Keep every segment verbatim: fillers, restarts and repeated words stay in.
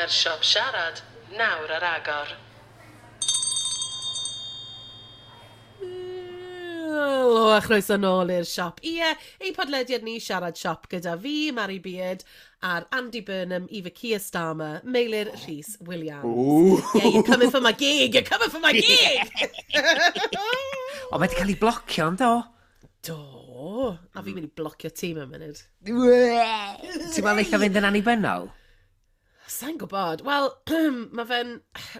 Mae'r siop siarad nawr ar agor. Helo a chroeso nôl i'r siop. Ie, ein podlediad ni Siarad Siop gyda fi, Mari Beard, a'r Andy Burnham, Eva Keir Starmer, Meilir Rhys Williams. Ooh. Yeah, you're coming for my gig, you're coming for my gig! O, mae wedi cael ei blocio, yndo? Do, a fi'n mynd i blocio ti mewn munud. Ti'n meddwl eitha fynd yn annibynnol? Sa'n gwybod. Wel, mae fe'n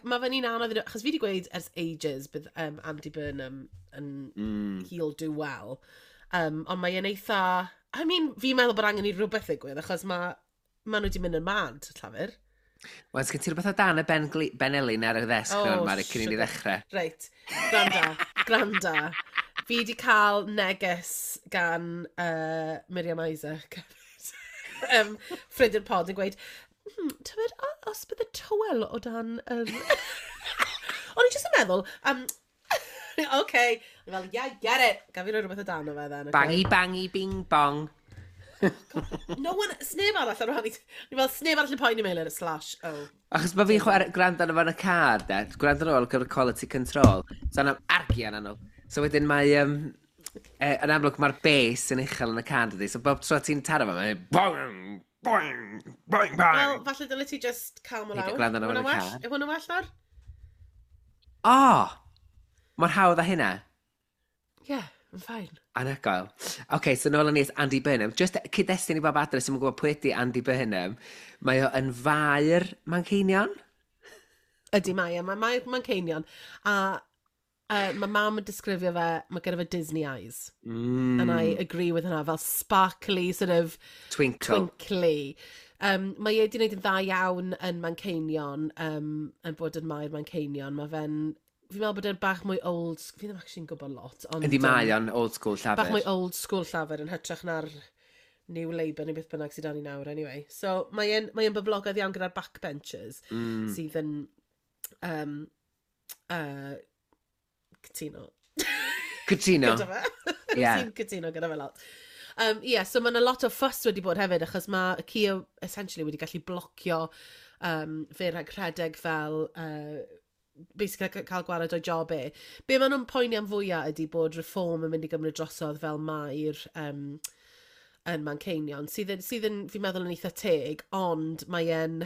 ma fe'n un anodd, i- achos fi wedi gweud ers ages bydd um, Andy Burnham yn mm. he'll do well. Um, ond mae e'n eitha... I mean, fi'n meddwl bod angen i rhywbeth ddigwydd, achos mae ma nhw wedi mynd yn mad, Llafur. Wel, sgen ti rhywbeth o dan y Ben, Gli- Ben Elin ar y ddesg Oh, oh, Mari, cyn i ni sugar. ddechrau. Reit, granda, granda. Fi wedi cael neges gan uh, Miriam Isaac, um, ffrind i'r pod yn gweud, hmm, tybed, o- os bydd y tywel o dan yr... O'n i jyst yn meddwl, um, okay, o'n i fel, yeah, get it. Gaf fi roi rhywbeth o dan o fe then. Okay? Bangy, bangy, bing, bong. No one, sneb arall ar wahân i... O'n i fel, sneb arall yn poeni Meilir, slash, oh. Achos mae fi'n chwarae gwrando arno fo yn y car, de. Gwrando arno fo gyda quality control. So yna argian arno. So wedyn mae... Um, e, yn amlwg mae'r bass yn uchel yn y car, dydy. So bob tro ti'n taro fo, mae'n boing, boing, boing, Wel, boing. falle dyle ti just calm o Ni 'di lawr. gwrando arno fo yn y Yw hwnna'n well? car. Yw hwnna'n well nawr? O! Mor hawdd â hynna. Yeah, I'm fine. Anhygoel. Oce, okay, so nôl â ni at Andy Burnham. Just cyd-destun i bob adre sy'n gwybod pwy ydy Andy Burnham. Mae o yn faer Manceinion. Ydy mae e, mae mae Manceinion. A uh, mae mam yn disgrifio fe, mae gyda fe Disney eyes. Mm. And I agree with hynna, fel sparkly, sort of Twinkle. twinkly. Um, mae e wedi gwneud yn dda iawn yn Manceinion, um, yn bod yn maer Manceinion. Mae fe'n, fi'n meddwl bod e'n bach mwy old, fi ddim actually'n gwybod lot. Ond, Ydy yym, mae o'n old school llafur. Bach mwy old school llafur yn hytrach na'r New Labour neu beth bynnag sydd 'da ni nawr, anyway. So mae e'n mae e'n boblogaidd iawn gyda'r backbenchers Mm. sydd yn um, uh, cytuno. Cytuno. Gyda fe. Ie. Sy'n cytuno gyda fe lot. Um, yeah, so mae yna lot o fuss wedi bod hefyd, achos mae Keir essentially wedi gallu blocio um, fe rhag rhedeg fel uh, basically ca- cael gwared o'i job e. Be maen nhw'n poeni am fwyaf ydy bod Reform yn mynd i gymryd drosodd fel maer um, yn Manceinion, sydd yn, sydd yn, fi'n meddwl yn eitha teg, ond mae e'n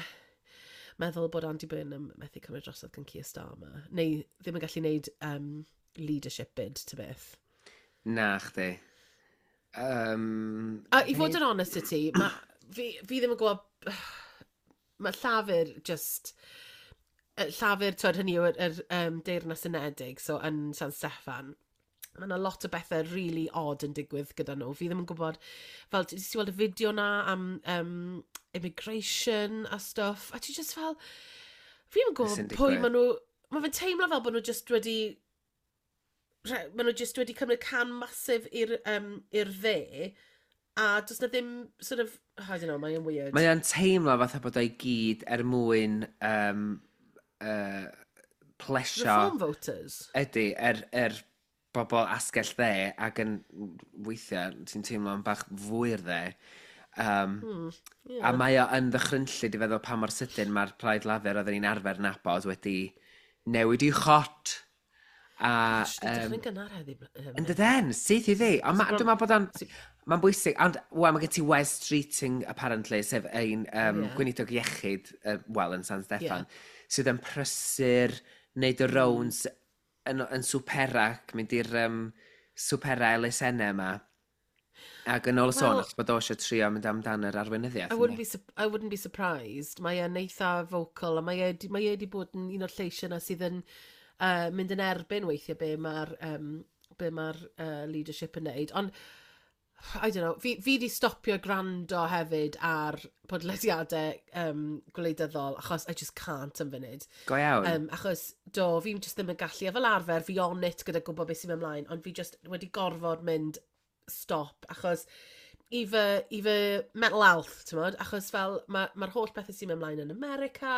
meddwl bod Andy Burnham methu cymryd drosodd gan Keir Starmer, neu ddim yn gallu gwneud um, leadership bid, ta beth. Na, chdi. Um, A i fod yn honest i ti, ma, fi, fi ddim yn gwybod... Mae Llafur just... y Llafur, twyd, hynny yw, yr, yr um, Deyrnas Unedig, so yn San Steffan. Mae yna lot o bethau really odd yn digwydd gyda nhw. Fi ddim yn gwybod, fel, ti ti weld y fideo na am um, immigration a stuff, a ti just fel, fi ddim yn Be sy'n gwybod pwy digwydd? maen nhw, mae fe'n teimlo fel bod nhw just wedi, re- maen nhw just wedi cymryd cam massive i'r um, i'r dde, a does na ddim sort of, I don't know, mae'n weird. Mae o'n teimlo fatha bod o'i gyd er mwyn um, uh, plesio. Reform voters. Ydy, er, er bobl asgell dde ac yn weithiau ti'n teimlo'n bach fwy'r dde. Um, Hmm, yeah. A mae o yn ddychrynllyd i feddwl pa mor sydyn mae'r Plaid Lafur oedden ni'n arfer nabod wedi newid i chot. A, Gosh, di yym, dechrau'n gynnar heddi. yym, Yn dydyn, syth i ddi. Ond ma, Bron- dwi'n meddwl bod o'n... Mae'n bwysig, ond, wel, mae gen ti Wes Streeting, apparently, sef ein um, Ie. gweinidog iechyd, uh, wel, yn San Steffan, Ie. sydd yn prysur wneud y rounds yn, yn swpera, mynd i'r um, swpera elusennau yma. Ac yn ôl y sôn, Wel- achos bod o eisiau trio mynd amdan yr arweinyddiaeth. I wouldn't yndi? be, sup- I wouldn't be surprised. Mae e'n eitha vocal, a mae e, di- mae e wedi bod yn un o'r lleisiau yna sydd yn uh, mynd yn erbyn weithiau be mae'r um, be mae'r uh, leadership yn neud. Ond, I don't know, fi, fi di stopio gwrando hefyd ar podlediadau um, gwleidyddol, achos I just can't am funud. Go iawn. Um, achos, do, fi'n just ddim yn gallu, a fel arfer, fi on it gyda gwybod beth sy'n mynd ymlaen, ond fi just wedi gorfod mynd stop, achos i fy, i fy mental health, ti'n modd? Achos fel, mae'r ma holl bethau sy'n mynd ymlaen yn America,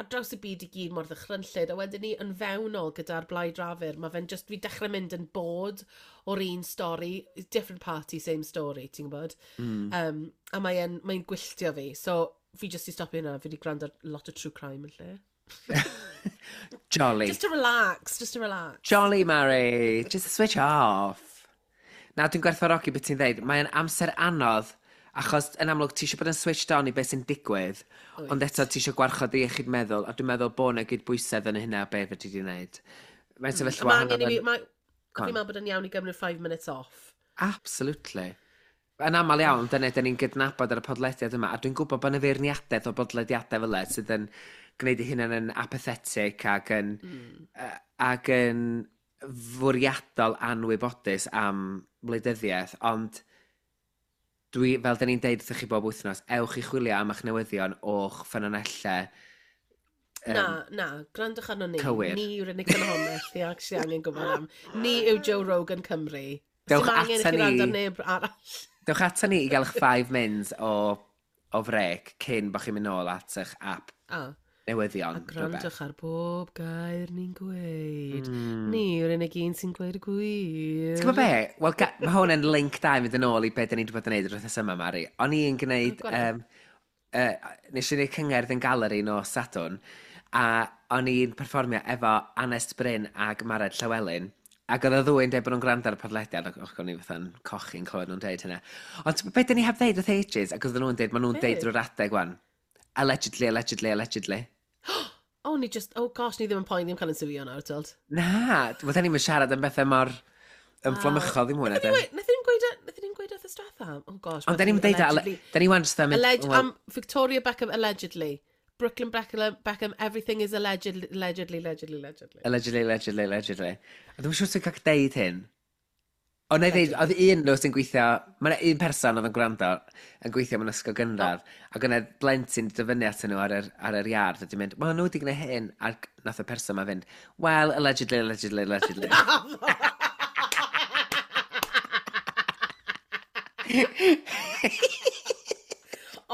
ar draws y byd i gyd mor ddychrynllyd, a wedyn ni yn fewnol gyda'r Blaid Lafur, mae fe'n just, fi dechrau mynd yn bored o'r un stori, different party, same story, ti'n gwybod? Mm. Um, a mae'n mae gwylltio fi, so Fi just i stopio hynna, fi wedi gwrando ar lot o true crime yn lle. Jolly. Just to relax, just to relax. Jolly, Mary. Just switch off. Na, dwi'n gwerthfawrogi beth ti'n dweud. Mae'n amser anodd, achos yn amlwg ti eisiau bod yn switched on i beth sy'n digwydd, Wyt. ond eto ti eisiau gwarchod dy iechyd meddwl, a dwi'n meddwl bod yna gydbwysedd yn hynna beth fedri di wneud. Mae'n sefyllfa Mae angen i fi, hynod yn- mae- Go on. fi'n meddwl bod yn iawn i gymryd five minutes off. Absolutely. Yn aml iawn, dyna dyn ni'n gydnabod ar y podlediad yma, a dwi'n gwybod bod yna feirniadaeth o bodlediadau fel e sydd yn gwneud eu hunain yn apathetic ac yn, mm. ac yn fwriadol anwybodus am wleidyddiaeth, ond dwi, fel dyn ni'n deud wrthych chi bob wythnos, ewch i chwilio am eich newyddion o'ch ffynonellau. Na, na, gwrandwch arno ni. Cywir. Ni yw'r unig ffynhonnell i actually angen gwybod am. Ni yw Joe Rogan Cymru. Dewch Dim angen i ata chi wrando ar ni. neb arall. Dewch ata ni i gael eich five mins o, o frec cyn bod chi'n mynd nôl at eich app A, newyddion. a gwrandwch ar bob gair ni'n gweud. Mm. Ni yw'r unig un sy'n gweud y gwir. Ti'n gwybod be? Wel, ga- mae hwn yn link da i fynd yn ôl i be da ni wedi bod yn neud yr wythnos yma, Mari. O'n i'n gwneud... O, go on. Um, uh, nes i wneud cyngerdd yn galeri nos Sadwrn, a o'n i'n perfformio efo Anest Bryn ag Mared Llywelyn, ac oedd y ddwy'n dweud bod nhw'n gwrando ar y podlediad, ac och, o'n i fatha'n cochi'n clywed nhw'n deud hynna. Ond ti'n gwbod be da ni heb ddeud wrth ages, ac oedden nhw'n deud, maen nhw'n Be? deud drwy'r adeg wan. Allegedly, allegedly, allegedly. Oh, ni just, oh gosh, ni ddim yn poeni am cael yn siwio nawr, ti'n Na, wel, da ni'n siarad am bethau mor ymfflamychol ddim hwnna, de. Nath ni'n gweud, nath ni'n gweud wrth y diwetha? Oh gosh. Ond da ni'n deud, allegedly. da ni wan jyst am... Alleg wel, um, Victoria Beckham allegedly. Brooklyn Beckham, Beckham everything is allegedly, allegedly, allegedly, allegedly. Allegedly, allegedly, allegedly. A dwi'n siŵr sy'n cael deud hyn. Ond na i ddeud, oedd un nhw sy'n gweithio, mae yna un person oedd yn gwrando yn gweithio mewn ysgol gynradd, oh. ac yna blentyn di dyfynnu atyn nhw ar yr, ar yr iard, a di mynd, wel, nhw wedi gwneud hyn, ac nath y person ma fynd, well, allegedly, allegedly, allegedly.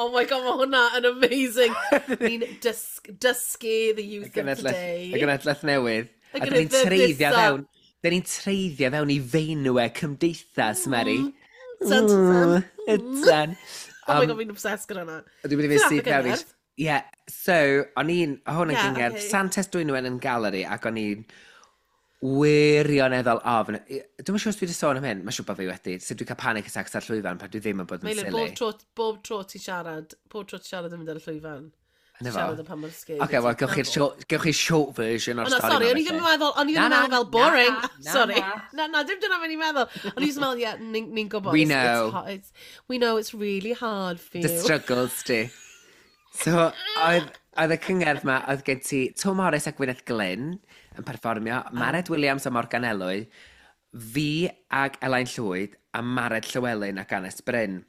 Oh my god, mae hwnna yn amazing. Ni'n dysg, dysgu the youth of today. Y genedlaeth newydd. Y A dyn ni'n genedlaeth treiddio nesa. fewn, dyn ni'n treiddio fewn i feinwe cymdeithas, Mary. Tan, tan. Ydan. Oh my god, fi'n obsessed gyda hwnna. Dwi'n mynd i fynd Ti'n syth mewn i... gyngerdd? Ie, so, o'n i'n... O hwn yn Ie, gyngerdd. ocê. Santes Dwynwen yn galeri, ac o'n i'n wirioneddol ofn. Dwi'm yn siŵr os dwi wedi sôn am hyn, mae'n siŵr bod fi wedi. So dwi'n cael panic attacks ar llwyfan pan dwi ddim yn bod yn Meilir, silly. bob tro, bob tro ti siarad, bob tro ti siarad yn mynd ar y llwyfan. Yna fo. Siarad am pan mor scary. Oce, wel, gewch chi'r short, gewch chi short version o'r O na, stori sorry, yma, o'n i ddim yn felly. meddwl, o'n i ddim Na, yn na, meddwl fel na, boring. na, Sorry. na. Na, na, dim dyna fe'n i'n meddwl. O'n i jyst yn meddwl, yeah, ni'n ni gwybod. We it's- it's know. ho- it's, we know it's really hard for The you. struggles, di. So, oedd, oedd y cyngerdd ma, oedd gen ti Twm Morris a Gwyneth Glyn yn perfformio, Mared Williams a Morgan Elwy, fi ag Elain Llwyd, a Mared Llywelyn ac Anest Bryn.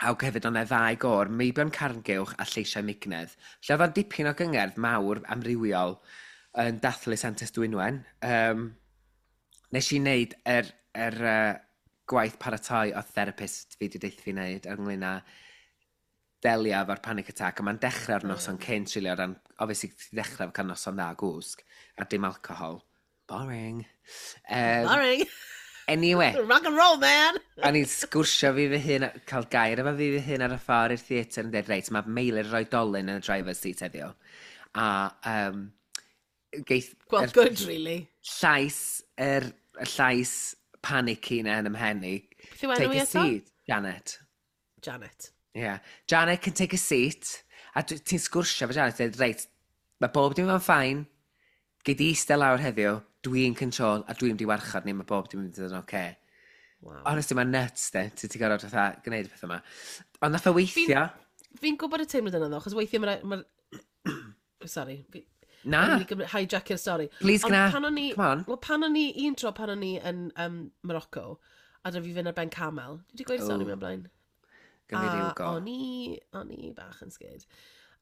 Ac hefyd oedd 'na ddau gôr, Meibion Carngewch a Lleisiau Mignedd. Lle oedd o'n dipyn o gyngerdd mawr amrywiol yn dathlu Santes Dwynwen. Um, nes i wneud yr, yr uh, gwaith paratoi o therapist fi wedi deud fi wneud ynglyn â delio efo'r panic attack, a mae'n dechrau'r noson cynt, really, o ran, obviously, ti'n dechrau efo cael noson dda o gwsg, a dim alcohol. Boring. Um, Boring. Anyway, Rock and roll, man. o'n i'n sgwrsio fi fy hun, cael gair efo fi fy hun ar y ffordd i'r theatr yn dweud, reit, mae Meilir yr oedolyn yn y driver's seat heddiw. A um, geith... Well, yr good, really. Llais, yr, y llais panicky na yn 'y mhen i. Beth yw enw Take i a eto? seat, Janet. Janet. Yeah. Janet can take a seat. A dwi- ti'n sgwrsio efo Janet, dweud, reit, mae bob dim yn fine. Gei di eistedd lawr heddiw, dwi'n control, a dwi'n di warchod ni, mae bob dim yn mynd yn oce. Okay. Wow. Honestly, mae'n nuts, de. Ti ti gorfod fatha gwneud y peth yma. Ond nath o weithio. Fi'n gwybod y teimlad yna, ddo, achos weithiau mae'r... Ma Sorry. Fi, Na. O'n i'n gymryd hijacio'r stori. Please Ond gna. Pan o'n i, Come on. Wel, pan o'n i, un tro pan o'n i yn um, Morocco, a da fi fynd ar ben camel. Dwi wedi gweud y stori Oh. mewn blaen. Gyn fi ryw A go. o'n i, o'n i bach yn scared.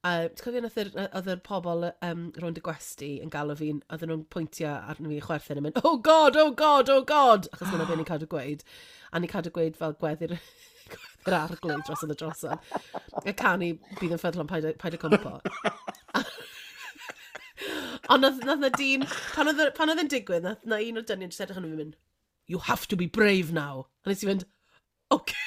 Uh, ti'n cofio nath yr, oedd yr pobl um, rownd y gwesty yn galw fi'n, oedden nhw'n pwyntio arno fi chwerthin yn mynd, oh god, oh god, oh god! Achos dyna beth ni'n cadw gweud. A ni'n cadw gweud fel gweddi'r gweddi'r arglwydd dros y drosodd. Y canu bydd yn ffyddlon paid, â- paid â cwmpo. Ond nath, nath na dyn, pan oedd, pan oedd yn digwydd, nath na un o'r dynion jyst edrych arno fi mynd, you have to be brave now. A nes i fynd, okay.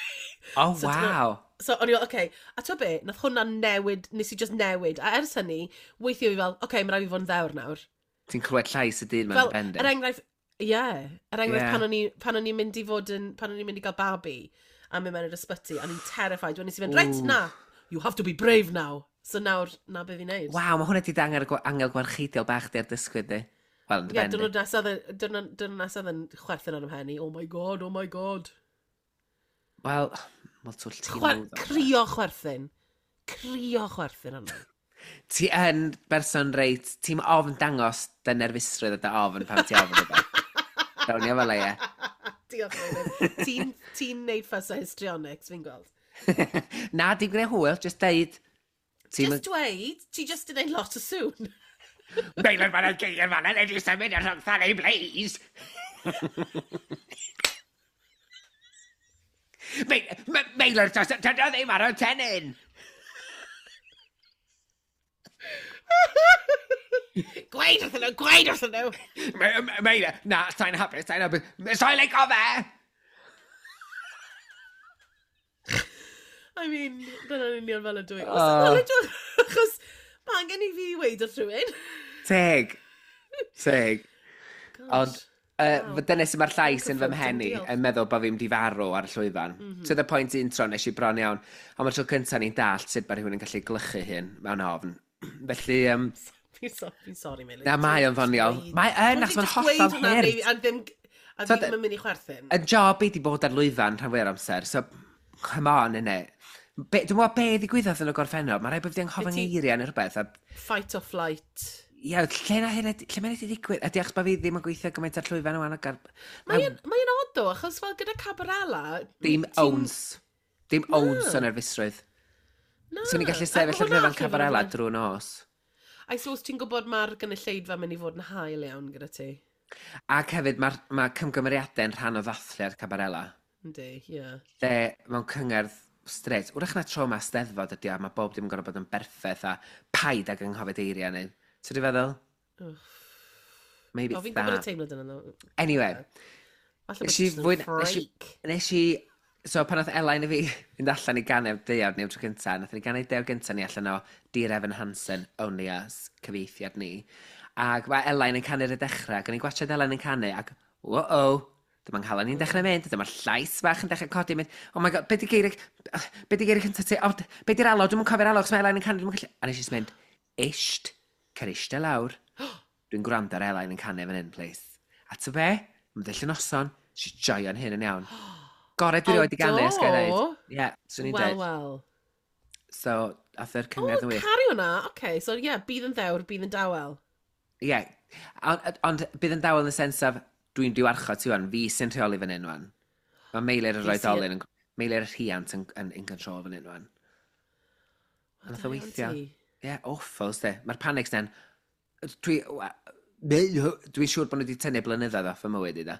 Oh, So ti'n wow. So o'n i fel, okay. A ti'n be, nath hwnna newid, nes i just newid. A ers hynny, weithio fi fel, okay, mae rhaid fi fod yn ddewr nawr. Ti'n clywed llais y dyn mewn Fel, pen di. er enghraifft, ie, yeah, er enghraifft Ie. pan o'n i, pan o'n i'n mynd i fod yn, pan o'n i'n mynd i gael babi, a mynd mewn i'r ysbyty, a ni'n terrified, wedyn nes i fynd, reit, Ww. na, you have to be brave now. So nawr, na be fi'n neud. Waw, mae hwnna di dangos gwa- angel gwarcheidiol bach di ar dysgwydd di. Wel, yn Ie, dy ben di. diwrnod nesaf, diwrnod diwrnod nesaf yn chwerthin ar 'y mhen i, oh my God, oh my God. Wel, wel twll ti'n Chwer, meddwl. crio chwerthin. Crio chwerthin arno. Ti yn berson reit, ti'n ofn dangos dy nerfusrwydd a dy ofn pan ti ofn rhywbeth. Dawn i fel e, ie. Diolch, Meilir. Ti'n ti neud fuss o histrionics, fi'n gweld. Na, dim gwneud hwyl, just deud. Ti'n Just dweud, ti just yn neud lot o sŵn. Meilir fan y geir fan yna, di symud ar rhwng thani, please. Meilir, does dyna ddim ar y tennyn. Gweud wrthyn nhw, gweud wrthyn nhw. Meilir, na, sa'n hapus, sa'n hapus. Sa'n leico fe! I mean, dyna'n union fel ydw i. Oh. Oh. Achos mae angen i fi weud wrth rhywun. Teg. Teg. Gosh. Ond, uh, Wow. dyna sy'n mae'r llais yn fy Comforting, mhen i diolch. yn meddwl bod fi'n di farw ar y llwyfan. Mm -hmm. To the point un tro nes i bron iawn. Ond mae'r tro cyntaf ni'n dallt sut mae rhywun yn gallu glychu hyn mewn ofn. Felly, um, Fi'n so, fi sorry, Meilir. na mae o'n ddoniol. Mae yn, achos mae'n hollol hurt. A ddim, a So, ddim yn mynd i chwerthin. Y job i di bod ar lwyfan rhan fwy'r amser, so come on, innit. Be, dwi'n meddwl be ddigwyddodd yn y gorffennol, mae rhaid bod fi 'di anghofio Be ti- ngeiriau neu rhywbeth. A, Fight or flight. ie, lle na hyn, lle mae'n wedi digwydd? Ydy achos bod fi ddim yn gweithio gymaint ar llwyfan ŵan ac ar... Mae'n mae odd though, achos fel gyda Cabarella... Dim ti'n- owns. Dim owns o nerfusrwydd. Na. Swn i'n gallu A sefyll ar hwnna llwyfan allu fod yn Cabarella rhywbeth. drwy nos. I suppose ti'n gwybod mae'r gynulleidfa mynd i fod yn hael iawn gyda ti. Ac hefyd mae'r ma cymgymeriadau yn rhan o ddathliad Cabarella. Yndi, ie. Lle mewn cyngerdd straight, wrach na tro ma steddfod ydi o, a mae bob dim yn gorfod bod yn berffaith a paid ag anghofio eiriau neu. Ti'n dwi'n feddwl? Maybe O, it's fi'n gwybod y that. teimlad yna. though. Anyway, Falle bod Nes i jyst yn fwyn- nes i- freak. nes i... So pan oedd Elain a fi fynd allan i ganu deuawd ni am tro cynta, nath ni ganu deuawd gynta ni allan o Dear Evan Hansen, Only Us, cyfieithiad ni. Ac mae Elain yn canu ar y dechrau, ac o'n i'n gwachod Elain yn canu, ac wo-oh, dyma'n nghalon ni'n dechrau mynd, dyma'r llais bach yn dechrau codi, mynd, oh my God, be di geiriau, be di geiriau cynta ti, oh, be di'r alaw, dwi'm yn cofio'r alaw, achos mae Elain yn canu, dwi'm yn gallu... A nes i jyst mynd, isht, cer eistedd lawr, dwi'n gwrando ar Elain yn canu fan hyn, please. A ty be, mae'n dell y noson, nes i joio'n hyn yn iawn. Gorau dwi O, rioed i ganu, os gael do? dweud. Ie, swn i'n Wel, dweud. wel. So, ath yr O, cyngerdd yn wych. caru hwnna. Oce, so ie, yeah, bydd yn ddewr, bydd yn dawel. Ie, ond, ond bydd yn dawel yn y sens of, dwi'n diwarchod ti wan, fi sy'n rheoli fan hyn wan. Mae Meilir yr Fi sy'n- oedolyn, yn, Meilir y rhiant yn, yn, in control fan hyn wan. O, Nath da o iawn weithio. ti. Ie, yeah, awful, sdi. Mae'r panics na'n... Dwi, wa- dwi'n siŵr bod nhw wedi tynnu blynyddoedd off fy mywyd i da.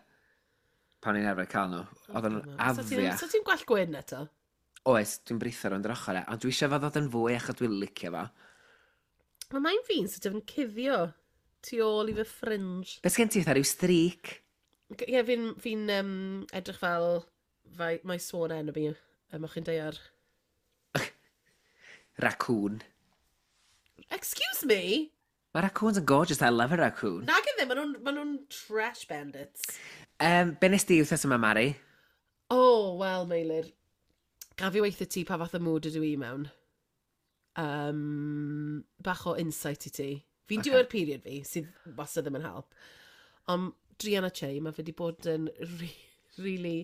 Pan i'n arfer cael nhw. Oedd nhw'n So ti'n afiach. so ti'n gwell gwyn eto? Oes, dwi'n britho rownd yr ochr e, ond dwi eisiau fo ddod yn fwy achos dwi'n licio fo. Mae mae'n fi'n sort of yn cuddio tu ôl i fy fringe. Be sgen ti, fatha rhyw streak? Ie, yeah, fi'n fi um, edrych fel fai, mae sworn enemy y mochyn daear. Raccoon. Excuse me? Mae raccoons yn gorgeous, I love a raccoon. Nag ydyn, maen nhw'n ma nhw trash bandits. Um, be nes di wythnos yma, Mari? Oh, wel, Meilir. Gaf i weithio ti pa fath o mood ydw i mewn. Um, bach o insight i ti. Fi'n Ocê. okay. due period fi, sydd wastad ddim yn help. Ond druan â Che, mae fe wedi bod yn re really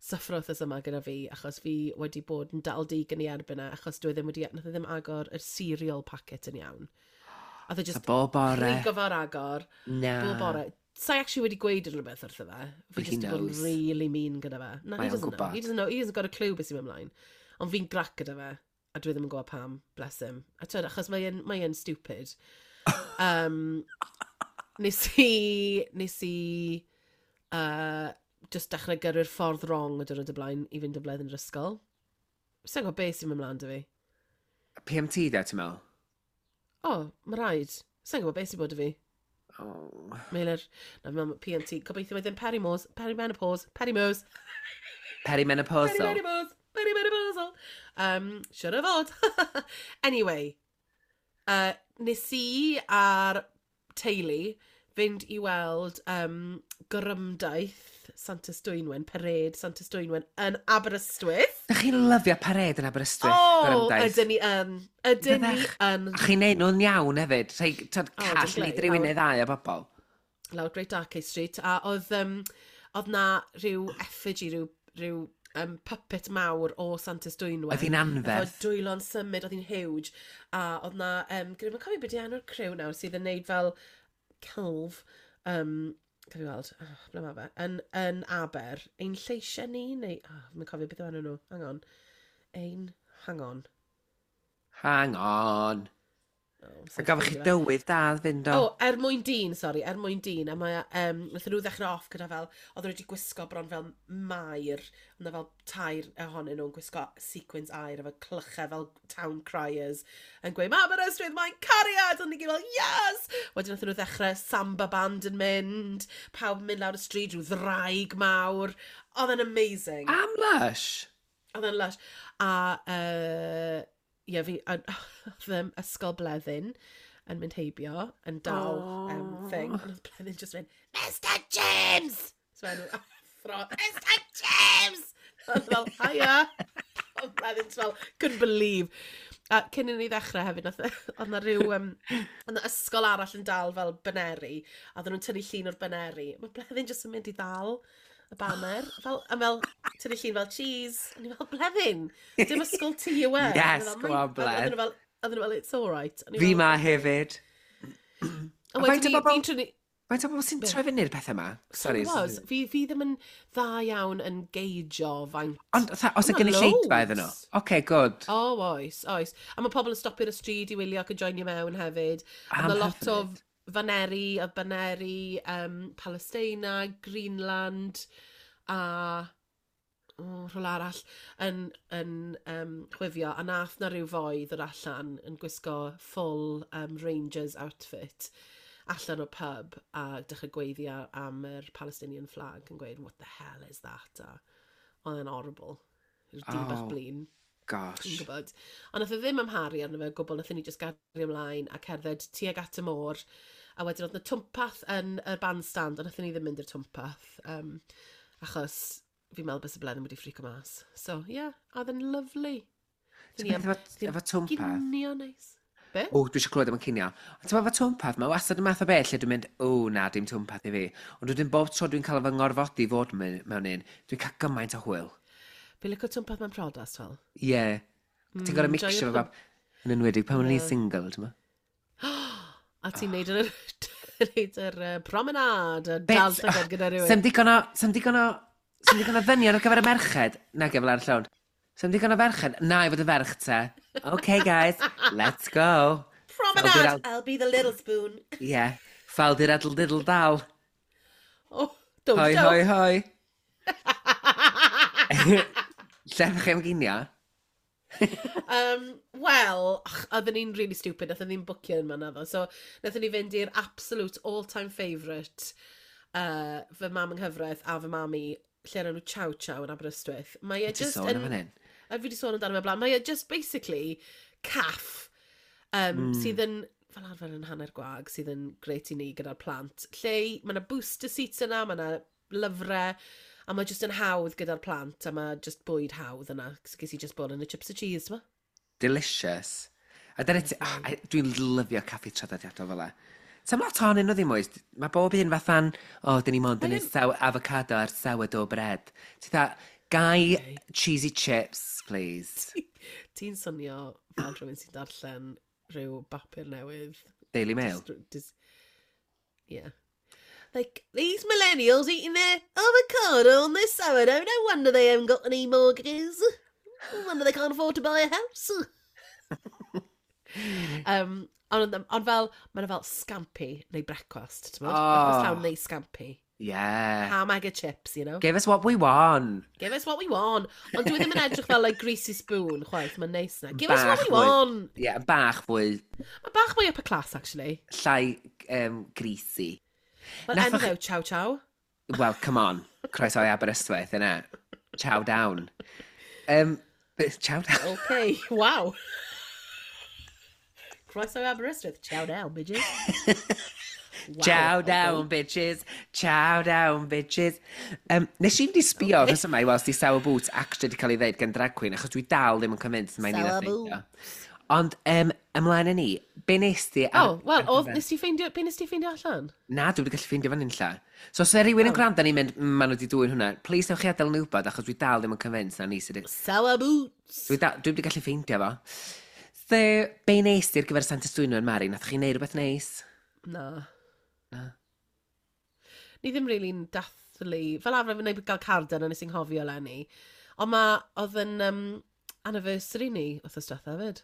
syffro wythnos yma gyda fi, achos fi wedi bod yn dal dig yn ei erbyn e, achos dwi ddim wedi, nath e ddim agor yr cereal packet yn iawn. A dde So just bob bore. prigo fo'r agor, Na. bob bore. Sai actually wedi gweud unrhyw beth wrtho fe. Fi But he just wedi bod yn knows. really mean gyda fe. Na, Mae he o'n doesn't know. gwbod. He doesn't know. He hasn't got a clue beth sy'n mynd ymlaen. Ond fi'n grac gyda fe, a dwi ddim yn gwybod pam, bless him. A twyd, achos mae'n mae yn stupid. Um, nes i, nes i uh, just dechrau gyrru'r ffordd wrong y diwrnod y blaen i fynd o blaen yn yr ysgol. Sa'n gwybod beth sy'n mynd ymlaen 'da fi. P M T da, ti'n meddwl? O, oh, mae rhaid. Sa'n gwybod beth sy'n bod 'da fi. Oh. Meilir, na fi meddwl P M T. Gobeithio mae ddim perimos, perimenopause, perimos, Perimenopausal. perimenopause. Very, very puzzled. Um, siwr o fod. Anyway, uh, nes i a'r teulu fynd i weld um, gorymdaith Santes Dwynwen, parade Santes Dwynwen yn Aberystwyth. Da chi'n lyfio parade yn Aberystwyth? O, gorymdaith? Ydyn ni yn. Ydyn ni Fyddech. yn. A chi'n neud nhw'n iawn hefyd. Rhai, tod, O, call dim ni glei, rhywun lawr. neu ddau o bobl. Lawr Great Arcade Street, a oedd, um, oedd na rhyw effigy, rhyw, rhyw um, puppet mawr o Santes Dwynwen. Oedd hi'n anferth. Efo dwylo'n symud, oedd hi'n huge. A oedd na, um, dwi'n cofio beth i enw'r criw nawr sydd yn neud fel celf, um, cael fi weld, oh, ble mae fe, yn, yn Aber, Ein Lleisiau Ni, neu, oh, fi'n cofio beth yw enw nhw, hang on. Ein, hang on. Hang on. Oh, A gafo chi dywydd da fynd o. O, Er Mwyn Dyn, sori, Er Mwyn Dyn. A mae, um, wnaethon nhw ddechrau off gyda fel, oedden nhw wedi gwisgo bron fel maer, ond fel tair ohonyn nhw'n gwisgo sequins aur efo clychau fel town criers, yn gweud, "Ma Aberystwyth, mae'n cariad!" Ond ni gyd fel, "Yes!" Wedyn wnaethon nhw ddechrau samba band yn mynd, pawb yn mynd lawr y stryd, rhyw ddraig mawr. Oedd e'n amazing. Am lush. Oedd e'n lush. A, uh, ie, fi, a, oedd um, Ysgol Bleddyn yn mynd heibio, yn dal um, thing. Ond oedd Bleddyn just mynd, "Mister James!" So enw athro, "Mister James!" Oedd fel, "Hiya!" Oedd Bleddyn just fel, couldn't believe. A cyn i ni ddechrau hefyd, nath, oedd na rhyw, um, oedd na ysgol arall yn dal fel baneri, a oedden nhw'n tynnu llun o'r baneri. Mae Bleddyn just yn mynd i ddal y banner, fel, a fel, tynnu llun fel, "Cheese." A ni fel, "Bleddyn, dim ysgol ti yw e." Yes, A nhw fel, go on, "Mae'n-" Bledd. Oedden nhw fel, oedden nhw fel, "It's all right." A ni Fi fel- ma hefyd. A A faint wedyn o ni, bobl- fi'n trynu. Faint o bobl sy'n troi fyny'r pethau yma? Sorry. Was, fi, fi ddim yn dda iawn yn geijo faint. Ond fatha, os y Ma' gynulleidfa iddyn nhw? loads. Oce, good. O, oes, oes. A mae pobl yn stopio ar y stryd i wylio ac yn joinio mewn hefyd. A Am mae lot o hyfryd. faneri, a baneri um, Palestina, Greenland, a oh, rhywle arall yn, yn um, chwifio. A nath na rhyw foi ddod allan yn gwisgo full um, Rangers outfit allan o'r pub a dechrau gweiddi ar- am yr Palestinian flag yn gweud, "What the hell is that?" A oedd e'n horrible. Rhyw dyn bach Oh. blin. Gosh. Dwi'n gwybod. Ond nath e ddim amharu arno fe o gwbl, nath ni just gario ymlaen a cerdded tuag at y môr. A wedyn oedd na twmpath yn y bandstand, ond nath ni ddim mynd i'r twmpath. Um, achos fi'n meddwl byse Bleddyn wedi ffrico mas. So, yeah, oedd yn lovely. Ti'n beth efo, efo twmpath? Ginio neis. Be? O, dwi eisiau clywed am y cinio. Ond ti'n efo twmpath, mae wastad y math o beth lle dwi'n mynd, "O na, dim twmpath i fi." Ond wedyn bob tro dwi'n cael fy ngorfodi fod mewn mewn un, dwi'n cael gymaint o hwyl. Fi'n licio twmpath mewn priodas, fel. Ie. Yeah. Ti'n gorau Mm, mixio joio fo bab. Yn enwedig pan o'n i'n single, ti'n ma? A ti'n neud yr, neud yr uh, promenade, a Be- dal llygad gyda rhywun. Sem digon o, sem digon o, sem digon o ddynion ar gyfer y merched. Na, gefel ar y llawn. Sem digon o ferched. Na, i fod y ferch te. Okay, guys, let's go. Promenade! I'll be the little spoon. Yeah. Ffaldir adl diddle dal. Oh, don't Hoi, joke. hoi, hoi. Lle ddech chi am ginio? Um, Wel, ach, oedden ni'n really stupid, nathon ni'n bwcio yn man naddo. So, nathon ni fynd i'r absolute all-time favourite, uh, fy mam yng nghyfraith a fy mam i, lle o'r enw Chow Chow yn Aberystwyth. Mae e Ti just sôn am yn hyn. A fi wedi sôn amdano fe blaen. Mae e just basically caff um, mm. sydd yn fel arfer yn hanner gwag, sydd yn grêt i ni gyda'r plant. Lle mae yna booster seats yna, mae yna lyfrau, a mae just yn hawdd gyda'r plant, a mae just bwyd hawdd yna. Ges i just bod yn y chips a cheese, ma. Delicious. A dyna ti... Oh, dwi'n lyfio caffi traddodiadol fel e. Sam lot ohonyn nhw ddim oes. Mae bob un fatha'n, "O, oh, dyn ni mond yn neud saw avocado ar sourdough bread." Ti dda, "Gai cheesy chips, please." Ti'n swnio fel rhywun sy'n darllen rhyw bapur newydd. Daily Mail. Just, just, yeah. Like, "These millennials eating their avocado on their sourdough. No wonder they haven't got any mortgages. No wonder they can't afford to buy a house." um, ond, ond fel, mae'n fel scampi neu brecwast, ti'n oh. Oh. Brecwast llawn neu scampi. Yeah. Ham, egg a chips, you know? Give us what we want. Give us what we want. Ond dwi ddim yn edrych fel like greasy spoon, chwaith, mae'n neis na. Give us what Bach we fwy. want. Yeah, bach fwy Mae bach mwy upper class, actually. Llai um, greasy. Wel, Nathoch enw chi- fe yw Chow Chow. Well, come on. Croeso i Aberystwyth, innit? Chow down. Um, Chow down. Okay, wow. Croeso i Aberystwyth. Chow down, bitches. Wow, Chow okay. down, bitches. Chow down, bitches. Um, nes i fynd i sbio okay. yma i weld di Sour Boots actually di cael ei ddeud gan drag queen, achos dwi dal ddim yn convinced mai ni Sour nath ffeindio. Ond um, ymlaen â ni, be nes di... ar- Oh, wel, ar oedd, gyfer- nes ti ffeindio, be nes ti ffeindio allan? Na, dwi wedi gallu ffeindio fan unlla. So, os yna rhywun yn Oh. gwrando ni'n mynd, mm, maen nhw wedi dwyn hwnna, please newch chi adael yn wybod, achos dwi dal ddim yn convinced na ni sydd... Sour Boots. Dwi, da, dwi wedi gallu ffeindio fo. So, be nes di ar gyfer Santes Dwynwen, Mari? Nath chi neud rhywbeth neis? Na. Na. Ni ddim really'n dathlu. Fel arfer, fi'n gael carden a nes i'n nghofio eleni. Ond ma, oedd yn um, anniversary ni wythnos diwetha hefyd.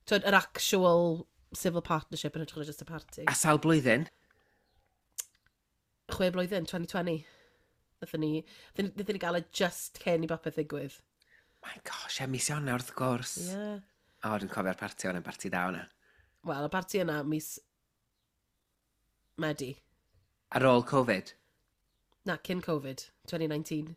Twyd, yr actual civil partnership yn hytrach na just a party. A sawl blwyddyn? Chwe blwyddyn, twenty twenty. Nathon ni, nathon ni gael e just cyn i bopeth ddigwydd. My gosh, e, mis Ionawr wrth gwrs. Yeah. O, dwi'n cofio'r parti o'n parti da o'na. Wel, y parti yna mis Medi. Ar ôl Covid? Na, cyn Covid, twenty nineteen.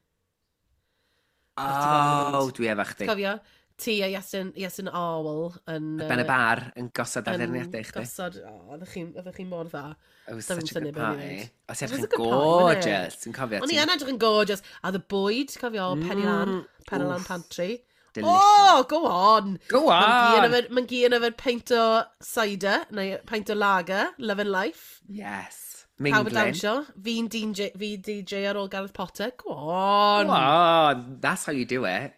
Parti fel O, yn dwi efo chdi. Cofio? Ti a Iestyn, Iestyn Arwel yn Ben y bar yn gosod yn addurniadau i chdi. Gosod, o, oeddech chi'n oeddech chi mor dda. It was Doedd such ddim a good syniad be o'n i'n party. neud. O, ti'n It was edrych a yn good party, wasn't it? gorgeous. Ti'n cofio? O'n i ti'n- yn edrych yn gorgeous. A the bwyd, cofio, Penny Lan, Penny Lan Oof. Pantry. Delicious. Oh, go on! Go on! Mae'n gi yn yfed peint o cider, neu peint o lager, Loving Life. Yes. Pawb yn Mingling. dawnsio. Fi'n D J, fi D J ar ôl Gareth Potter. Go on! Go on! That's how you do it.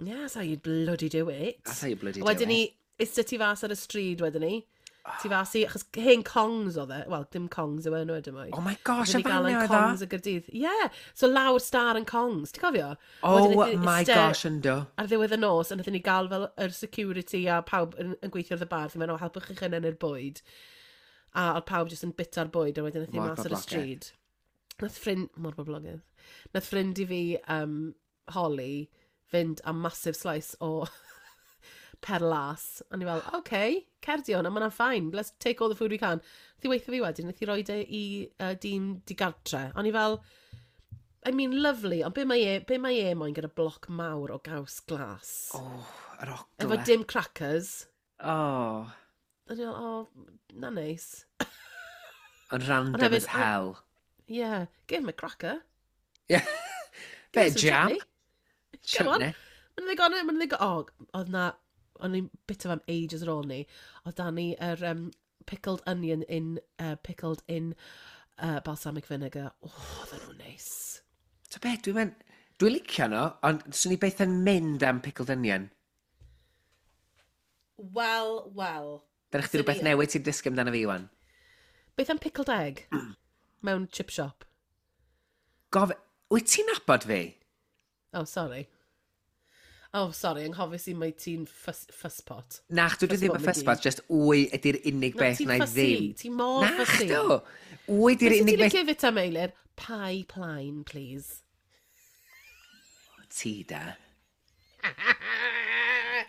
Yeah, that's how you bloody do it. That's how you bloody do Wedyn it. ni, iste tu fas ar y stryd wedyn ni. Tu fas i, achos hen Kongs oedd e. Wel, dim Kongs yw enw ydym Oh my gosh, Wedyn y ni gael fanno yn oedd o? Kongs y Gaerdydd. Yeah, so lawr Star yn Kongs, ti'n cofio? Oh Wedyn wnaethon ni my iste gosh, ynddo. ar ddiwedd y nos, a wnaethon ni gael fel yr security a pawb yn, yn gweithio ar y bar, ddim yn o, helpwch chi'ch hunain i'r bwyd. A oedd pawb jyst yn bita'r bwyd, a wedyn wnaethon ni Mor mas ar y boblogaidd. stryd. Nath ffrind, mor boblogaidd. Nath ffrind i fi, um, Holly, fynd am massive slice o perlas. A ni fel, "Okay, cer di hwnna, ma' hwnna'n fine. Let's take all the food we can." Nath i weithio fi wedyn, nath i roed e i uh, dyn digartre. O'n i fel, I mean, lovely, ond be mae e, be mae e moyn gyda bloc mawr o gaws glas? Oh, yr Efo ogle. dim crackers. Oh, A ni fel, "Oh, na neis." yn random Ond hefyd, as hell. Yeah, give him a cracker. Yeah. Give Bit him of some jam. chutney. Come on. Chutney. Mae'n ddigon, mae'n ddigon, oh, oedd na, o'n i'n bit of am ages ar ôl ni, oedd da ni yr um, pickled onion in, uh, pickled in uh, balsamic vinegar. Oh, oedden nhw'n neis. So be, dwi'n mynd... Dwi'n licio nhw, ond swn i beth yn mynd am pickled onion. Wel, wel. Dyna chdi Swn rhywbeth i- newydd ti'n dysgu amdano fi, wan. Beth am pickled egg? Mewn chip shop. Gof... Wyt ti'n nabod fi? Oh, sorry. Oh, sorry, anghofio i mai ti'n fuss, fusspot. Na, dwi ddim yn Fusspot fusspot, just wy ydy'r unig Na, beth ti'n na i fussy. ddim. Ti'n mor Na, fussy. chdo. Wy ydy'r Beth unig ti'n beth... licio fita, Meilir? Pie plaen, please. Ti da.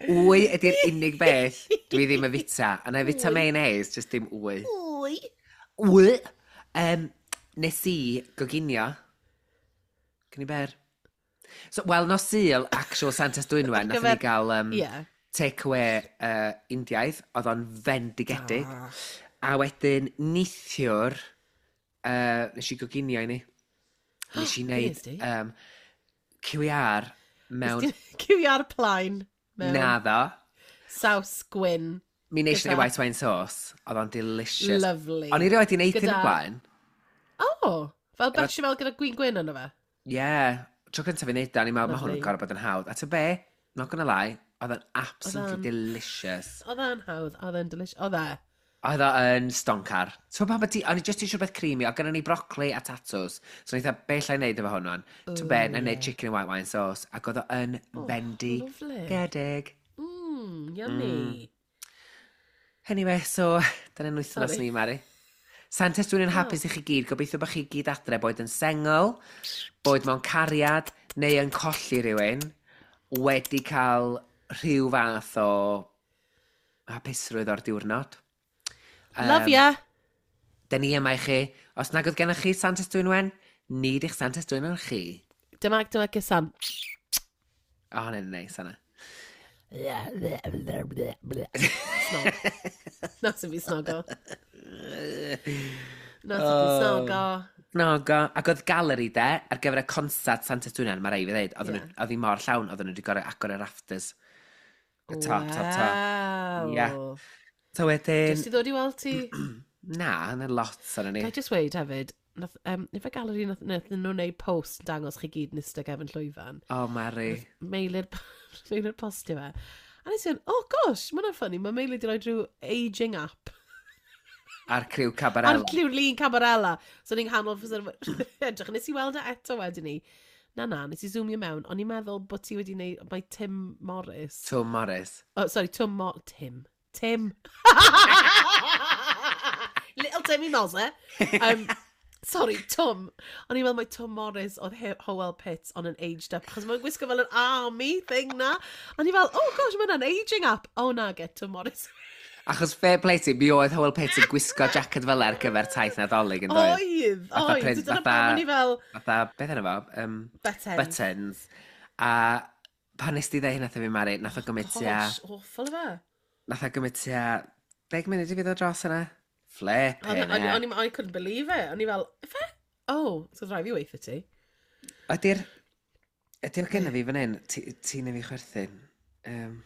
Wy ydy'r unig beth dwi ddim yn fita. A na i fita mayonnaise, just dim wy. Wy. Wy. Um, nes i goginio. Can i ber? So, wel, nos Sul, actual Santes Dwynwen, nath ni gyfer- gael um, Ie. take-away uh, Indiaidd, oedd o'n fendigedig. Ah. A wedyn, neithiwr, uh, nes i goginio i ni. Nes i Be wneud nes di? um, Q R mewn Q R plaen. Mewn Naddo. saws gwyn. Mi nes i Gyda- wneud white wine sauce. Oedd o'n delicious. Lovely. O'n i rioed i wneud hyn Gyda- o'r blaen. Oh, fel bechamel gyda gwin gwyn yno fe. Ie. Yeah. Tro cyntaf i wneud o, o'n i'n meddwl, mae hwn yn Lovely. gorfod bod yn hawdd. A ty be? Not gonna lie, oedd o'n absolutely o'n- delicious. Oedd e'n hawdd, oedd e'n delicious. Oedd e. Oedd o yn stoncar. So pa bod ti, o'n i just eisiau rhywbeth creamy, oedd gynnon ni brocoli a tatws. So o'n i dda, be llai wneud efo hwn wan? To be, na i wneud chicken and white wine sauce. Ac oedd o yn lovely. fendigedig. Mmm, yummy. Mm. Anyway, so, dyna'n wythnos Sorry. ni, Mari. Santes, dwi'n yn hapus i chi gyd. Gobeithio bod chi gyd adre, boed yn sengl, boed mewn cariad, neu yn colli rhywun, wedi cael rhyw fath o hapusrwydd o'r diwrnod. Love ya. Da ni yma i chi. Os nag oedd gennych chi Santes Dwynwen, ni di'ch Santes Dwynwen chi. Dyma, dyma gysan. O, hwnna'n neis, hwnna. Snog. Na sy'n fi snogo. Na sy'n fi snogo. Snogo. Ac oedd galeri de, ar gyfer y concert Santes Dwynwen, mae rai fi ddeud, oedd yeah. Oedd hi mor llawn, oedden nhw wedi gorau agor y rafters. Y top, top, top. Wow. Ie. So wedyn... Jyst i ddod i weld ti. Na, yna lot arno ni. Ga i just weud hefyd, nath, um, ife galeri nath, nath nhw wneud post yn dangos chi gyd yn ista gefn llwyfan. O, oh, Mari. Meilir, Meilir postio fe. A nes i fynd, oh gosh, mae hwnna'n funny, mae Meilir wedi rhoi rhyw aging app. Ar criw Ar Cabarella. cliw lun Cabarella. So ni'n nghanol fysa edrych. Nes i weld e eto wedyn ni. Na, na, nes i zoomio mewn. O'n i'n meddwl bod ti wedi neud, mae Tim Morris. Twm Morris. Oh, sorry, Tim Mo... Tim. Tim. Little Timmy Mozza. Um, sorry, Tom. O'n i'n meddwl mai Tom Morris oedd He- Howell Pitts on an aged up, achos mae'n gwisgo fel an army thing na. O'n i fel, oh gosh, mae hwnna'n aging app. Oh na, get Tom Morris. Achos fair play ti, mi oedd Howell Pitts yn gwisgo jacket fel ar gyfer taith Nadolig yn doedd? Oedd, Fatha oedd. print- Dyna fatha- pam o'n i fel, Fatha, beth yna fo? Um, buttons. buttons. A pan nes ti ddeud hynna wrtho fi, Mari, nath o gymryd tua... Gosh, awful o fe. Nath o gymryd tua deg munud i fi ddod dros yna. Flipping O'n heck. o'n i, I couldn't believe it. O'n i fel, ife? Oh, so rhaid fi weithio ti. Ydy'r... Ydy'r gynna fi fan hyn? Ti- Ti'n neu fi chwerthin? Um,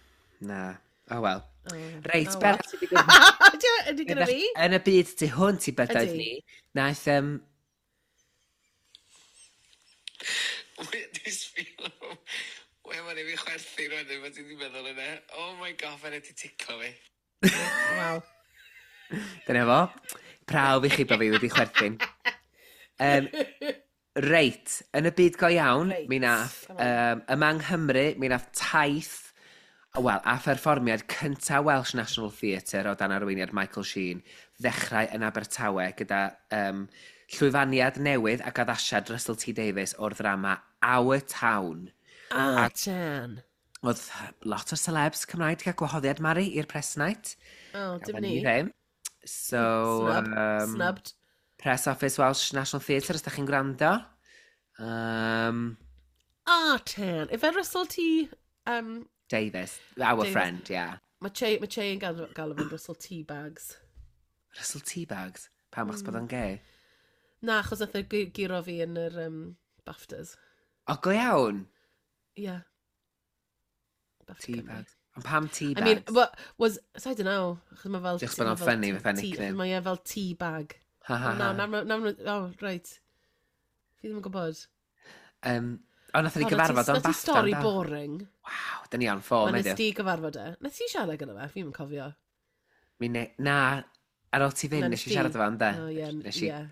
na. Oh well. Oh, Reit, oh, beth well. sy'n digwydd? Ydy ydy gyda fi? Yn y byd tu hwnt i bydoedd Ydy. ni, naeth... Um, Dwi'n sbio. Wel, mae'n i fi chwerthin wedyn, mae ti wedi meddwl yna. Oh my god, mae'n wedi ticlo fi. Waw. Dyna fo. Prawf i chi bod fi wedi chwerthin. Um, reit, yn y byd go iawn, Reit, mi nath, come on. um, yma yng Nghymru, mi nath taith, wel, a pherfformiad cynta Welsh National Theatre o dan arweiniad Michael Sheen ddechrau yn Abertawe gyda um, llwyfaniad newydd ac addasiad Russell T Davies o'r ddrama Our Town. Ah, Jan. Oedd lot o celebs Cymraeg wedi cael gwahoddiad Mari i'r press night. Oh, dim Gafon ni. ddim. So, Snub. um, Snubbed. Press Office Welsh National Theatre, os da chi'n gwrando. Um, Ah, Tan. Ife Russell T... Um, Davies, our Davies. friend, yeah. mae Che, mae Che yn galw, galw fe'n Russell T bags. Russell T-Bags. Pam achos Mm. bod o'n gay? Na, achos nath e gu- guro fi yn yr um, BAFTAs. O, go iawn. Yeah. BAFTA Cymru. T-Bags. Ond pam T-Bags? I mean, what was, so I don't know. Achos mae fel... Just bod o'n mae fel funny tea- fatha tea- nickname. Mae e fel tea bag. Ha, ha, Na, ha. na, na, na, oh, right. Fi ddim yn gwybod. Um, o, nath ni O, gyfarfod o'n na ti BAFTA. stori yndo? boring. Waw, da ni on form Ma nes heddiw. di gyfarfod e. Nes ti siarad gyda fe? Fi ddim yn cofio. Mi ne... Na, ar ôl ti fynd, Na, nes i nes siarad di? efo ynde? Oh, ie, Nes i... ie.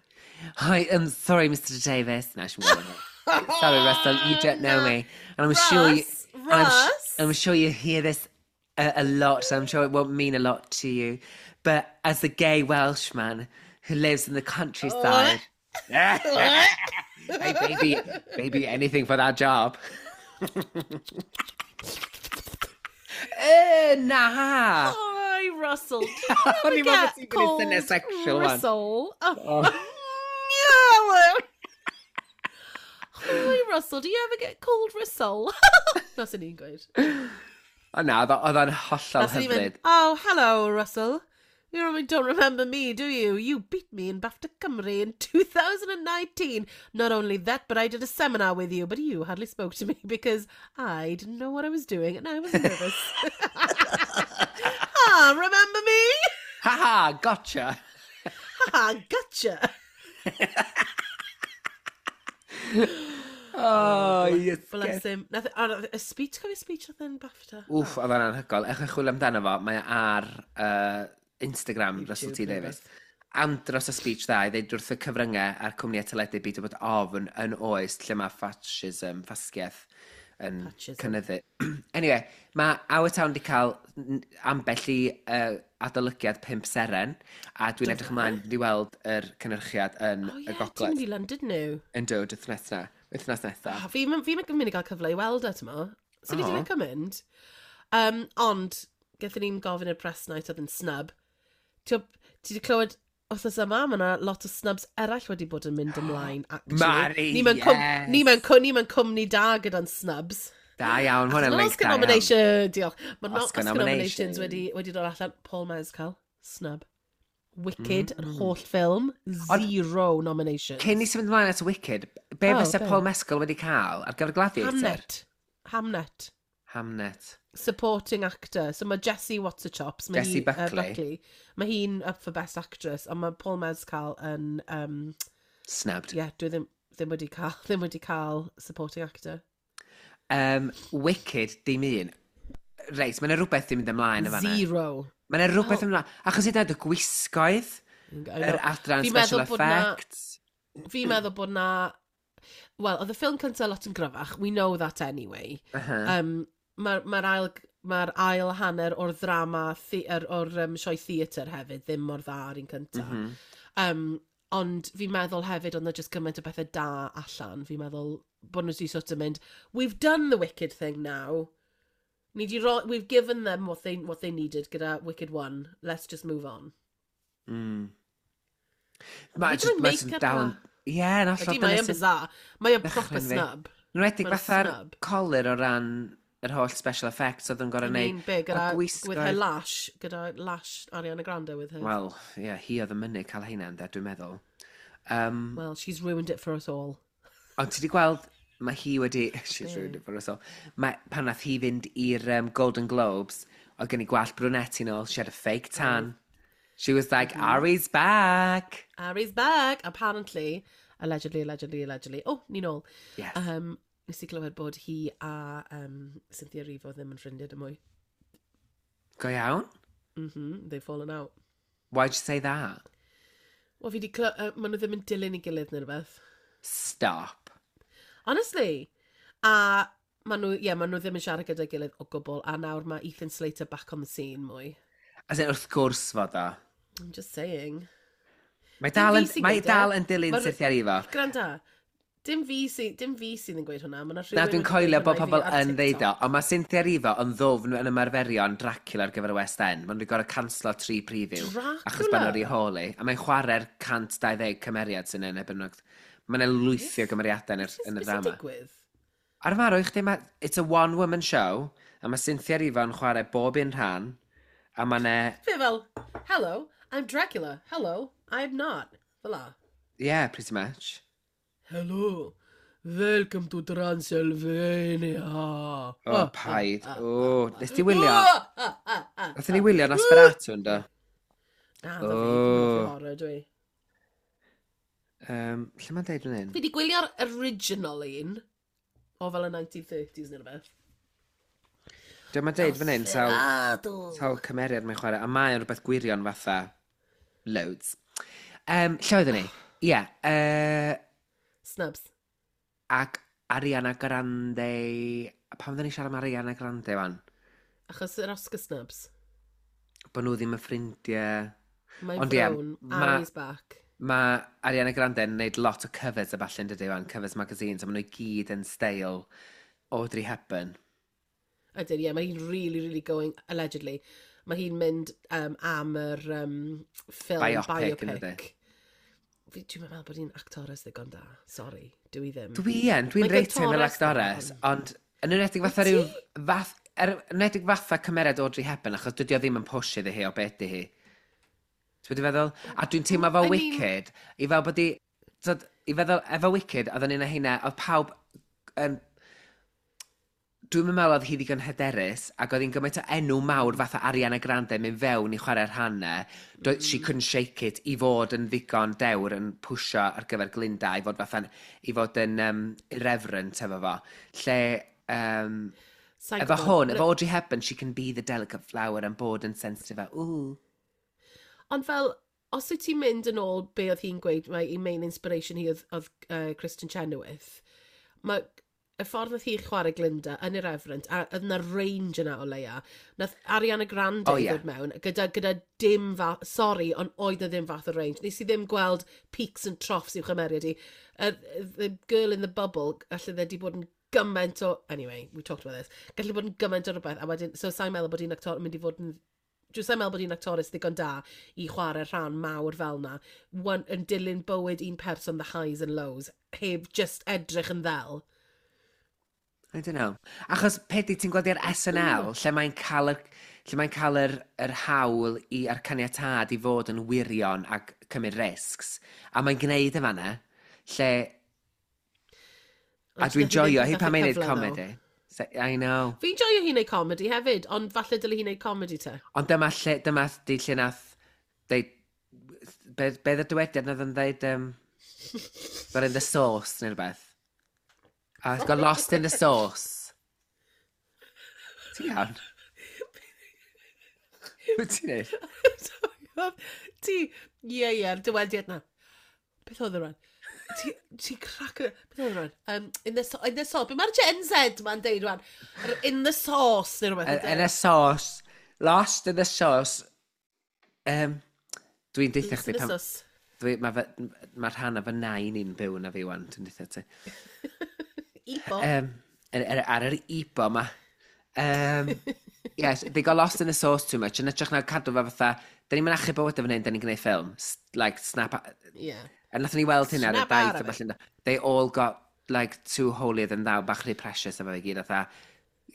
Hi, I'm sorry, Mr Davies. No, she's Sorry, Russell, you don't know me. And I'm sure you, Russ, and I'm, Russ. I'm sure you hear this a, a lot, so I'm sure it won't mean a lot to you. But as a gay Welshman who lives in the countryside, hey, baby, baby, anything for that job. Eh, na! Hi, Russell. O'n i'n meddwl Get bod ti'n gwneud syniad called sexual one. Russell. Oh. Oh. Yeah. Hi, Russell. Do you ever get called Russell? Na sy'n ni'n gweud. O na, oedd o- oedd o'n hollol Nathon ni mynd, hyfryd. Oh, hello, Russell. You probably don't remember me, do you? You beat me in BAFTA Cymru in two thousand nineteen. Not only that, but I did a seminar with you, but you hardly spoke to me because I didn't know what I was doing and I was nervous. Ah, remember me? Ha ha, gotcha! Ah, gotcha. Oh, yes. Bless him. Nath, oh, nath, y speech, cofio speech nath e'n BAFTA? Wff, oedd o'n anhygoel. Ewch i chwilio amdano fo, mae o ar uh, Instagram, Russell T neu Davies. Andros o speech dda i ddeud wrth y cyfryngau a'r cwmnïau teledu byd o bod ofn yn oes lle mae fascism, ffasgiaeth yn Fascism. cynyddu. Anyway, mae Our Town wedi cael n- ambell i uh, adolygiad pump seren, a dwi'n edrych ymlaen i weld yr cynhyrchiad yn Oh, y yeah, ti'n gogledd. mynd i London nhw. Yn dod wythnos na, wythnos nesaf. Oh, fi fi mynd i gael cyfle i weld e, t'mo. So ni Oh. wedi licio mynd. Um, ond, gaethon ni'n gofyn i'r press night oedd yn snub. Ti ti wedi clywed wythnos yma, mae yna lot o snubs eraill wedi bod yn mynd ymlaen, actually. Mari, Ni mewn cwm- yes. Ni mewn cw- ni mewn cwmni da gyda'n snubs. Da iawn, hwnna'n Achos link Oscar da iawn. nomination, diolch. Mae Oscar Oscar, nomination. nominations wedi, wedi dod allan. Paul Mescal, snub. Wicked, mm. yr holl ffilm, zero nominations. Cyn i symud ymlaen at Wicked, be Oh, fysa be? Paul Mescal wedi cael ar gyfer Gladiator? Hamnet. Hamnet. Hamnet. Supporting actor. So mae Jessie What's-a-Chops. Mae Jessie hi, uh, Buckley. Buckley. Mae hi'n up for Best Actress, ond mae Paul Mescal yn... Um, Snubbed. yeah, dwi ddim, ddim wedi cael, ddim wedi cael supporting actor. Um, Wicked, dim un. Reit, mae yna rhywbeth ddim mynd ymlaen y fanna. Zero. Mae yna rhywbeth ymlaen. Achos hyd yn oed y gwisgoedd, I yr know. adran Fi'n special meddwl bod 'na- effects. Fi'n meddwl bod na... Wel, oedd y ffilm cyntaf lot yn gryfach. We know that anyway. Uh -huh. Um, Mae'r ma ail, ma ail hanner o'r ddrama, the, er, o'r um, sioe theatr hefyd, ddim mor dda ar un cyntaf. Mm -hmm. Um, ond fi'n meddwl hefyd, oedd 'na just gymaint o bethau da allan. Fi'n meddwl bod nhw wedi sort of mynd, "We've done the Wicked thing now. Ni di ro we've given them what they, what they needed gyda Wicked one. Let's just move on." Mm. Mae Hyd yn just, oed mae jyst make-up dal yn na. Ie, yn hollol. Ydy, mae dyna yn sy'n bizarre. Mae yn proper dychryn fi. snub. Yn enwedig Mae'n fatha'r snub. colur o ran yr holl special effects oedd yn gorau I mean, neud. be, gyda, A with her gwisgoedd. lash, gyda lash Ariana Grande with her. Wel, ie, yeah, hi oedd yn mynnu cael heina, ynde, dwi'n meddwl. Um, Well, she's ruined it for us all. Ond ti wedi gweld, mae hi wedi... She's ruined it for us all. Mae, pan nath hi fynd i'r um, Golden Globes, oedd gen i gwallt brunette nôl, she had a fake tan. She was like, Mm-hmm. "Ari's back!" Ari's back, apparently. Allegedly, allegedly, allegedly. Oh, ni nôl. Yes. Um, nes i glywed bod hi a um, Cynthia Erivo ddim yn ffrindiau dim mwy. Go iawn? Mm -hmm, they've fallen out. Why'd you say that? Wel, fi di cly... Uh, maen nhw ddim yn dilyn ei gilydd neu rhywbeth. Stop. Honestly. A maen nhw, ie, yeah, maen nhw ddim yn siarad gyda'i gilydd o gwbl. A nawr mae Ethan Slater back on the scene mwy. As in, wrth gwrs fod o. I'm just saying. Mae dal yn, Dim fi sy'n mae gweud e. dal yn dilyn Ma'r- Cynthia Erivo. Gwranda, dim fi, sy, dim fi sydd yn gweud hwnna. Ma' 'na Na, rhywun dwi'n wedi coelio gweud bod hwnna i pobl fi ar yn ddeud o, TikTok. ond mae Cynthia Erivo yn ddwfn yn ymarferion Dracula ar gyfer y West End. Maen nhw wedi gorfod canslo tri preview. Achos bod nhw wedi holi. A mae'n chwarae'r cant dau ddeg cymeriad sy'n yn ebyn. Mae'n lwythi o gymeriadau yn yr, yn y Beth sy'n drama. digwydd? Ar y marw i chdi, ma, it's a one-woman show, a mae Cynthia Erivo yn chwarae bob un rhan, a mae'n e, Fe fel, "Hello, I'm Dracula. Hello, I'm not." Fel la. Yeah, pretty much. "Hello, welcome to Transylvania." Oh, paid. Oh, nes ti wylio? Ah, ah, ah, ah. Nathon ni wylio Nosferatu, ynddo? Na, ddo fi, Oh. fi'n hoffi horror, dwi. Um, lle mae'n deud fan hyn? Fi di gwylio'r original un, o fel y nineteen thirties neu rhywbeth. Dwi'n ma'n deud fan hyn, sawl, Nosferatu. sawl cymeriad mae'n chwarae, a mae'n rhywbeth gwirion fatha loads. Um, lle oeddwn ni? Ie, yeah, uh, Snubs. Ac Ariana Grande. Pam oedden ni siarad am Ariana Grande wan? Achos yr Oscar snubs. Bod nhw ddim yn ffrindiau. Mae'n Ond ie, frown, ma- Ari's back. Mae Ariana Grande yn gwneud lot o covers a falle yn dydy wan, covers magazines, a maen nhw i gyd yn steil Audrey Hepburn. Ydyn, ie, mae hi'n really, really going, allegedly, mae hi'n mynd um, am yr um, ffilm Biopic, biopic. yn dydi? Fi, dwi'n meddwl bod hi'n actores ddigon da. Sorry, dwi ddim. Dwi yn, dwi'n Mae'n rate hi'n fel gantores actores, dda, ond yn enwedig fatha rhyw fath, er, yn enwedig fatha cymeriad Audrey Hepburn, achos dydy o ddim yn push iddi hi o beth di hi. Ti'n wedi feddwl? A dwi'n teimlo fel I mean- Wicked, i fel bod i, tyd, i feddwl, efo Wicked, oedd yn un o heina, oedd pawb yn, dwi'n meddwl oedd hi ddigon hyderus, ac oedd hi'n gymaint o enw mawr fatha Ariana Grande mynd fewn i chwarae'r rhannau. Mm. She couldn't shake it i fod yn ddigon dewr yn pwsio ar gyfer Glinda, i fod fatha, i fod yn um, irreverent efo fo. Lle, um, Sa'n efo gwbod. hwn, efo Audrey Hepburn, she can be the delicate flower and bod yn sensitive a, ooh. Ond fel, os wyt ti'n mynd yn ôl be oedd hi'n gweud, mae ei main inspiration hi oedd, oedd uh, Kristen Chenoweth, mae y ffordd nath hi chwarae Glinda yn irreverent, a oedd yna range yna o leia, nath Ariana Grande Oh, oh, ie. ddod mewn, gyda, gyda dim fath, sorry, ond oedd na ddim fath o range. Nes i ddim gweld peaks and troughs i'w chymeriad i. Uh, the girl in the bubble, alle dde di bod yn gymaint o... Anyway, we talked about this. Gallu bod yn gymaint o rhywbeth, a wedyn, so sa'n meddwl bod hi'n actor yn mynd i fod yn Dwi'n sa'n meddwl bod hi'n actores ddigon da i chwarae rhan mawr fel na, one, yn dilyn bywyd un person, the highs and lows, heb just edrych yn ddel. I don't know. Achos pedi ti'n gweld i'r S N L, lle mae'n cael yr, lle mae'n cael yr, yr hawl i, a'r caniatâd i fod yn wirion ac cymryd risks. A mae'n gwneud y fanna, lle... A Ond dwi'n nath hi joio ddim hi pan colli mae'n neud cyfle, though. comedy. So, I know. Fi'n joio hi'n neud comedy hefyd, ond falle dyle hi'n neud comedy te. Ond dyma lle, dyma di lle nath deud, be, be y dywediad nath yn dweud, um, got in the sauce neu rhywbeth. A got lost in the sauce. Ti'n iawn? Be ti'n neud? Ti, ie, ie, dywediad na. Beth oedd e rwan? Ti, ti crack... Beth oedd e rwan? Um, in the, in the sauce. Be mae'r Gen Z ma'n deud rwan? Yr in the sauce neu rhywbeth. In the sauce. Lost in the sauce. Um, dwi'n deitha In chdi the pan sauce. Dwi, mae ma ma rhan o fy nain i'n byw na fi wan, dwi'n deitha ti. Ibo. Um, ar, ar, ar yr Ibo ma. Um, yes, they got lost in the sauce too much. Yn hytrach na cadw fe fatha, da ni'n mynd achub bywyd fan hyn, da ni'n gwneud ffilm. S- Like, snap... Ie. A nathon ni weld hynna ar y Snap out daith of a falle. They all got, like, too holier than thou, bach rhy precious efo fe gyd, fatha.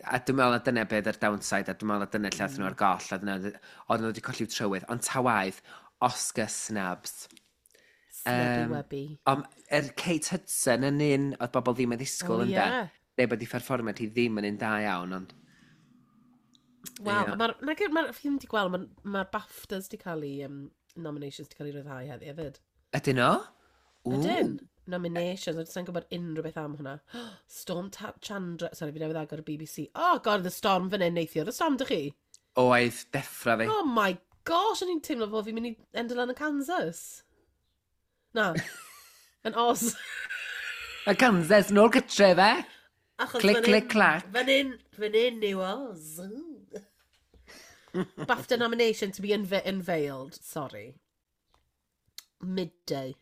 A dwi'n meddwl na dyna beth yr downside, a dwi'n meddwl na dyna lle athyn nhw ar goll, a dyna, oedden nhw wedi colli'w trywydd. Ond ta waith, Oscar snubs. Snubby Yym, wubby. Ond er Kate Hudson yn un oedd bobl ddim yn ddisgwyl Oh, oh, ynde. ie. Dweud bod ei pherfformiad hi ddim yn un da iawn, ond Wel, Ie. mae'r... Mae'r... Ma fi ddim wedi gweld, mae'r ma BAFTAs di cael ei... Um, nominations di cael ei ryddhau heddi hefyd. Ydyn nhw? Ww. Ydyn. Nominations, dwi'n gwybod unrhyw beth am hwnna. Storm Ta Chandra. Sorry, fi newydd agor y B B C. Oh God, the storm fan hyn neithiwr. The storm, dych chi? Oedd, deffra fi. Oh my gosh, o'n i'n teimlo fel fi'n mynd i endo lan yn Kansas. Na. Yn Oz. Y Kansas, nôl gytre fe. Achos Clic, fan clic, hyn- clac. Fan hyn, fan hyn yw Oz. BAFTA nomination to be unve unveiled. Sorry. Midday.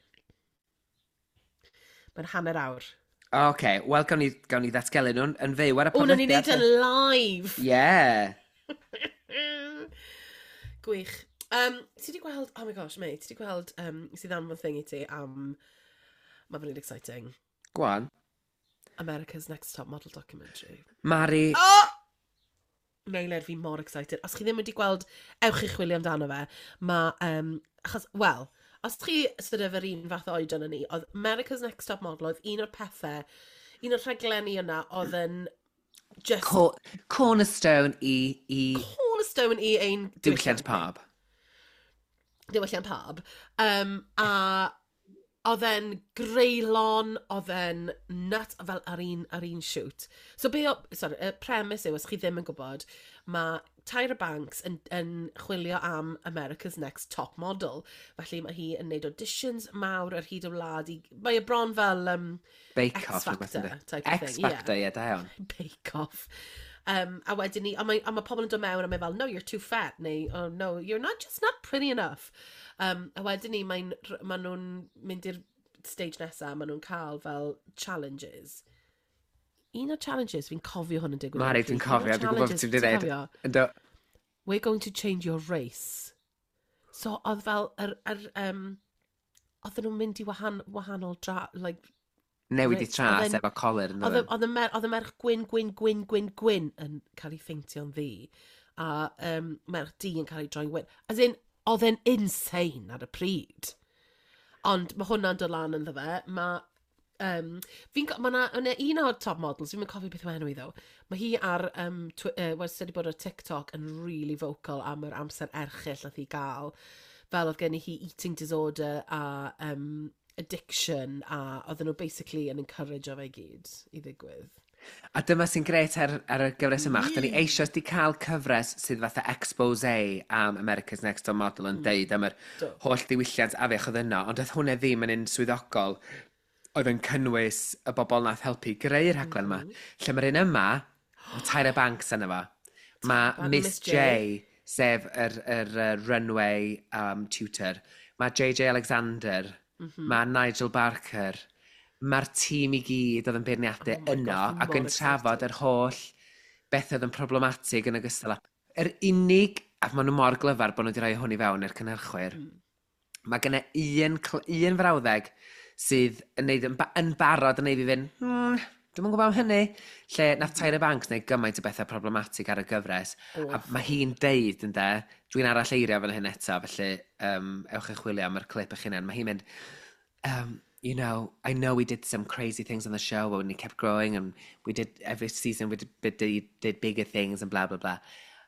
Mae'n hanner awr. Oce, okay, wel, gawn ni, gawn ni ddatgelu nhw'n yn fyw ar y O, na ni'n neud podlediad. yn live. Yeah. Gwych. Um, ti di gweld, oh my gosh, mate, ti di gweld, um, sydd anfon thing i ti am, mae fe'n really exciting, Go on. America's Next Top Model documentary. Mari, Oh! Meilir, fi mor excited. Os chi ddim wedi gweld, ewch i chwilio amdano fe. Mae, um, achos, wel, os chi sort of yr un fath o oedran yn ni, oedd America's Next Top Model oedd un o'r pethau, un o'r rhaglenni yna oedd yn just co cornerstone i, i cornerstone i ein diwylliant pub. Diwylliant pub. Um, a oedd e'n greulon, oedd e'n nut, fel ar un, ar un shoot. So be o, sorry, y premise yw, os chi ddim yn gwybod, mae Tyra Banks yn, yn chwilio am America's Next Top Model. Felly mae hi yn neud auditions mawr ar hyd y wlad. I, mae e bron fel um, Bake X Off, rhywbeth Factor yndi? type of X thing. Factor, ie, da iawn. Bake Off. Um, a wedyn ni, a mae, a mae pobl yn dod mewn a mae fel, "No, you're too fat," neu, "Oh no, you're not just not pretty enough." Um, a wedyn ni, mae'n, ma nhw'n mynd i'r stage nesaf, maen nhw'n cael fel challenges. Un o'r challenges, fi'n cofio hwn yn digwydd. Mari, dwi'n Un o'r cofio, dwi'n gwybod beth challenges, ti'n dweud. cofio? Ynddo, "We're going to change your race." So oedd fel, yr, yr, um, oedden nhw'n mynd i wahan, wahanol dra, like, newid i Reit, tras oedd e'n- efo coler yn Oedd y- oedd y mer- oedd y merch gwyn, gwyn, gwyn, gwyn, gwyn yn cael ei pheintio'n ddu. A um, merch du yn cael ei droi'n wyn. As in, oedd e'n insane ar y pryd. Ond mae hwnna'n dod lan ynddo fe. Mae Um, fi'n, co- ma' 'na, yna un o'r top models, fi'n cofio beth yw enw i ddo. Mae hi ar, um, twi uh, wastad wedi bod ar TikTok yn really vocal am yr amser erchyll nath hi gael. Fel oedd gen i hi eating disorder a um, addiction a oedden nhw basically yn encourage o fe i gyd i ddigwydd. A dyma sy'n gret ar, ar y gyfres yma. Mm. Da ni eisoes di cael cyfres sydd fatha expose am America's Next Top Model yn deud am yr Do. holl ddiwylliant afiach oedd yno, ond oedd hwnna ddim yn un swyddogol oedd yn cynnwys y bobl nath helpu greu'r rhaglen yma. Lle mae'r un yma, mae Tyra Banks yna fo. Mae Banks, Miss Miss J, J. sef yr, yr, yr runway um, tutor. Mae J J Alexander, mm -hmm. mae Nigel Barker, mae'r tîm i gyd oedd yn beirniadu Oh my yno God, fi ac yn mor trafod yr holl beth oedd yn problematig yn ogystal â yr unig, ac maen nhw mor glyfar bod nhw wedi rhoi hwn i fewn i'r cynhyrchwyr, mm. mae genna un, cl- un frawddeg sydd yn, neud, yn, ba yn barod yn neud fi fynd, hmm, Dwi'm yn gwybod am hynny. Lle nath Tyra Banks wneud gymaint o bethau problematic ar y gyfres. A mae hi'n deud, ynde, dwi'n arall eirio fan hyn eto, felly um, ewch i chwilio am yr clip eich hunain. Mae hi'n mynd, um, you know, I know we did some crazy things on the show, but we kept growing and we did, every season we did, did, did bigger things and blah, blah, blah.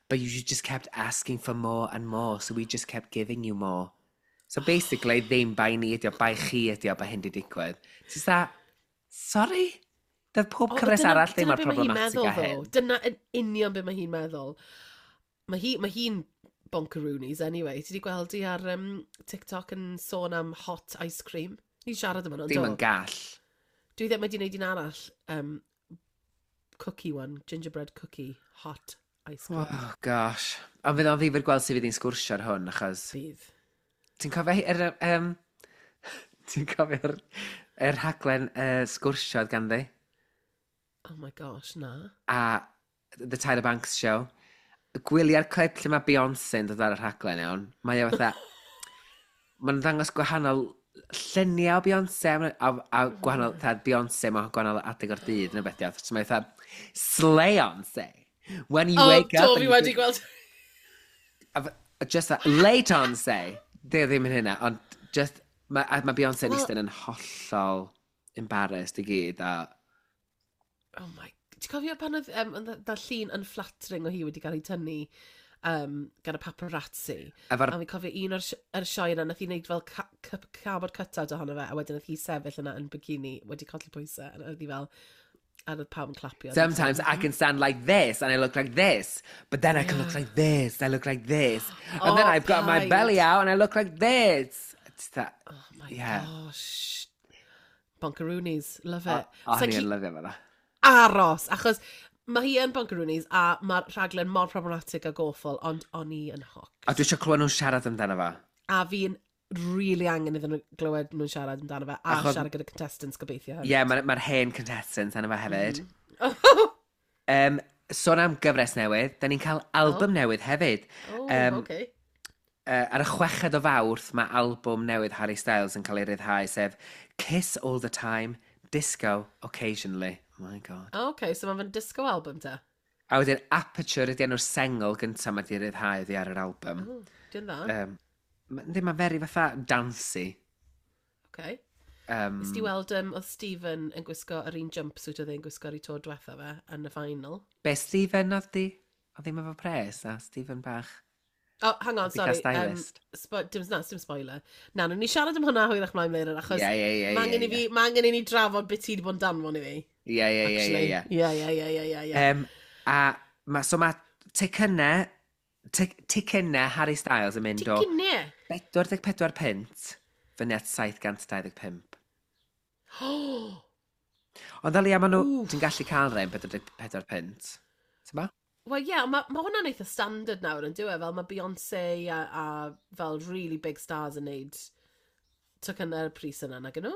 But you just kept asking for more and more, so we just kept giving you more. So basically, ddim bai ni ydi o, bai chi ydi o, bai hyn di digwydd. Just that, sorry? Doedd pob O, cyfres dyna- arall ddim dyna mor be mae hi'n problematic meddwl, â hyn. though. Dyna yn union be mae hi'n meddwl. Mae hi, mae hi'n bonkeroonies anyway. Ti wedi gweld hi ar um, TikTok yn sôn am hot ice cream? Ni'n siarad am hwnna, Ddim do? yn gall. Dwi ddim wedi gwneud un arall. Um, cookie one, gingerbread cookie, hot ice cream. Oh, gosh. Ond fydd o'n ddifyr gweld sut fydd hi'n sgwrsio ar hwn, achos... Bydd. Ti'n cofio hi- yr... Um, ti'n cofio'r yr rhaglen uh, sgwrsio oedd ganddi? Oh my gosh, na. A The Tyra Banks Show. Gwylia'r clip lle mae Beyoncé yn dod ar y rhaglen iawn. Mae o fatha... Mae'n ddangos gwahanol lluniau o Beyoncé a, a, a gwahanol, fatha Beyoncé mewn gwahanol adeg o'r dydd neu beth iawn. So mae fatha, Slayonce. When you Oh, wake up... do, and fi you wedi do- gweld. A f- Just that, late on say. Di o ddim yn hynna, ond just, mae ma Beyoncé yn Wel- eistedd yn hollol embarrassed i gyd. A, Oh my... Ti'n cofio pan oedd um, da llun unflattering o hi wedi cael ei tynnu um, gan y paparazzi? efo'r A fi'n cofio un o'r, si- yr sioe yna, nath hi wneud fel ca ca cardboard cutout ohono fe, a wedyn nath hi sefyll yna yn bikini wedi colli pwysau, a oedd hi fel, a oedd pawb yn clapio. Sometimes I can stand like this and I look like this, but then I can look like this, I look like this. And then Oh, I've got my paid. belly out and I look like this. It's that, Oh my yeah. gosh. Bonkeroonies, love it. O, Sa o'n i'n i'n lyfio fe dda. aros, achos mae hi yn Bonkeroonies a mae'r rhaglen mor problematic ag awful, ond o'n i yn hooked. A dwi eisiau clywed nhw'n siarad amdano fo. A fi'n really angen iddyn nhw glywed nhw'n siarad amdano fe, a Achos- siarad gyda contestants gobeithio Ie, yeah, mae'r ma hen contestants arno fo hefyd. Mm. Um, sôn am gyfres newydd, da ni'n cael album oh. newydd hefyd. Oh, Yym, okay. Uh, ar y chweched o Fawrth, mae albwm newydd Harry Styles yn cael ei ryddhau, sef Kiss All The Time, Disco Occasionally. Oh my god. Oh, okay, so mae'n disco album te. A wedyn Aperture ydy enw'r sengl gyntaf mae di ryddhau oddi ar yr album. Oh, Di'n dda. Um, Yndi, mae'n very fatha dancey. Okay. Um, Nes ti weld um, oedd Stephen yn gwisgo yr un jumpsuit oedd e'n gwisgo ar ei tro diwetha fe yn y final. Be, Stephen oedd di? Oedd ddim efo pres, a Stephen bach. Oh, hang on, Oedd 'di cael sorry. Um, stylist. spo dim, na, dim spoiler. Na, nawn ni siarad am hwnna hwyrach mlaen later, achos Ie, ie, ie, ma' angen ie, i fi, ma' angen i ni drafod beth ti wedi bod yn danfon i fi. Ie, ie, ie, ie, actually. ie. Ie, ie, ie, ie, ie, ie. Um, a ma, so mae ticynau, tic, ticynau Harry Styles yn mynd o Ticynau? pedwar deg pedwar punt fyny at saith cant dau ddeg pump. Ond ddalia, maen nhw, Wff. ti'n gallu cael rhain pedwar deg pedwar punt. Ti'n ba? Wel, ie, yeah, mae ma hwnna'n eitha standard nawr yn dyw e, fel mae Beyoncé a, a fel really big stars yn neud tocynnau'r pris yna, nag nhw?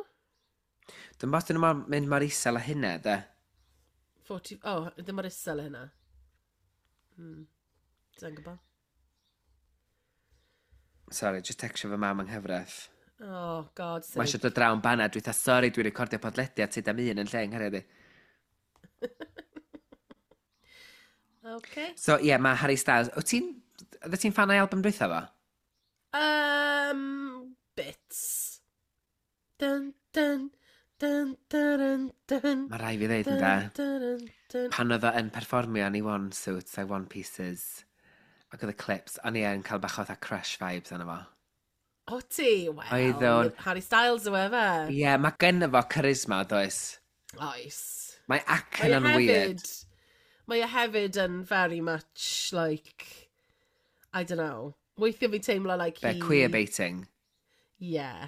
Dwi'n bos dyn nhw'n mynd mor isel â hynna, de. forty, oh, ddim mor isel â hynna. Hmm. Dwi'n gwybod. Sorry, just textio fy mam yng nghyfraith. Oh, God Mae sake. eisiau dod draw yn banad, dwi'n dweud, sorry, dwi'n recordio podlediad tyd am un yn lle yng nghariad i. Okay. So, ie, yeah, mae Harry Styles. Wyt ti'n... Oeddet ti'n fan o'i album dwytha fo? Um, bits. Dun, dun, dun, dun, dun, dun. Mae rai fi ddeud yn Dun, da. dun, dun, dun. Pan oedd o yn perfformio yn ei one suits a'i one pieces, ac oedd y clips, o'n i yn cael bach o fatha crush vibes arno fo. O ti? Wel, Oedd o'n- Harry Styles yw e fe. Ie, yeah, mae gynno fo charisma, does? Oes. Mae Mae acen e yn weird. hefyd, mae e hefyd yn very much like, I don't know. Weithiau fi'n teimlo like Be, he... queer baiting. Yeah.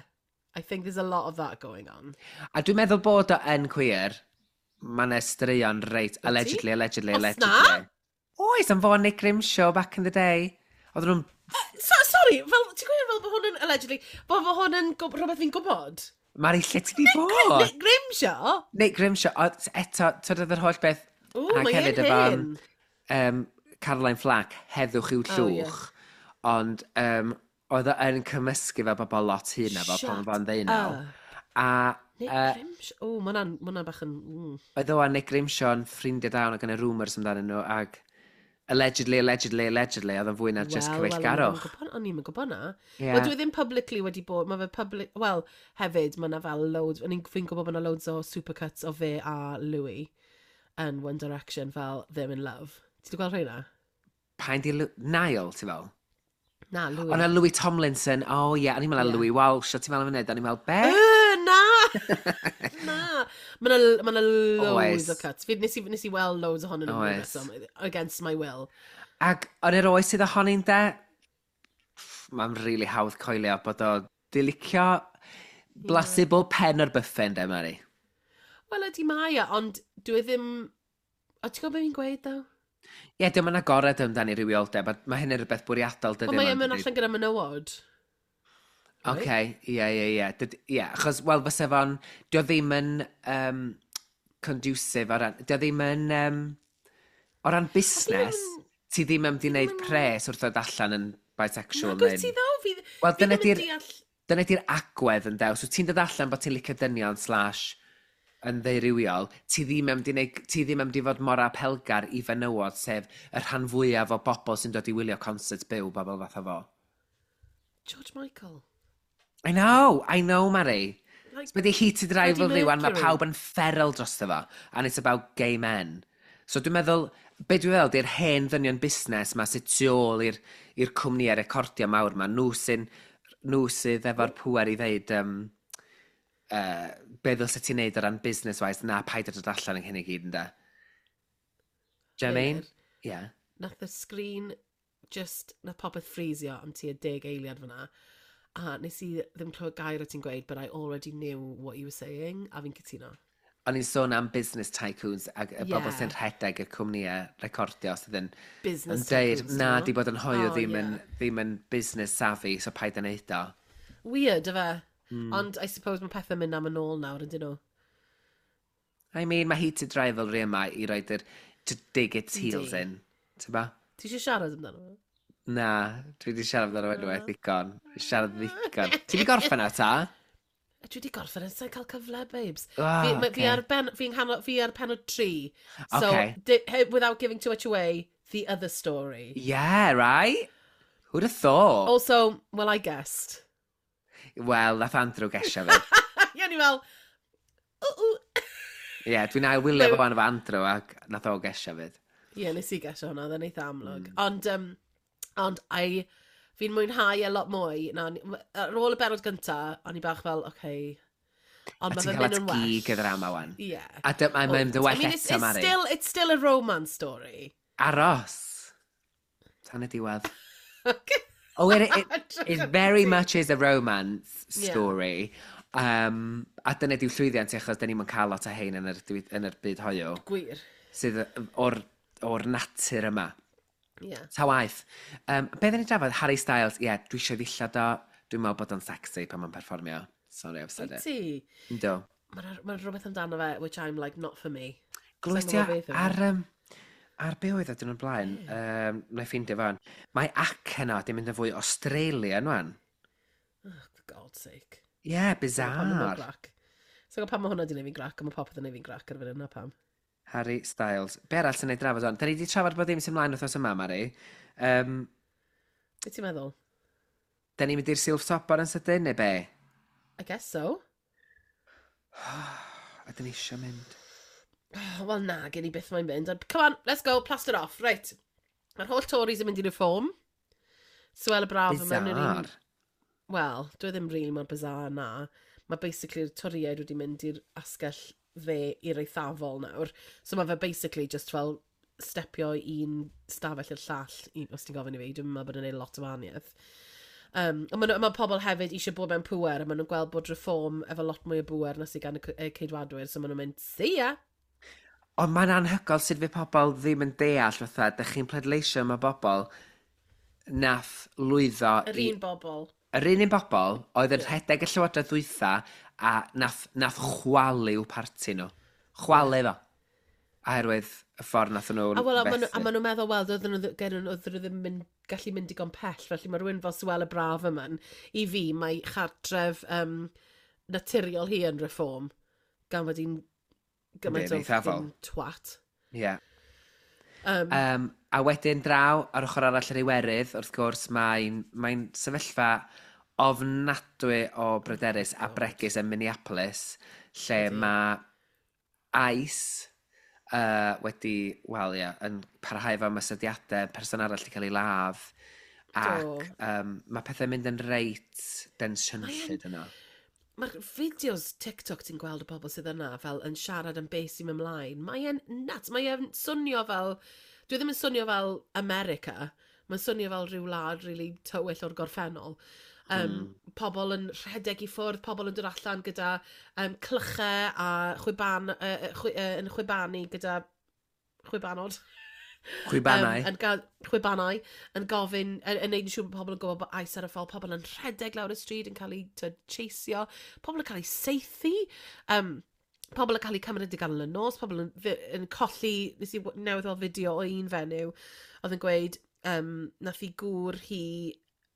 I think there's a lot of that going on. A dwi'n meddwl bod o yn queer. Mae yna straeon reit, allegedly, allegedly, Os allegedly. na? Oes, am fo Nick Grimshaw back in the day. Oedden nhw'n... So, sorry, fel, ti'n gwybod fel bod hwn yn, allegedly, bod bod hwn yn gwb- rhywbeth fi'n gwybod? Mari, lle ti di bod? Nick Grimshaw? Nick Grimshaw, o, eto, twyd oedd yr holl beth... Ww, ac mae e'n hefyd efo, hyn. um, Caroline Flack, heddwch i'w Oh, ie. llwch. Ond um, oedd o yn cymysgu fel bobl lot hyn efo pan Shut oedd o'n ddeunaw. up. A Nick Uh, Grimshaw? O, ma' hwnna'n ma' hwnna bach yn... Mm. Oedd o a Nick Grimshaw yn ffrindiau da ac yn y rumours amdanyn nhw, ac allegedly, allegedly, allegedly, oedd o'n fwy na just Wel, wel, cyfeillgarwch. O'n i'n gwybod na. Ie. Wel, dwi ddim publicly wedi bod, mae fe public... Wel, hefyd, mae yna fel loads... O'n i'n fi'n gwybod bod yna loads o supercuts o fe a Louis yn One Direction fel Them in Love. Ti wedi gweld rheina? Pa'n di Lu- Niall, ti fel? Na, Louis. O na Louis Tomlinson, o oh, ie, yeah, o'n i'n meddwl Ie. Louis Walsh, o ti'n meddwl am funud, o'n i'n meddwl, be? Yy, na! Na! Mae yna ma loads Oes. o cuts. Fi, nes, i, nes i weld loads ohonyn nhw Oes. reswm, against my will. Ac yn yr oes sydd ohoni'n de, mae'n really hawdd coelio bod o di licio blasu bob pen o'r buffet, de, Mari. Wel, ydy mae e, ond dwi ddim... O, ti'n gwybod beth fi'n gweud, ddo? Ie, yeah, diolch yn agored amdani rywioldeb, a mae hyn yn rhywbeth bwriadol, dydy. Wel, mae e'n ma'n mynd dydi? allan gyda menywod. Oce, ie, ie, ie. Dyd- Ie, achos, wel, fysa fo'n... Dio ddim yn um, conducive o ran... Dio ddim yn... Um, o ran busnes, ti ddim yn mynd i wneud pres wrth ddod allan yn bisexual. Nag wyt ti ddo? Fi, Wel, fi dyna ddim yn di'r- deall... Dyna di'r agwedd yn dew. So ti'n dod allan bod ti'n licio dynion slash yn ddeurywiol, ti ddim yn mynd i wneud, ti ddim yn mynd i fod mor apelgar i fenywod, sef y rhan fwyaf o bobl sy'n dod i wylio concerts byw bobl fatha fo. George Michael. I know, I know, Mari. Like, Mae di heated Freddie rivalry wan, mae Mercury. pawb yn feral drosto fo, and it's about gay men. So dwi'n meddwl, be dwi'n meddwl, di'r hen ddynion busnes ma sydd tu ôl i'r i'r cwmnïau recordio mawr ma, nhw sy'n, nhw sydd efo'r pŵer i ddeud, um, uh, be ddylse ti'n neud o ran business-wise, na paid â dod allan yn hyn i gyd, ynde? Do you know what I mean? Meilir. Yeah. Nath y sgrin just, nath popeth ffrisio am tua deg eiliad fyna. A nes i ddim clywed gair o ti'n gweud, but I already knew what you were saying, a fi'n cytuno. O'n i'n sôn am business tycoons ac y bobl Yeah. sy'n rhedeg y cwmnïau recordio sydd yn Business yn deud, tycoons, na, no? di bod yn hoyw Oh, ddim, yn, yeah. ddim yn business savvy, so paid yn neud o. Weird, yfe? Hmm. Ond I suppose mae pethau'n mynd am yn ôl nawr, ydyn nhw? I mean, mae heated rivalry yma i roed yr to dig its heels Yndi. in. Ti'n ba? Ti eisiau siarad amdano fo? Na, dwi wedi siarad amdano fo unwaith ddigon. Siarad ddigon. Ti wedi gorffen o ta? A Dwi wedi gorffen yn sa'n cael cyfle, babes. Ah, fi, ma- fi ocê. ar ben, fi'n nghanol, fi ar penod tri. So, Ocê. di, he, without giving too much away, the other story. Yeah, right? Who'd have thought? Also, well, I guessed. Wel, nath Andrew gesio fi. Ie, ni fel, ww, ww. Ie, yeah, dwi'n ail wylio No. fo fan efo Andrew ac nath o gesio fyd. Ie, nes i gesio hwnna, oedd e'n eitha amlwg. Mm. Ond, um, ond I, fi'n mwynhau e lot mwy. Na, ar ôl y benod gynta, o'n i bach fel, oce. Okay. Ond A mae ti'n fe'n cael mynd at yn well. gig y ddrama wan. Ie. A dy- mae'n mynd yn well I mean, it's, eto, it's Mari. still, it's still a romance story. Aros. Tan y diwedd. Oh, it, it, it very much is a romance Yeah. story. Um, a dyna diw llwyddiant i achos da ni'n cael lot o hein yn yr, diwy- yn yr byd hoyw. Gwir. Sydd o'r, o'r natur yma. Ie. Yeah. Ta waith. Um, be ddyn ni drafod? Harry Styles, ie, yeah, dwi eisiau ddillad o. Dwi'n meddwl bod o'n sexy pan mae'n perfformio. Sorry, I've said Wyt it. ti? Yndw. Mae'n ma rhywbeth amdano fe, which I'm like, not for me. Glywes Sai'n ti gwbod beth yw e. ar, um, ar be oedd o dyn nhw'n blaen? Um, na i ffeindio fan. Mae acen o di mynd yn fwy Australian wan. Oh, for God's sake. Ie, yeah, Pam mae hwnna'n bizarre. grac. So pam mae hwnna di wneud fi'n grac, a mae popeth yn neud fi'n grac ar y funud, na pam. Harry Styles. Be arall sy'n ei drafod o'n? Da ni wedi trafod bod ddim sy'n mlaen wythnos yma, Mari. Um, Be ti'n meddwl? da ni'n mynd i'r silff sobor yn sydyn, neu be? I guess so. A dyn ni eisiau mynd. Oh, Wel na, gen i byth mae'n mynd. Ond come on, let's go, plaster off. Right. Mae'r holl Tories yn mynd i reform. Suella Braf yn mewn i'r un... Bizarre. Wel, dwi ddim really mor bizarre na. Mae basically'r Torïaid wedi mynd i'r asgell dde i'r eithafol nawr. So mae fe basically just fel stepio un stafell i'r llall, i, os ti'n gofyn i fi. Dwi'n meddwl bod yn neud lot o wahaniaeth. Um, ond mae, ma pobl hefyd eisiau bod mewn pŵer, a maen nhw'n gweld bod reform efo lot mwy o bŵer na sydd gan y c- y Ceidwadwyr, so maen nhw'n mynd, see ya! Ond mae'n anhygoel sut fydd pobl ddim yn deall fatha, dych chi'n pleidleisio yma bobl nath lwyddo Yr i un bobl. Yr un un bobl oedd yn rhedeg y llywodraeth ddwytha a nath, nath chwalu i'w parti nhw. Chwalu fo. Oherwydd y ffordd nath nhw A wel, a maen nhw- a fethu. maen nhw'n meddwl, wel, doedden nhw, ddi- gen nhw, oedden nhw ddim yn gallu mynd digon pell, felly mae rhywun fel Suella Braverman, i fi, mae chartref um, naturiol hi yn Reform, gan fod hi'n gymaint Yndi, o yn eithafol. fucking twat. Ie. Yeah. Um, Um, a wedyn draw, ar ochr arall yr Iwerydd, wrth gwrs, mae'n mae sefyllfa ofnadwy o bryderus a bregus yn Minneapolis, lle Ydi. mae ICE uh, wedi, wel ie, yn parhau efo ymosodiadau, person arall wedi cael ei ladd, ac Do. um, mae pethau'n mynd yn reit densiynllyd yno. Mae'r fideos TikTok ti'n gweld o bobl sydd yna fel yn siarad am beth sy'n mynd ymlaen. Mae e'n nuts. Mae e'n swnio fel... Dwi ddim yn swnio fel America. Mae'n swnio fel rhyw wlad really tywyll o'r gorffennol. Um, mm. Pobl yn rhedeg i ffwrdd, pobl yn dod allan gyda um, clychau a chwiban, uh, chwi, uh, yn chwibanu gyda chwibanod. Chwibanau. Um, yn ga- chwibanau, yn gofyn, yn, yn neud yn siŵr bod pobl yn gwybod bod ICE ar y ffordd, pobl yn rhedeg lawr y stryd yn cael eu t'wod, chaseio, pobl yn cael eu saethu, um, pobl yn cael eu cymryd i ganol y nos, pobl yn, fi- yn colli, nes i w- newydd weld fideo o un fenyw, oedd yn gweud, um, nath i gŵr hi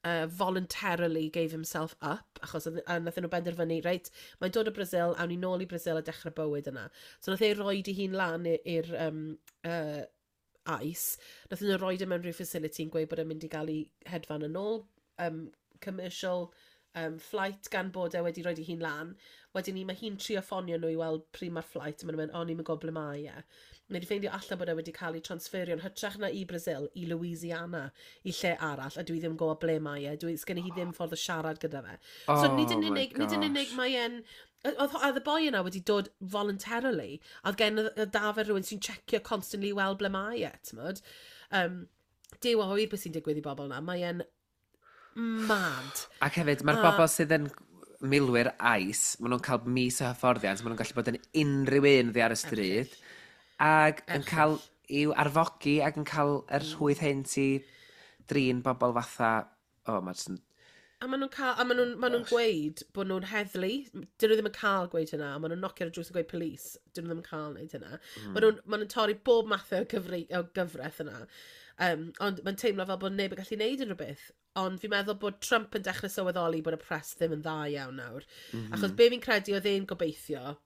uh, voluntarily gave himself up, achos oedd- a nath nhw benderfynu, reit, mae'n dod o Brazil, awn ni nôl i Brazil a dechrau bywyd yna. So nath e roid ei hun lan i- i'r um, uh, ICE, nath nhw roid e mewn rhyw facility yn gweud bod e'n mynd i gael ei hedfan yn ôl, um, commercial um, flight gan bod e wedi roid ei hun lan. Wedyn ni, mae hi'n trio ffonio nhw i weld pryd mae'r flight, a maen nhw'n mynd, o, ni'n gwybod ble mae e. Mae wedi ffeindio allan bod e wedi cael ei transferio yn hytrach na i Brazil, i Louisiana, i lle arall, a dwi ddim yn gwybod ble mae e. Dwi, sgen i hi ddim ffordd o siarad gyda fe. So nid yn Oh my unig, nid yn unig gosh. mae e'n... Oedd oedd y boi yna wedi dod voluntarily, a oedd gen y y da fe rhywun sy'n checio constantly i weld ble mae e, t'mod? Um, Duw a ŵyr beth sy'n digwydd i bobl yna, mae e'n mad. Ac hefyd, mae'r A- bobl sydd yn milwyr ICE, maen nhw'n cael mis o hyfforddiant, maen nhw'n gallu bod yn unrhyw un ddi ar y stryd, ac yn cael i'w arfogi ac yn cael yr rhwydd hyn i drin bobl fatha... O, oh, mae'n jyst yn... A maen nhw'n cael, a maen nhw'n ma nhw'n gweud bod nhw'n heddlu. Dyn nhw ddim yn cael gweud hynna. Maen nhw'n nocio ar y drws yn gweud police. Dyn nhw ddim yn cael wneud hynna. Mm. Maen nhw'n ma nhw torri bob math o, cyfri, o gyfraith yna. Um, ond mae'n teimlo fel bod neb yn gallu neud unrhyw beth. Ond fi'n meddwl bod Trump yn dechrau sylweddoli bod y press ddim yn dda iawn nawr. Mm -hmm. Achos be fi'n credu oedd e'n gobeithio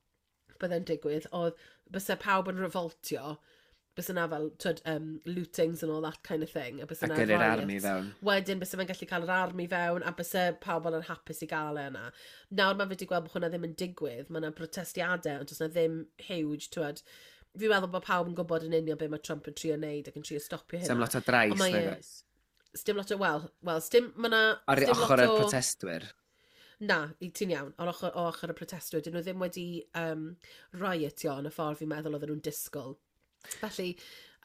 byddai'n digwydd, oedd byse pawb yn revoltio, byse yna fel, twyd, um, lootings and all that kind of thing. A byse A yna gyrru'r riots. army fewn. Wedyn byse fe'n gallu cael yr army fewn, a byse pawb yn hapus i gael e yna. Nawr mae fe wedi gweld bod hwnna ddim yn digwydd, mae yna protestiadau, ond does yna ddim huge, twyd. Fi'n meddwl bod pawb yn gwybod yn union be mae Trump yn trio neud ac yn trio stopio hynna. Sdim lot o drais, Ond mae e- nag oes? Sdim lot o, wel, wel, sdim, mae 'na... Ar sdim lot ochr y o- protestwyr. Na, i- ti'n iawn, o'r ochr, o ochr y protestwyr, dyn nhw ddim wedi um, riotio yn y ffordd fi'n meddwl oedden nhw'n disgwyl. Felly,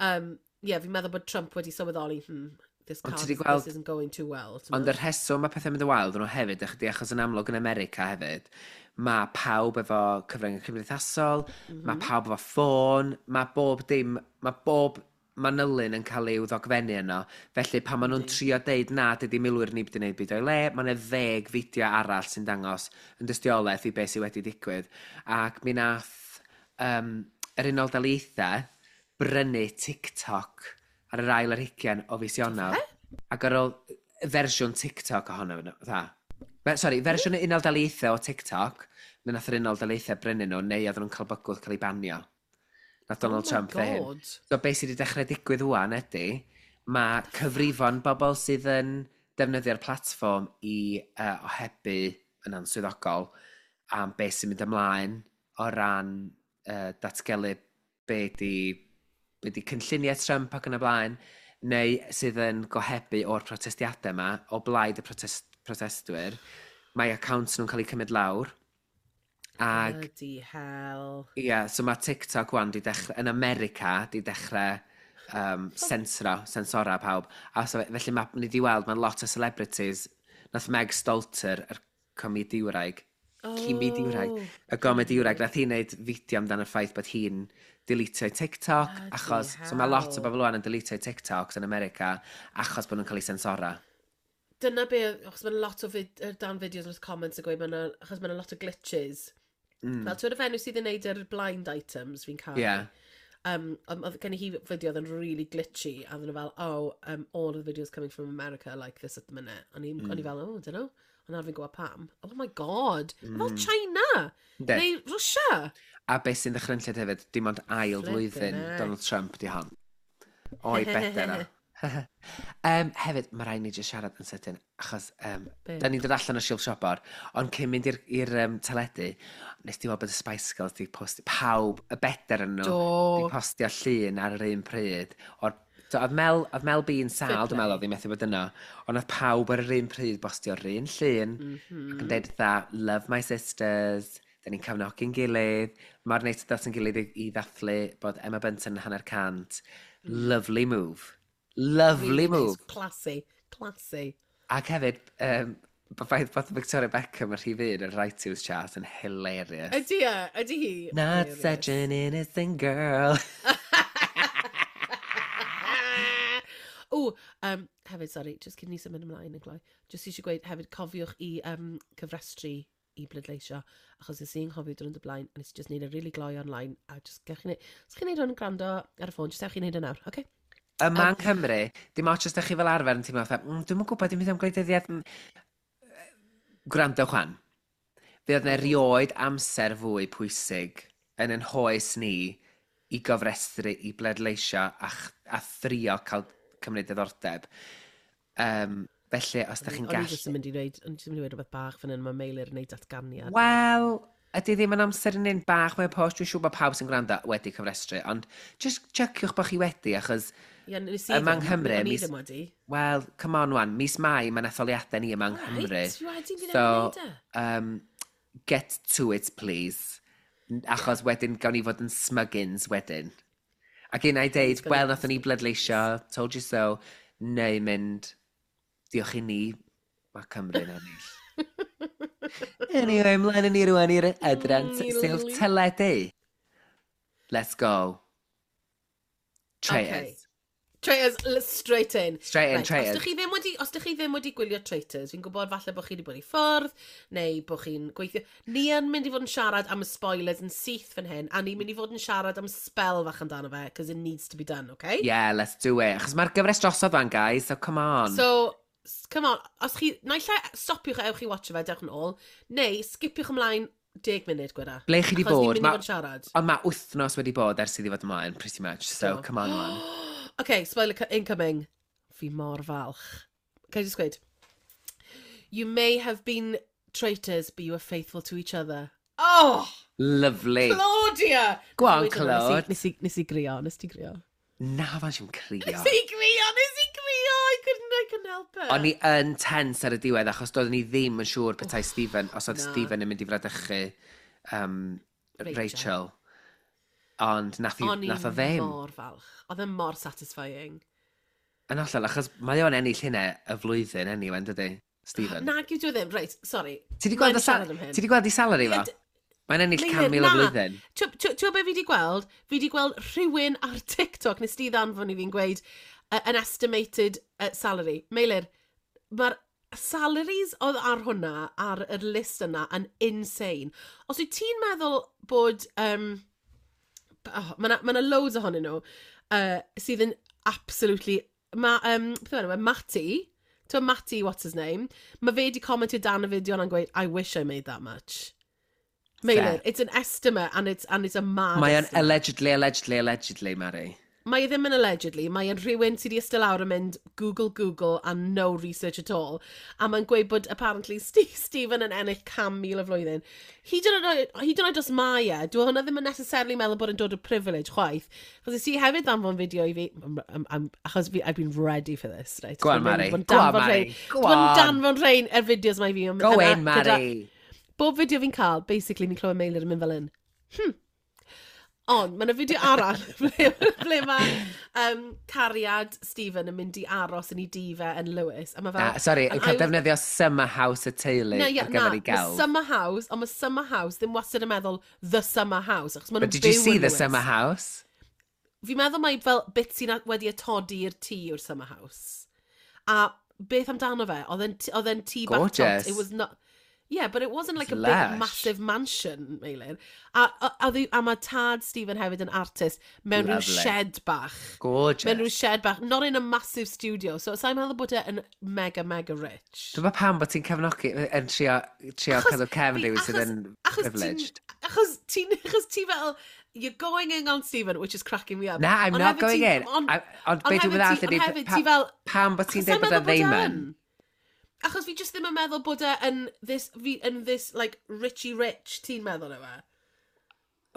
um, yeah, fi'n meddwl bod Trump wedi sylweddoli, hmm, this, Ond can't, ti 'di gweld- this isn't going too well. Ond y rheswm mae pethau'n mynd yn wael, nhw hefyd, ychydig achos yn amlwg yn America hefyd, mae pawb efo cyfryngau cymdeithasol, mm -hmm. mae pawb efo ffôn, mae bob dim, mae bob manylyn yn cael ei ddogfennu yno. Felly pan maen nhw'n trio deud na, dydy milwyr ni wedi gwneud byd o'i le, mae yna ddeg fideo arall sy'n dangos yn dystiolaeth i beth sydd wedi digwydd. Ac mi nath um, yr Unol Daleithiau brynu TikTok ar yr ail ar hugain o fis Ionawr. Ac ar ôl fersiwn TikTok ohono fe. Dda. Fe- Sorry, fersiwn y Unol Daleithiau o TikTok, mi nath yr Unol Daleithiau brynu nhw, neu oedden nhw'n cael bygwth cael ei banio. Nath Donald Oh my Trump ddeud hyn. God. So beth sydd wedi dechrau digwydd wan ydy, mae cyfrifon bobl sydd yn defnyddio'r platfform i uh, ohebu yn answyddogol am beth sy'n mynd ymlaen o ran uh, datgelu be di, be di cynlluniau Trump ac yn y blaen, neu sydd yn gohebu o'r protestiadau yma, o blaid y protest, protestwyr, mae accounts nhw'n cael eu cymryd lawr. Ag Bloody hell. Ie, yeah, so mae TikTok wan di dechrau, yn America, di dechrau um, sensro, sensora pawb. A so, felly mae, ni di weld, mae lot o celebrities, nath Meg Stalter, yr comediwraig, oh. comediwraig, y comediwraig, nath hi wneud fideo amdano y ffaith bod hi'n deletio TikTok, Bloody achos, so mae lot o hell. bobl wan yn deletio TikToks yn America, achos bod nhw'n cael eu sensora. Dyna be, achos mae'n lot o fid, yy, dan fideos yn y comments yn gweud, ma' 'na- achos mae'n lot o glitches. Mm. Fel, ti'n y fenyw sydd yn neud yr blind items fi'n cael. Ie. Um, oedd gen i hi fideo oedd yn really glitchy, a oedden nhw fel, oh, um, all of the videos coming from America are like this at the minute. O'n i, mm. o'n i fel, oh, I don't know. Ond nawr fi'n gwybod pam. Oh my God. Mm. Fel China. Yndi. Neu Russia. A beth sy'n ddychrynllyd hefyd, dim ond ail Flippin' flwyddyn heck. Donald Trump di hon. O'i better o. um, hefyd, mae rhaid ni jyst siarad yn sydyn, achos um, Be? da ni'n dod allan o Silff Siopor, ond cyn mynd i'r i'r um, teledu, nes di weld bod y Spice Girls di postio, pawb, y better yn nhw, Do. di postio llun ar yr un pryd. O'r, so, oedd Mel, oedd Mel B yn sâl, Fair dwi'n meddwl, oedd hi methu bod yno, ond oedd pawb ar yr un pryd bostio'r un llun, mm Mhm. -hmm. ac yn deud dda, love my sisters, da ni'n cefnogi'n gilydd, mae'r neis dod at yn gilydd i, i ddathlu bod Emma Bunton yn hanner cant. Lovely move. Lovely Mm. Really move. nice. Classy. Classy. Ac hefyd, um, bod ffaith bod Victoria Beckham yn rhif un yn yr iTunes chart yn hilarious. Ydy e? Ydy hi? Not Hilarious. such an innocent girl. O, um, hefyd, sorry, just cyn ni symud ymlaen yn gloi, just eisiau gweud hefyd cofiwch i um, cyfrestru i bleidleisio, achos nes i'n nghofio dwrnod y blaen, a nes i just neud e really gloi online, a just gewch chi neud, os chi'n neud hwn yn gwrando ar y ffôn, just ewch chi neud e nawr, oce? Okay? Yma yng Nghymru, dim ots os ydych chi fel arfer yn teimlo fatha, mm, dwi'm yn gwybod, dim byd am gwleidyddiaeth. mm." Gwrando chwan. Fe oedd yna erioed amser fwy pwysig yn yn hoes ni i gofrestru, i bleidleisio a, ch- a thrio cael cymryd diddordeb. Um, felly, os ydych chi'n O'n i gallu... jyst yn mynd i dweud, o'n i jyst yn mynd i dweud rhywbeth bach fan hyn, mae Meilir yn neud datganiad. Wel, ydy ddim yn amser yn un bach mewn post, dwi'n siŵr bod pawb sy'n gwrando wedi cyfrestru, ond just checiwch bod chi wedi, achos, Ie, nes i Yma yng ddim, Nghymru, o'n i mis- ddim wedi. well, come on wan, mis Mai mae'n etholiadau ni yma yng Nghymru. Reit, fi wedi, fi So, newydd neud e. um, get to it, please. Achos wedyn gawn ni fod yn smuggins wedyn. Ac un i deud, Gonna wel, be nathon ni bleidleisio, told you so, neu mynd, diolch i ni, mae Cymru'n ennill. Anyway, ymlaen â ni rwan i'r adran Mm, silff lovely. teledu. Let's go. Traitors. Okay. Traitors, let's straight in. Straight in, Right, traitors. Os dych chi ddim wedi, os dych chi ddim wedi gwylio Traitors, fi'n gwybod falle bod chi wedi bod i ffwrdd, neu bod chi'n gweithio. Ni yn mynd i fod yn siarad am y spoilers yn syth fan hyn, a ni'n mynd i fod yn siarad am spell fach amdano fe, because it needs to be done, okay? Yeah, let's do it. Achos mae'r gyfres drosodd fan, guys, so come on. So, s- come on, os chi, naill ai stopiwch a ewch i watcho fe, dewch yn ôl, neu skipiwch ymlaen deg munud, gweda. Ble chi 'di Achos ni'n bod? mynd i Ma- fod yn siarad. Ond mae wythnos wedi bod ers iddi fod ymlaen, pretty much. So, Do. come on, man. Okay, spoiler co- incoming. Fi mor falch. Can I just gweud? You may have been traitors, but you were faithful to each other. Oh, Lovely. Claudia! Go on, Nes i weud hwnna, Claude. Nes i, nes i grio, nes ti grio. Na, fan si'n crio. Nes i grio, nes i grio! I couldn't, I couldn't help it. O'n i yn tense ar y diwedd, achos doeddwn i ddim yn siŵr petai Stephen, os oedd na. Stephen yn mynd i fradychu um, Rachel. Rachel. Ond nath, i, O'n i nath o ddim. mor falch. Oedd e mor satisfying. Yn hollol, achos mae o'n ennill hynna y flwyddyn anyway, yn dydi? Stephen. Nag yw dwi ddim. Reit, sorry. Ti di gweld, Mae'n y sal siarad am hyn. ti di gweld ei salary fo? Ie, d- Mae'n ennill Meilir, can mil y na. flwyddyn. Ti'n gwybod beth fi di gweld? Fi di gweld rhywun ar TikTok, nes di ddanfon i fi'n gweud uh, an estimated uh, salary. Meilir, mae'r salaries oedd ar hwnna, ar y list yna, yn insane. Os wyt ti'n meddwl bod... Um, oh, mae yna ma loads ohonyn nhw uh, sydd yn absolutely... Mae, um, beth yw enw e? Matty, ti'n Matty, what's his name? Mae fe di commentio dan y fideo yna'n gweud, I wish I made that much. Meilir, Fair. it's an estimate and it's, and it's a mad Mae o'n estimate. allegedly, allegedly, allegedly, Mary. Mae e ddim yn allegedly, mae e'n rhywun sydd wedi eistedd lawr yn mynd Google, Google and no research at all. A mae'n gweud bod apparently Steve, Stephen yn ennill can mil y flwyddyn. Hyd yn oed, hyd yn oed os mae e, dwi hwnna ddim yn necessarily meddwl bod yn dod o privilege chwaith. Achos nes i hefyd ddanfon fideo i fi, I'm, I'm, I'm, achos fi, I've been ready for this, right? Go on, Dwi'n Mari. bod yn Go on, danfon Mari. rhein- Go Dwi'n on. danfon rhein yr fideos mae fi. Go Yna in, gyda- Mari. Bob fideo fi'n cael, basically, ni'n clywed Meilir yn mynd fel un. Hmm. Ond, mae yna fideo arall ble, ble mae um, cariad Stephen yn mynd i aros yn ei dŷ fe yn Lewis. A mae fel... Na, sorry, and yn cael I was- defnyddio summer house y teulu Na, ie, ar na, gyfer ei mae gelf. summer house, ond mae summer house ddim wastad yn meddwl the summer house, achos maen But nhw'n did you byw see yn the Lewis. summer house? Fi'n meddwl mai fel bit sy'n a- wedi atodi i'r tŷ o'r summer house. A beth amdano fe? Oedd e'n t- oedd e'n tŷ bach tot. Gorgeous. It was not... Yeah, but it wasn't like It's a lush. big, massive mansion, Meilir. A, a, a, a, a mae tad Stephen hefyd yn artist mewn rhyw Lovely. shed bach. Gorgeous. Mewn rhyw shed bach, not in a massive studio. So, sa'n meddwl bod e yn mega, mega rich. Dwi'n meddwl pam bod ti'n cefnogi, yn trio, trio Achos cadw cefn fi- rhywun sydd achos- yn achos ti'n- privileged. Achos ti'n, achos ti fel, you're going in on Stephen, which is cracking me up. Na, I'm Ond not hefyd going ti- in. Ond I- Ond be ond dwi'n hefyd meddwl ti- ydi, ond hefyd pa- ti fel... pam bod ti'n Achos dweud bod sa'n e meddwl bod ddim e yn? yn. Achos fi just ddim yn meddwl bod e yn this, fi, yn this, like, richy rich, ti'n meddwl yw e?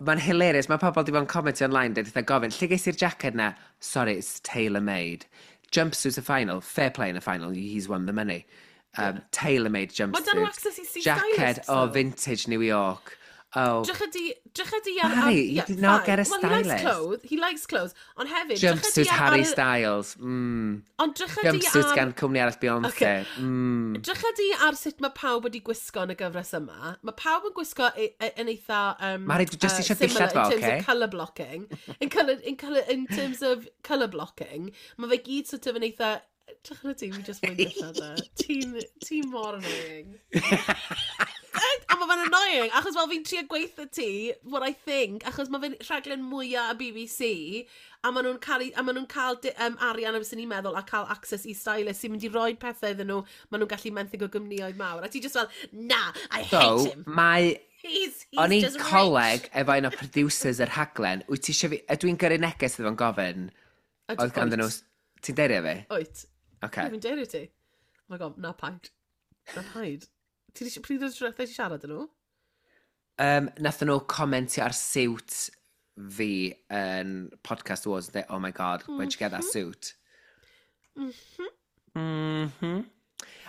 Mae'n hilarious, mae pobl di bod yn comment online, dweud eitha gofyn, lle ges i'r jacket na? Sorry, it's tailor-made. Jumpsuit a final, fair play in a final, he's won the money. Um, Tailor-made Mae dan nhw jumpsuit. access i see Jacket stylists, o though. vintage New York. Oh, Drych ydi, drych ydi ar... Harry, ar- you yeah, did not fine. get a Well, he likes stylist. clothes, he likes clothes. Ond hefyd, drych ydi jumpsuit ar... Harry ar- Styles. Mm. Ond drych ydi Jumpsuit ar... gan cwmni arall Beyoncé. Okay. Mm. Drych ydi ar sut mae pawb wedi gwisgo yn y gyfres yma. Mae pawb yn gwisgo e- e- yn eitha... Um, Mari, dwi jyst uh, eisiau similar dillad fo, In terms ocê? of colour blocking. In, colour, in, colour, in terms of colour blocking, mae fe gyd sort of yn eitha... Drych yna ti, fi just moyn dillad e. Ti'n ti mor annoying. A mae fe'n annoying, achos fel fi'n trio gweithio ti, what I think, achos mae fe'n rhaglen mwyaf y B B C, a maen nhw'n cael, a maen nhw'n cael di- um, arian am sy'n ni'n meddwl a cael access i stylist sy'n mynd i roi pethau iddyn nhw, maen nhw'n gallu menthyg o gwmnïoedd mawr. A ti just fel, "Na, I So, hate him." mae He's, he's O'n i'n just coleg efo un o producers yr rhaglen. Wyt ti eisiau fi... Ydw i'n gyrru neges iddo fo'n gofyn? Rich. Oedd ganddyn nhw... Ti'n derio fi? Wyt. Oce. Fi'n derio ti. Oh my God, na paid. Na paid. Ti di, pryd oedd ti siarad â nhw? Um, nathon nhw comentio ar siwt fi yn Podcast Awards and dweud, "Oh my God, where'd you get that suit?" Mm -hmm.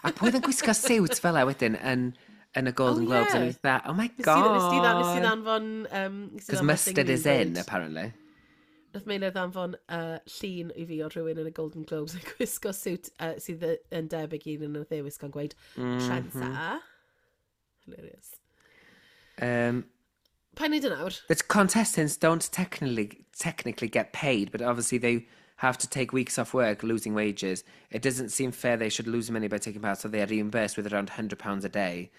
A pwy oedd yn gwisgo siwt fel e wedyn yn, yn y Golden Oh, Globes? yeah. O'n i fatha, "Oh my Nes ti- God." Nes ti dda- nes ti ddanfon... Um, Because mustard is in, apparently. Nath Meilir ddanfon uh, llun i fi o rhywun yn y Golden Globes yn gwisgo siwt uh, sydd yn debyg i un yn y ddewis gan gweud mm -hmm. "Trendsetter." Hilarious. Um, Pa wneud yn awr? The contestants don't technically technically get paid, but obviously they have to take weeks off work, losing wages. It doesn't seem fair they should lose money by taking part, so they are reimbursed with around one hundred pounds a day.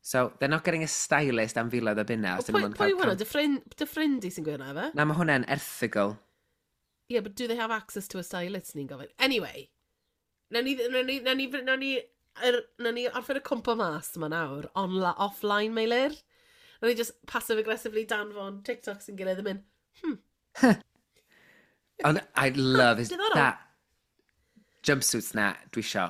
So they're not getting a stylist am filoedd o bunna. Os dyn Pwy, nhw'n pwy cael yw hwnna? cam- Dy ffrind, dy ffrind i sy'n gweud hwnna, fe? Na, mae hwnna'n erthygl. Yeah, but do they have access to a stylist, ni'n gofyn? Anyway, nawn ni, nawn ni, nawn ni, nawn ni, er, nawn ni orffen y cwmpo mas yma nawr, onla, offline, Meilir. Nawn ni just passive-aggressively danfon TikToks yn gilydd yn mynd, Ond I love his... Diddorol. That jumpsuits na, dwi isio.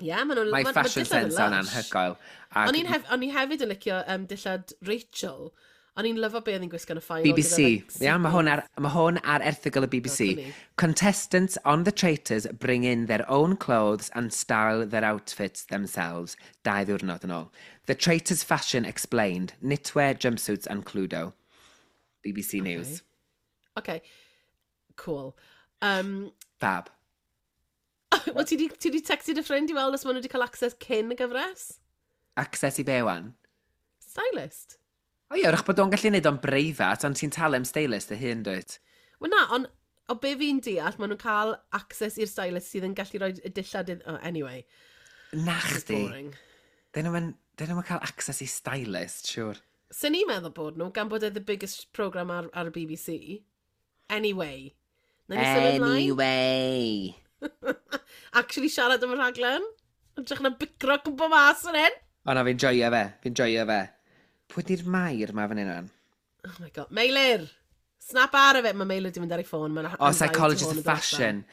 Yeah, maen nhw'n... Mae ma- ma' fashion dillad yn sense o'n lush. anhygoel. Ac O'n i'n hef, o'n i hefyd yn licio um, dillad Rachel. O'n i'n lyfo be oedd hi'n gwisgo yn y final. B B C. Gyda, like, Iawn, mae hwn ar, mae hwn ar erthygl y B B C. Funny. Contestants on The Traitors bring in their own clothes and style their outfits themselves. Dau ddiwrnod yn ôl. The Traitors fashion explained. Knitwear, jumpsuits and Cluedo. B B C News. Okay, cool. Um, Fab. Wel, ti di, ti di textio dy ffrind i weld os maen nhw wedi cael access cyn y gyfres? Access i be wan? Stylist. O ie, wrach bod o'n gallu neud o'n breifat, ond ti'n talu am stylist dy hun, dwyt? Wel na, ond o be fi'n deall, maen nhw'n cael access i'r stylist sydd yn gallu rhoi y dillad idd... Oh, anyway, Na it's chdi. boring. Dyn nhw'n dyn nhw'n cael access i stylist, siwr. Sy'n ni'n meddwl bod nhw, gan bod e the biggest program ar, ar y B B C. Anyway. Nawn ni symud mlaen? Anyway. Actually siarad am y rhaglen? Yn na bicro cwmpo mas yn hyn? O na, fi'n joio fe. Fi'n joio fe. Pwy di'r Mair ma fan hyn o'n? Oh my God. Meilir! Snap out of it. Mae Meilir di mynd ar ei ffôn. Mae'n O, Psychologist of Fashion.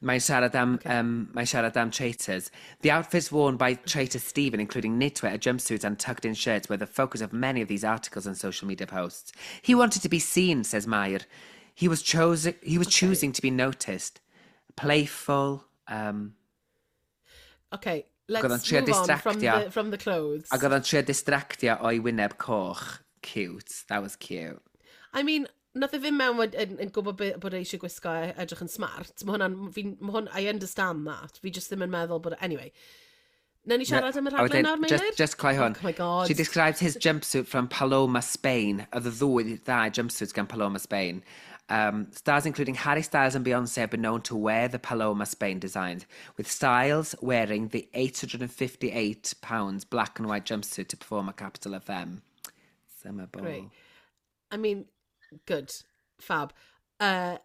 Mae'n siarad am, okay. um, mae'n siarad am traitors. The outfits worn by traitor Stephen, including knitwear, a jumpsuit and tucked-in shirts, were the focus of many of these articles and social media posts. "He wanted to be seen," says Mair. He was, chose he was okay. choosing to be noticed. Playful." Um, Okay, Ac oedd o'n let's trio move on from distractio. the, from the clothes. Ac oedd o'n trio distractio o'i wyneb coch. Cute. That was cute. I mean, nath e ddim mewn yn, yn, yn gwybod be, bod e eisiau gwisgo e edrych yn smart. Mae hwnna'n, fi'n, ma hwn, I understand that. Fi just ddim yn meddwl bod, anyway. Nawn ni siarad am y A rhaglen wedyn, nawr, Meilir? Just, just cloi hwn. Oh my God. She described his jumpsuit from Paloma Spain. Oedd y ddwy ddau jumpsuits gan Paloma Spain. Um, stars including Harry Styles and Beyonce have been known to wear the Paloma Spain designs, with Styles wearing the eight hundred fifty-eight pounds black and white jumpsuit to perform at Capital F M Summer Ball. Great. I mean, good. Fab. Uh,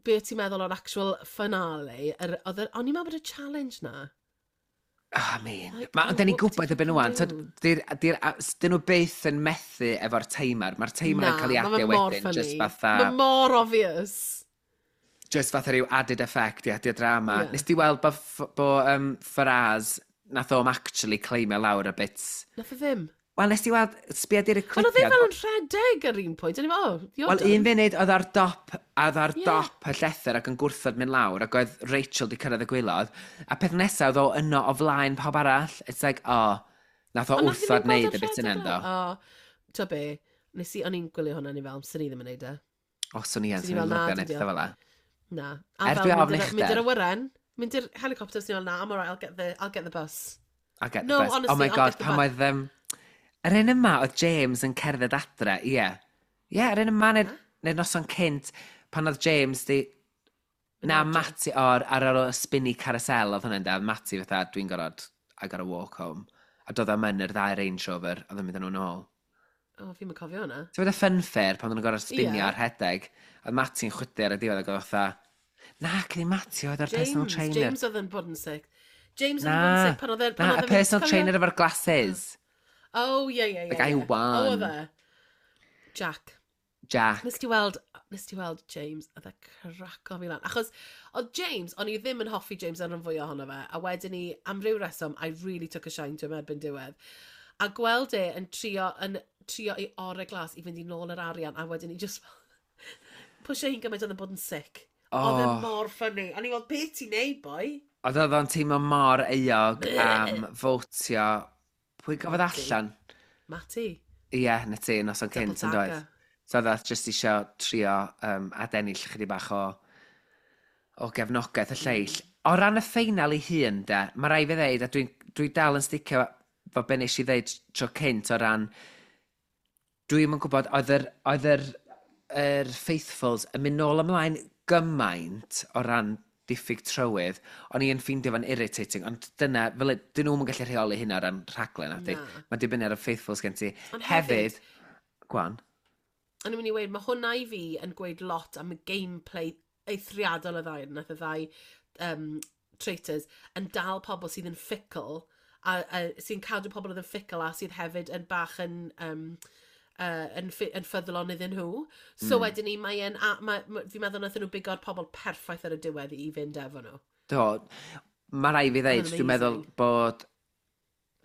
be ti'n meddwl o'r actual finale? Yr- oedd y- O'n i'n meddwl bod y challenge na. Oh, I mean, Like, ma, oh, da ni'n what gwybod did y byn you wan. do? Dyn nhw byth yn methu efo'r timer. Mae'r timer yn cael ei Ma' fe adio mor wedyn, just funny. fatha Mae mor obvious. Just fatha rhyw added effect i adio drama. Ie. Nes di weld bo, bo um, Faraz, nath o'm actually claimio lawr y bits? Nath o ddim. Wel, nes di weld, sbia di'r Wel, oedd e clipiad. fel yn rhedeg ar un pwynt. O'n i'n fel, "Oh, you're Wel, done." un funud oedd ar dop, oedd ar Ie. dop y llethr ac yn gwrthod mynd lawr, ac oedd Rachel di cyrraedd y gwaelod. A peth nesaf oedd o yno o flaen pawb arall. It's like, oh, nath o Ond nath wrthod ddim neud gweld y bit o'n yna, rhedeg do. lawr. O, to be, nes i, o'n i'n gwylio hwnna, ni fel, sy'n ni ddim yn neud e. O, swn i yn, Swn i swn i'n fel, na, lyfio dwi'n neud pethau fel 'a. Na. A Er fel, dwi ofn mynd i'r- uchder. Mynd i'r awyren, mynd i'r helicopter, sy'n fel, "Na, I'm alright, I'll get the, I'll get the bus." I'll get the No, bus. honestly, Oh my I'll God, get the pan bus. oedd... Um, yr un yma, oedd James yn cerdded adre, ie. Ie, yr un yma, neu'r neu noson cynt, pan oedd James di... Na, adre. Matty, o'r, ar ôl y spinny carousel oedd hwnna'n da, Matty fatha, "Dwi'n gorfod, I gotta walk home." A doedd o'm yn yr ddau Range Rover, oedd yn mynd â nhw'n ôl. O, fi'n mynd cofio hwnna. Ti'n meddwl y funfair pan oedden nhw'n gorfod spinio Ie. ar rhedeg, oedd Matty'n chwydu ar y diwedd ac oedd fatha... Na, cyn i Matty oedd ar personal James, trainer. James oedd yn bod yn sick. James oedd Na, yn bod yn sick pan oedd e... pan na, oedd y e'n mynd- personal cofio? trainer efo'r glasses. Oh, ie, ie, ie. The guy who ie. won. Oh, oedd e. Jack. Jack. Nes ti weld, nes ti weld James, oedd e craco fi lan. Achos, oedd James, o'n i ddim yn hoffi James ar rhan fwy ohono fe, a wedyn ni, am ryw reswm, I really took a shine to him erbyn diwedd. A gweld e yn trio, yn trio i orau glas i fynd i nôl yr arian, a wedyn ni just pwysio hi'n gymaint oedd yn bod yn sick. Oedd e Oh. mor funny. O'n i fel, "Be ti'n neud, boi?" Oedd oedd o'n teimlo mor euog am fotio. Pwy gafodd allan? Matty. Ie, yeah, na ti, noson Double cynt yn doedd. dagger. So oedd o just isio trio um, adennill chydig bach o, o gefnogaeth y lleill. O ran y ffeinal ei hun, de, mae rai fi ddeud, a dwi'n dwi dal yn sticio fo be nes i ddeud tro cynt o ran, dwi'n yn gwybod, oedd yr, oedd yr, yr Faithfuls yn mynd nôl ymlaen gymaint o ran diffyg trywydd, o'n i yn ffeindio fo'n irritating, ond dyna, fel, y- dyn nhw'n gallu rheoli hynna o ran rhaglen, nadi. Na. Mae'n dibynnu ar y Faithfuls gen ti. Ond Hefyd, hefyd- Gwan. O'n i'n mynd i weud, mae hwnna i fi yn gweud lot am y gameplay eithriadol y ddau, nath y ddau um, traitors yn dal pobl sydd yn fickle, a, a sy'n cadw pobl oedd yn fickle a sydd hefyd yn bach yn, um, uh, yn, ffi- yn ffyddlon iddyn nhw. So mm. wedyn ni, mae e'n, a, ma, ma, fi'n meddwl nath nhw bigo'r pobl perffaith ar y diwedd i fynd efo nhw. Do, mae rai fi ddeud, Ma'n dwi'n meddwl amazing. bod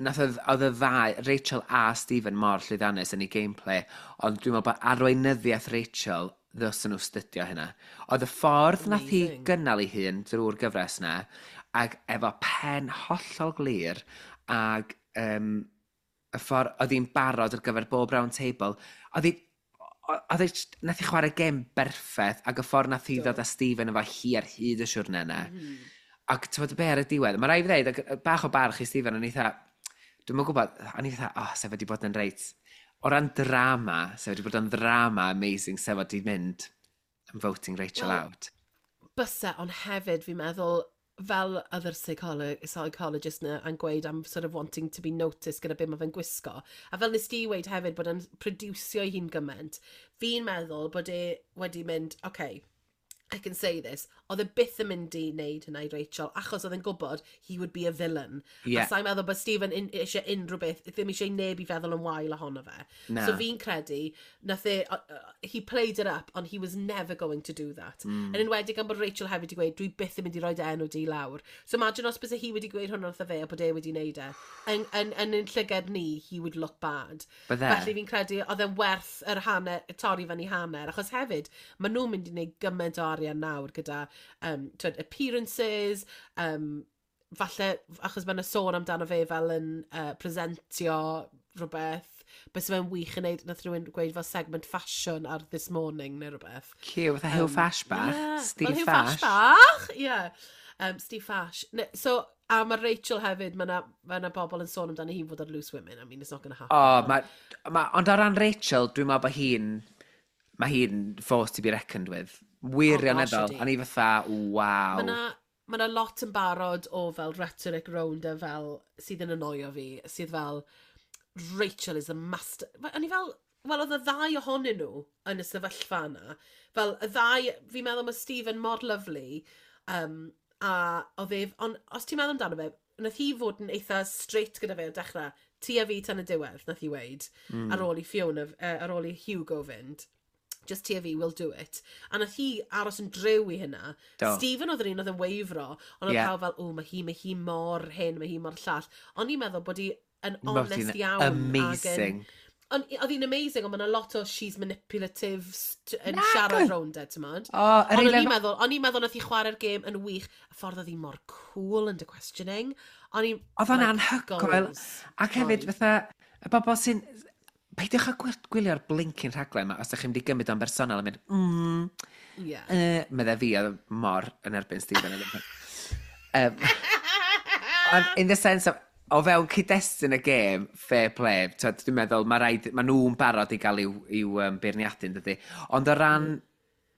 nath oedd, oedd y ddau, Rachel a Stephen, mor llwyddiannus yn ei gameplay, ond dwi'n meddwl bod arweinyddiaeth Rachel, ddylsyn nhw stydio hynna. Oedd y ffordd nath hi Amazing. gynnal ei hun drwy'r gyfres na, ac efo pen hollol glir, ac um, y ffordd oedd hi'n barod ar gyfer bob round table, oedd hi, oedd hi, nath hi chwarae gêm berffaith, ac y ffordd nath hi Do. ddod â Stephen efo hi ar hyd y siwrne yna. Mm. Ac ti'n bod be ar y diwedd, mae rai fi ddeud, ac bach o barch i Stephen, o'n i eitha, dwi'm yn gwybod, o'n i eitha, oh, sef wedi bod yn reit, o ran drama, sef wedi bod yn ddrama amazing, sef wedi mynd, I'm voting Rachel Wel, out. Byse, ond hefyd fi'n meddwl, fel other psycholo psychologist na yn gweud am sort of wanting to be noticed gyda be mae fe'n gwisgo. A fel nes di weud hefyd bod e'n producio ei hun gymaint, fi'n meddwl bod e wedi mynd, "Okay, I can say this," oedd e byth yn mynd i wneud hynna i Rachel, achos oedd e'n gwybod he would be a villain. Ie. A sa'n meddwl bod Stephen in, eisiau unrhyw beth, ddim eisiau neb i feddwl yn wael ohono fe. Na. So fi'n credu, nath e, uh, uh, he played it up, ond he was never going to do that. Mm. Yn enwedig am bod Rachel hefyd wedi gweud, "Dwi byth yn mynd i roi dy enw di lawr." So imagine os byse hi wedi gweud hwnna wrtho fe a bod e wedi wneud e. Yn, yn, yn, yn llygad ni, he would look bad. Bydde. Felly fi'n credu oedd e'n werth yr hanner, torri fyny hanner, achos hefyd, maen nhw'n mynd i wneud gymaint o arian nawr gyda um, twyd, appearances, um, falle, achos mae yna sôn amdano fe fel yn uh, presentio rhywbeth, bys fe'n wych yn neud, nath rhywun gweud fel segment fashion ar This Morning neu rhywbeth. Cute, fatha Hugh Fash bach. Yeah, Steve fel Hugh Fash. Fash bach, yeah. Um, Steve Fash. Ne, so, a mae Rachel hefyd, mae yna ma 'na bobl yn sôn amdano hi fod ar Loose Women. I mean, it's not going to happen. O, ma, ma, ond o ran Rachel, dwi'n meddwl bod hi'n... Mae hi'n force to be reckoned with. Wirioneddol. Oh, gosh, ydi. O'n i fatha, waw. Mae na, ma na lot yn barod o fel rhetoric rownd e fel sydd yn annoio fi, sydd fel "Rachel is the master." O'n i fel, wel, oedd y ddau ohonyn nhw yn y sefyllfa yna. Fel y ddau, fi'n meddwl mae Stephen mor lovely, um, a oedd ef, ond os ti'n meddwl amdano fe, nath hi fod yn eitha straight gyda fe o dechrau, "Ti a fi tan y diwedd," nath hi weud, mm. ar ôl i Fiona, uh, ar ôl i Hugo fynd. "Just ti a fi, we'll do it." A nath hi aros yn driw i hynna. Do. Stephen oedd yr un oedd yn wavero, ond oedd Ie. yeah. pawb fel, "O, mae hi, mae hi mor hyn, mae hi mor llall." Ond i'n meddwl bod hi yn Bod honest hi'n iawn. ag yn- amazing. Ond oedd hi'n amazing, ond mae'n lot o "she's manipulative" st- yn Nag siarad oedd. rownd e, ti'n modd? O, yr Ond o'n un i'n meddwl, o'n i'n meddwl nath hi chwarae'r gêm yn wych, y ffordd oedd hi mor cool yn the questioning. O'n i'n Oedd o'n like, anhygoel. goals. Ac hefyd, Oedd. fatha, y bobl sy'n... Peidiwch â gwyl- gwylio'r blinking rhaglen yma os ydych chi'n mynd i gymryd o'n bersonol a mynd, mm, Yeah. uh, medde fi oedd mor yn erbyn Stephen. um, ond in the sense of, o fewn cyd-destun y gêm, fair play, twyd, dwi'n meddwl, mae rhaid, mae nhw'n barod i gael i'w, i'w um, beirniadu, yn dydy. Ond o ran,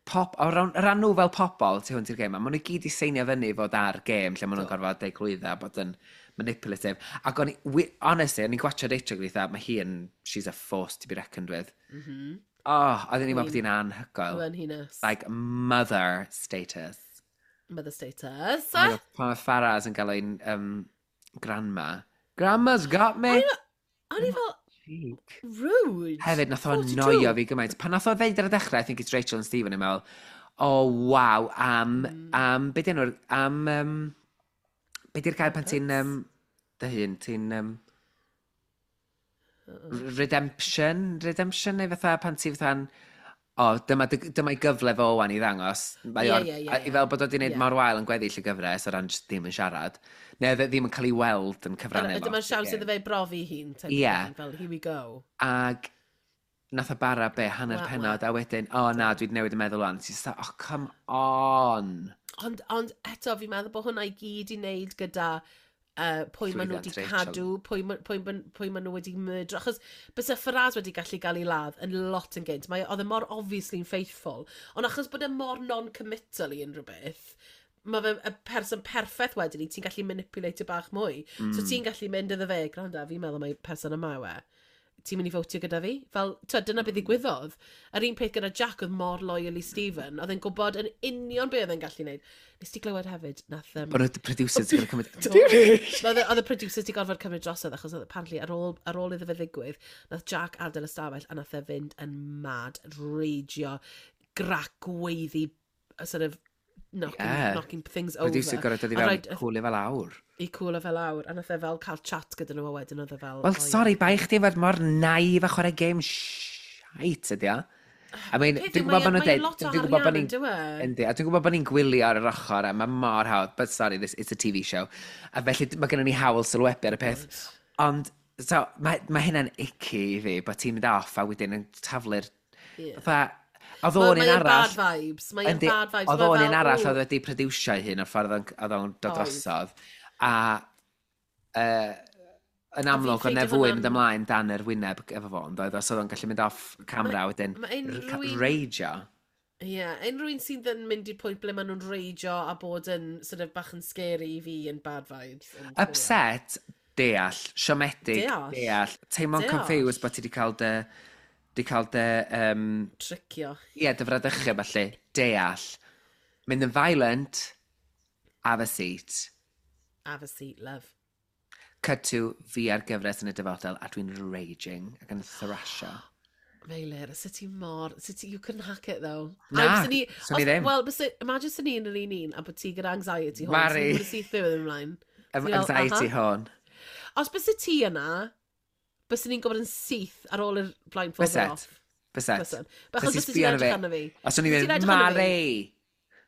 pop, o ran, o ran nhw fel pobl tu hwnt i'r gêm, maen nhw gyd i seinio fyny fod ar gêm lle maen nhw'n gorfod deud clwydda, bod yn manipulative. Ac o'n i, wi- honestly, o'n i'n gwachio Rachel gweithio, mae hi yn, she's a force to be reckoned with. Mm -hmm. Oh, oedden ni'n meddwl bod hi'n anhygoel. Brenhines. Like, mother status. Mother status. Oh my God, pan mae Farah's yn gael ein um, grandma. "Grandma's got me!" O'n i fel, Cheek. rude. Hefyd, nath o forty-two. annoio fi gymaint. Pan nath o ddeud ar y dechrau, "I think it's Rachel and Stephen," yn meddwl, oh, wow, am, mm. am, be di enw'r, am, um, be di'r gair pan ti'n, um, dy hun, ti'n, um, redemption, redemption, neu fatha pan ti fatha'n, o, dyma, dyma i gyfle fo wan i ddangos. Mae Ie, o'r- ie, ie, a- I ie. fel bod o wedi gwneud Ie. mor wael yn gweddill y gyfres o ran jyst ddim yn siarad. Neu oedd e ddim yn cael ei weld yn cyfrannu. Dyma'r lot i'r siawns gêm. iddo fe brofi hun. Type of Ie. thing, fel, here we go. Ag nath o bara be, hanner Wa- wa. penod, a wedyn, o na, dwi wedi newid y meddwl wan. Ti'n just, oh, come on. Ond, ond eto, fi'n meddwl bod hwnna i gyd i wneud gyda uh, pwy maen nhw wedi Llwyddiant Rachel. cadw, pwy, ma- pwy, ma- pwy maen nhw wedi myrdro. Achos byse Faraz wedi gallu gael ei ladd yn lot yn gynt. Mae, oedd e mor obviously yn faithful. Ond achos bod e mor non-committal i unrhyw beth, mae fe y person perffaith wedyn i, ti'n gallu manipulate bach mwy. Mm. So ti'n gallu mynd iddo fe, "Gwranda, fi'n meddwl mai person yma yw e. Ti'n mynd i fotio gyda fi?" Fel, twyd, dyna beth ddigwyddodd. Yr un peth gyda Jack, oedd mor loyal i Stephen. Oedd e'n gwybod yn union be oedd e'n gallu gwneud. Nes ti glywed hefyd, nath... Um, Bod y producers yn cymryd... Oedd y- oedd y producers di gorfod cymryd drosodd achos oedd apparently ar ôl, ar ôl iddo fe ddigwydd, nath Jack adael y stafell a nath e fynd yn mad, ragio, grac gweiddi, a sort of knocking, Yeah. knocking things over. Producer gorfod dod i A fewn, rhaid- cwlio fel awr. I cwlio fel awr, a nath e fel cael chat gyda nhw a wedyn oedd e fel, Wel, "Oh, yeah." sorry, bai chdi fod mor naif a chwarae game shite ydi o. I mean, Peth dwi'n yw, gwybod mae bod nhw'n e- mae deud... e lot o Dwi'n gwybod bod arian ni'n yn dyw e? Yndi, a dwi'n gwybod bod ni'n gwylio ar yr ochr, a mae mor hawdd, but sorry, this, it's a T V show. A felly mae gennym ni hawl sylwebu ar y peth. Ond, so, mae, mae hynna'n icky i fi, bod ti'n mynd off a wedyn yn taflu'r Ie. Fatha, oedd Ma- o'n un Mae e'n arall bad vibes. Mae e'n Yndi, bad vibes. oedd Mae o'n fel, un arall "Ww." oedd wedi producio ei hun o'r ffordd oedd o'n- oedd o'n dod Oedd. drosodd. A uh, yn amlwg, oedd ffeindio na fwy hwnna'n- mynd ymlaen dan yr wyneb efo fo, ond oedd os oedd o'n gallu mynd off camera wedyn ma' unrhyw un- rageo. Ie, yeah, unrhyw un sydd yn mynd i'r pwynt ble maen nhw'n rageo a bod yn sort of bach yn scary i fi yn bad vibes. Ond, Upset, deall, siomedig, Deall. deall, teimlo'n Deall. confused bod ti wedi cael dy, di cael dy, um, Tricio. ie, dy fradychu felly, deall. Mynd yn violent, have a seat. Have a seat, love. Cut to fi ar gyfres yn y dyfodol a dwi'n raging ac yn thrasio. Meilir, sut ti mor... Sut ti, you couldn't hack it, though. Na, A byswn i- swn i os- ddim. Wel, byse, imagine swn i yn yr un un a bod ti gyda anxiety horn. Mari. Swn i'n syth byw ymlaen. Am- Swn i fel, Anxiety "Aha." horn. Os byse ti yna, byswn ni'n gwybod yn syth ar ôl yr blindfold Byset. off. Byset. Bysen. Achos Byset byse sbio ti'n arno edrych fi. arno fi. Os o'n i'n Byse ti'n mynd, edrych arno fi. "Mari!"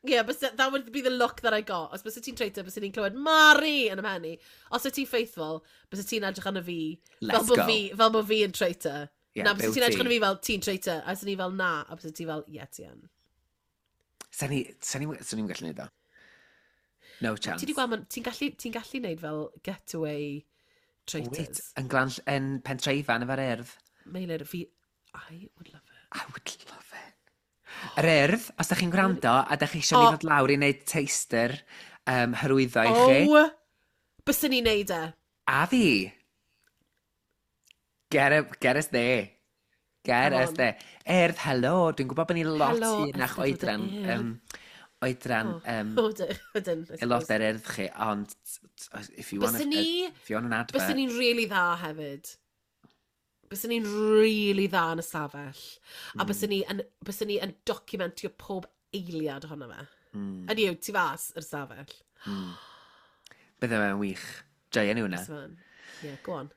Yeah, but that would be the look that I got. Os byse ti'n traitor, byse ni'n clywed "Mari" yn 'y mhen i. Os y ti'n faithful, byse ti'n edrych arno fi Let's fel bod go. fi, fel bod fi yn traitor. Yeah, Na, byse byw ti'n edrych ti. arno fi fel "Ti'n traitor." A byse ni fel "Na." A byse ti fel "Yeah, ti yn." Sa'n ni, sa'n ni, sa'n ni'n gallu neud o. No chance. Ti di gweld, ma- ti'n gallu, ti'n gallu neud fel getaway Wait, traitors. yn glan, yn Pentre Ifan efo'r Urdd. Meilir, fi, I would love it. I would love it. Yr Urdd, os da chi'n gwrando a da chi eisiau ni O. ddod lawr i wneud taster um, hyrwyddo i chi. Oh, byswn ni'n neud e. A fi. Get, it, get us there. Get Come us on. there. Urdd, helo. Dwi'n gwybod bod ni lot Helo, hŷnach Eisteddfod yr oedran. Urdd. Um, oedran um, O, ydyn, ydyn. I suppose. aelodau'r Urdd chi, ond if you want, Byswn a, ni, if you want an advert. byswn ni'n really dda hefyd. Byswn ni'n really dda yn y stafell. A Mm. byswn ni yn, byswn ni yn documentio pob eiliad ohono fe. Mm. Ydy yw, tu fas yr stafell. Bydde fe'n wych. Joio ni hwnna. Byswn fe'n. Yeah, go on.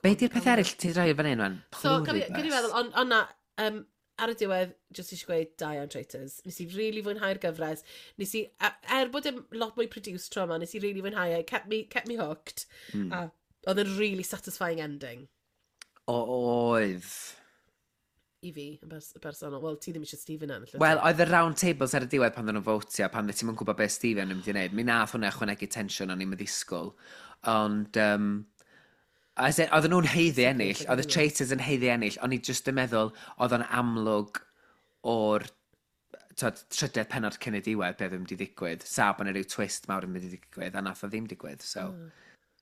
Be di'r peth eraill ti'n rhoi fan hyn, wan? So, gad i Pluribus. feddwl, ond on na, um, ar y diwedd, just eisiau gweud, da iawn Traitors. Nes i really fwynhau'r gyfres. Nes i, a- er bod e'n lot mwy produced tro yma, nes i really fwynhau e. Kept me, kept me hooked. Mm. A oedd e'n really satisfying ending O, oedd. i fi, yn bers bersonol. Wel, ti ddim eisiau Stephen ennill. Wel, oedd y round tables ar y diwedd pan oedden nhw'n fotio, pan ti'n yn gwybod beth Stephen yn mynd i wneud. Mi nath hwnna ychwanegu tensiwn o'n i'n ddisgwyl. Ond, um, as in, oedden nhw'n haeddu ennill, oedd y Traitors yn haeddu ennill, o'n i just yn meddwl oedd o'n amlwg o'r tod, trydedd penod cyn y diwedd beth oedd yn mynd i ddigwydd. Sa bod yna rhyw twist mawr yn mynd i ddigwydd, a nath o ddim digwydd. So, Mm.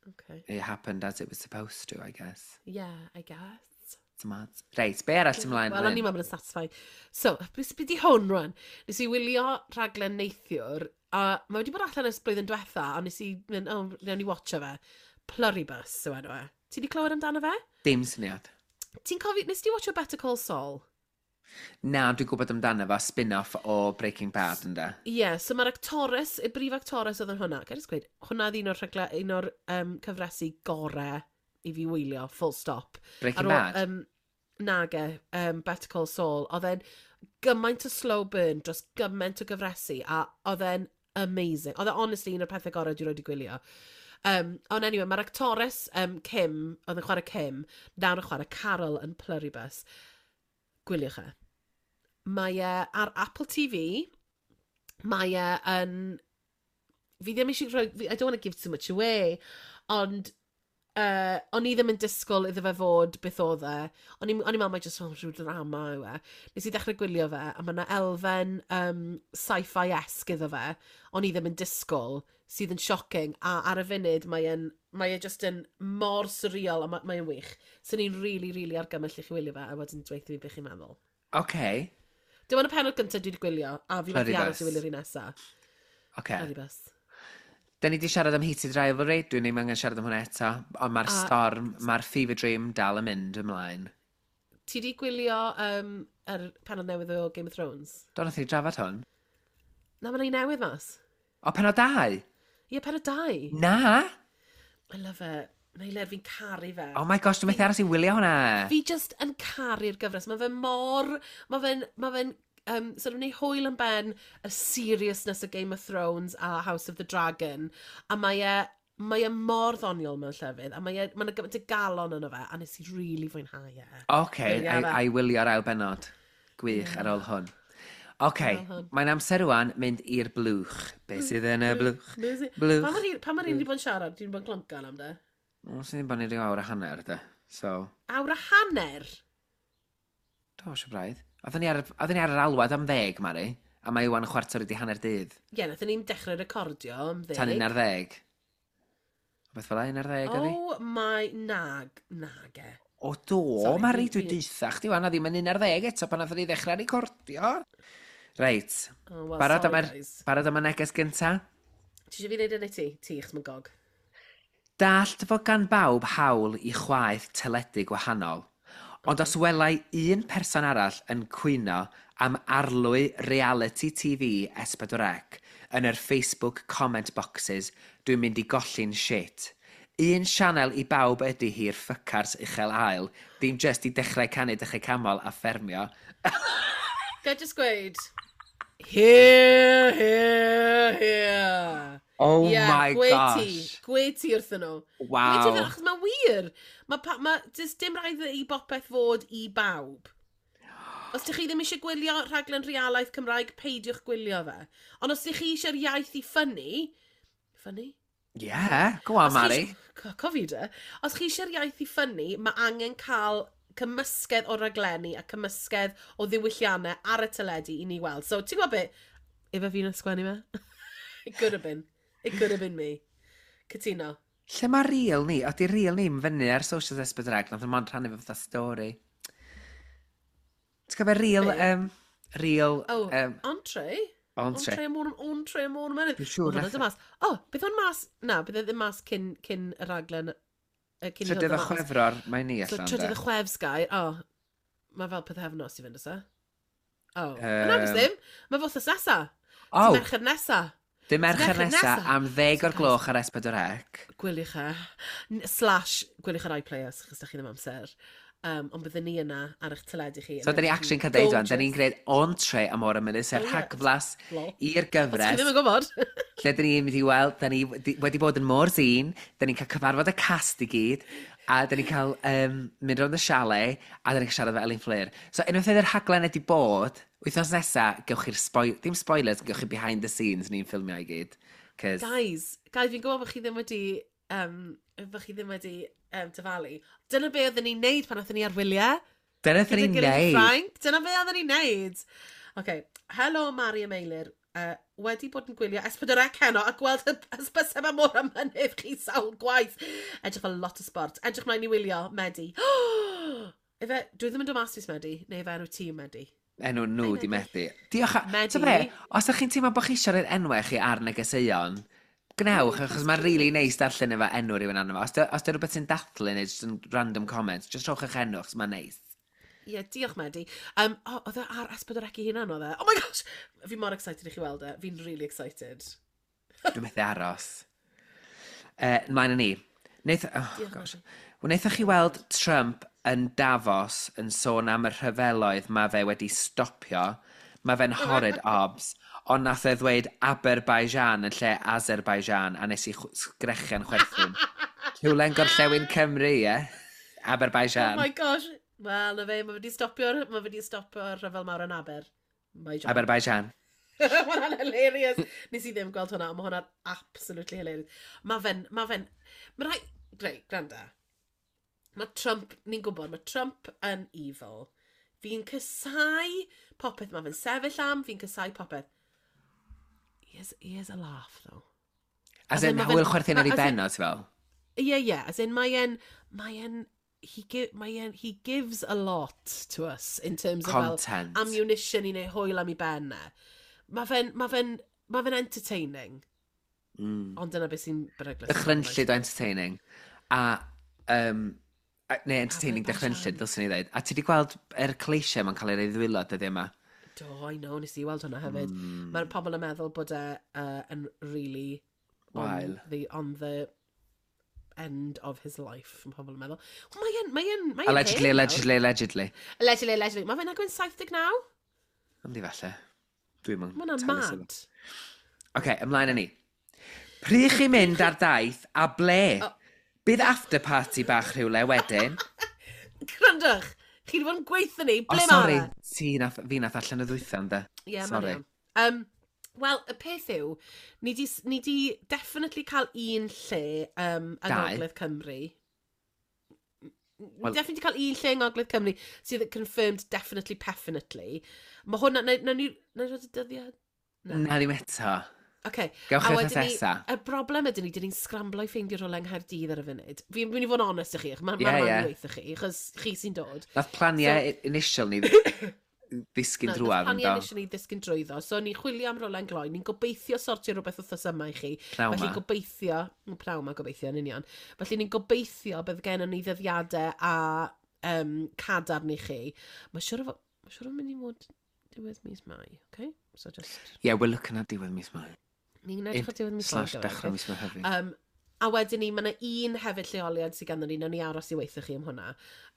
Okay. it happened as it was supposed to, I guess. Yeah, I guess. It's mad. Reit, be arall ti'n mlaen? Wel, o'n i'n meddwl bod yn satisfying. So, beth be di hwn rwan? Nes i wylio rhaglen neithiwr, a mae wedi bod allan ers blwyddyn diwetha, a nes i mynd, oh, newn ni watcho fe. Pluribus yw enw e. Ti di clywed amdano fe? Dim syniad. Ti'n cofio, nes ti watcho Better Call Saul? Na, dwi'n gwybod amdano fo, spin-off o Breaking Bad, ynde? Ie, yeah, so mae'r actores, y brif actores oedd yn hwnna. Gael jyst gweud, hwnna oedd un o'r rhagle, un o'r um, cyfresi gore i fi wylio, full stop. Breaking Ar ôl, Bad? Um, nage, um, Better Call Saul, oedd e'n gymaint o slow burn dros gymaint o gyfresi, a oedd e'n amazing. Oedd e honestly un o'r pethau gorau dwi 'rioed 'di gwylio. Um, ond anyway, mae'r actores um, Kim, oedd yn chwarae Kim, nawr yn chwarae Carol yn Pluribus. Gwyliwch e. Mae e ar Apple T V, mae e yn... Fi ddim eisiau rhoi... I don't want to give too much away, ond uh, o'n i ddim yn disgwyl iddo fe fod beth oedd e. O'n i'n o'n i'n meddwl mai jyst oh, rhyw drama yw e. Nes i ddechrau gwylio fe, a mae yna elfen um, sci-fi-esque iddo fe. O'n i ddim yn disgwyl, sydd yn shocking, a ar y funud mae e'n mae e just yn mor surreal, a mae, mae e'n wych. So ni'n really, really argymell i chi wylio fe, a wedyn dweud fi beth chi'n meddwl. OK. Dim ond y pennod gyntaf dwi wedi gwylio, a fi methu aros i Pluribus. wylio'r un nesaf. OK. Pluribus. Da ni di siarad am Heated Rivalry, dwi'n ddim angen siarad am hwnna eto, ond mae'r A- storm, mae'r Fever Dream dal yn mynd ymlaen. Ti di gwylio um, yr pennod newydd o Game of Thrones? Do, nath ni drafod hwn. Na, mae'n un newydd mas. O, penod dau? Ie, pennod dau. Na! I love it. Meilir, fi'n caru fe. Oh my gosh, dwi'n methu aros i wylio hwnna. Fi just yn caru'r gyfres. Mae fe mor... Mae fe'n... Mae fe'n um, sort of neud hwyl yn ben y seriousness o Game of Thrones a House of the Dragon. A mae e... Mae e mor ddoniol mewn llefydd, a mae e, mae yna gymaint o galon yno fe, a nes i really fwynhau e. OK, Wylio a, fe. a i wylio'r ail benod. Gwych ar ôl hwn. OK, Ar ôl hwn. mae'n amser rwan mynd i'r blwch. Be sydd yn y blwch? Blwch. Blwch. Pa mor hir- pa mor hir ni bod yn siarad? Dwi'n bod yn cloncan am de. O, sy'n bod ni ryw awr a hanner, de. So, Awr a hanner? do, siw braidd. Oedden ni ar, oedden ni ar yr alwad am ddeg, Mari. A mae wan chwarter wedi hanner dydd. Ie, yeah, nathon ni'n dechrau recordio am ddeg. Tan un ar ddeg. Beth fel un ar ddeg, oedd hi? Oh my nag, nag e. O do, Sorry, Mari, fi- dwi'n fi- deutha chdi wan, a ddim yn un ar ddeg eto pan nathon ni ddechrau recordio. Reit, Oh, well, barod am sorry, yr, guys. barod am y neges gynta? Ti eisiau fi wneud e neu ti? Ti, achos mae'n gog. Dallt fod gan bawb hawl i chwaeth teledu gwahanol, ond os welai un person arall yn cwyno am arlwy reality T V S pedwar C yn yr Facebook comment boxes, dwi'n mynd i golli'n shit. Un sianel i bawb ydy hi'r ffycars uchel ael, dim just i dechrau canu dechrau camol a ffermio. Ga i just gweud, hear, hear, hear. Oh Yeah, my gweud gosh. Ti, gweud ti wrthyn nhw. Wow. Gweud ti wrthyn nhw, achos mae'n wir. Mae pa, ma, does dim rhaid i bopeth fod i bawb. Os ydych chi ddim eisiau gwylio rhaglen realaeth Cymraeg, peidiwch gwylio fe. Ond os ydych chi eisiau'r iaith i ffynnu... Ffynnu? Yeah, go on, Os chi Mari. isio- Co- Cofi de. Os chi eisiau'r iaith i ffynnu, mae angen cael cymysgedd o raglenni a cymysgedd o ddiwylliannau ar y teledu i ni weld. So, ti'n gwybod beth? Ife fi'n ysgwennu fe? It could have been. It could have been me. Cytuno. Lle mae reel ni? Oeddi reel ni'n fyny ar socials S pedwar C, nath o'n mond rhannu fo fatha stori. Ti'n cofio reel, um, reel, Oh, um, entree? Entree. Entree am entree am o'r mynydd. Dwi'n siŵr Oedd nath- hwnna mas. O, oh, beth o'n mas? Na, bydd e ddim mas cyn, cyn y raglen. yy, Cyn i hwn Trydydd ddod o mas. Chwefror, mae ni So, allan, trydydd de. y chwefs gair. O, oh, mae fel pythefnos i fynd oes e? O, oh. Yym. na, um, ddim. Mae fo wythnos nesa. O, Dydd Mercher nesa. Dydd Mercher Mercher nesa nesa. am ddeg o'r gloch ar S pedwar C. Gwyliwch e. N- Slash, gwyliwch ar iPlayer, achos da chi ddim amser. Um, ond byddwn ni yna ar eich teledu chi. So, da ni actually'n cael deud wan, da ni'n gwneud entree am o'r mynydd, sef Oh, ie. rhagflas Lol. i'r Os chi gyfres. ddim yn gwybod. Lle da ni'n mynd i weld, da ni wedi wedi bod yn Morzine, da ni'n cael cyfarfod y cast i gyd, a da ni'n cael um, mynd rownd y chalet, a da ni'n cael siarad efo Elin Fflur. So, unwaith oedd yr rhaglen wedi bod, wythnos nesa, gewch chi'r spoil, dim spoilers, gewch chi behind the scenes ni'n ffilmio i gyd. Cos, Guys, guys, fi'n gwybod bod chi ddim wedi, um, bod chi ddim wedi um, dyfalu. Dyna be oedden ni'n neud pan oedden ni ar wyliau. Dyna beth Gyda ni'n gilydd yn neud. Ffrainc. Dyna be oedden ni'n neud. OK, helo Mari a Meilir. Uh, wedi bod yn gwylio S pedwar C heno a gweld y hysbyseb am Môr a Mynydd chi sawl gwaith. Edrych fel lot o sport. Edrych mlaen i wylio, Medi. Ife, dwi ddim yn dod mas fis Medi, neu ife enw tîm Medi? Enw nhw Hi, di Medi. Medi. Diolch. a- Medi. Ta be, os ydych chi'n teimlo bod chi eisiau rhoi'r enwau chi ar negeseuon, gnewch, achos mae'n really neis darllen efo enw rhywun arno fo. Os dy- os dy rhywbeth sy'n dathlu neu just yn random comments, just rhowch eich enw, achos mae'n neis. Ie, yeah, diolch Medi. Um, oh, oedd e ar S pedwar C ei hunan oedd e? Oh my gosh! Fi mor excited i chi weld e. Fi'n really excited. Dwi'n methu aros. Uh, Mlaen â ni. Wnaeth, oh, Diolch, gosh. Medi. Wnaethoch chi weld Trump yn Davos yn sôn am y rhyfeloedd mae fe wedi stopio? Mae fe'n horrid obs. Ond nath e ddweud Aberbaijan yn lle Azerbaijan a nes i chw- sgrechian chwerthin. Rhywle yn gorllewin Cymru, ie? Aberbaijan. Oh my gosh. Wel, na fe, mae wedi stopio'r mae wedi stopio'r rhyfel mawr yn Aber. Baijan. Aberbaijan. Mae hwnna'n hilarious. Nes i ddim gweld hwnna, ond mae hwnna'n absolutely hilarious. Mae fe'n, mae fe'n, mae rhai, reit, gwranda. Mae Trump, ni'n gwybod, mae Trump yn evil. Fi'n casáu popeth mae fe'n sefyll am, fi'n casáu popeth. He is, he is a laugh, though. As As in, in, ma' fe'n- hwyl chwerthin ar ei ma- as in- ben o, ti fel? Ie, ie, as in, mae e'n, mae e'n, he, gi mae e'n, he gives a lot to us in terms of fel Content. ammunition i neud hwyl am ei ben e. Mae fe'n, mae fe'n, mae fe'n entertaining. Mm. Ond dyna beth sy'n beryglus. Dychrynllyd o entertaining. A, um, a, neu entertaining Aberbaijan. dychrynllyd, ddylswn i ddweud. A ti wedi gweld yr cleisiau mae'n cael ei roi ddwylo dyddiau yma? Do, I know, nes i weld hwnna hefyd. Mm. Mae'r pobl yn meddwl bod e uh, yn really on Wael. the, on the end of his life, mae pobl yn meddwl. Wel, mae e'n, mae e'n, mae e'n Allegedly, hen nawr. Allegedly, allegedly. Allegedly, allegedly. Mae fe'n agwyn saith deg naw? Yndi falle. Dwi'n mynd. Mae hwnna'n mad. Oce, ymlaen â ni. Pryd chi'n mynd ar daith a ble? Oh. Bydd after party bach rhywle wedyn? Gwrandwch, chi wedi bod yn gweithio ni, O, ble ma' sori, fe? ti nath, fi nath allan y ddwytha, ynde? Ie, mae'n Sorry. iawn. Um, Wel, y peth yw, ni di, ni di definitely cael un lle um, yng Dau. Ngogledd Cymru. Ni Wel- definitely cael un lle yng Ngogledd Cymru sydd confirmed definitely, definitely. Mae hwnna, na, na, ni, na ni rhoi y dyddiad? Na, ddim eto. Okay. Gewch A chi wedyn wythnos ni- nesa. Y broblem ydyn ni, dyn ni'n scramblo i ffeindio rhywle yng Nghaerdydd ar y funud. Fi'n mynd i fod yn honest i chi, mae'n Ie, ma ie. yeah, yeah. chi, achos chi sy'n dod. Nath planiau so, initial ni ddisgyn Na, drwadd, nath yn planiau do? initial ni ddisgyn drwyddo. So ni'n chwilio am rhywle yn gloi. Ni'n gobeithio sortio rhywbeth wythnos yma i chi. Pnawn Felly 'ma. gobeithio, mm, pnawn 'ma gobeithio yn union. Felly ni'n gobeithio bydd gennym ni ddyddiadau a um, cadarn i chi. Mae siŵr o fod, mae siŵr o mynd i fod diwedd mis Mai, okay? So just, Yeah, we're looking at diwedd mis Mai. Ni'n edrych ar diwedd mis Mai. Slash dechrau mis Mehefin. Um, a wedyn ni, mae yna un hefyd lleoliad sydd ganddo ni, nawn ni aros i weithio chi am hwnna.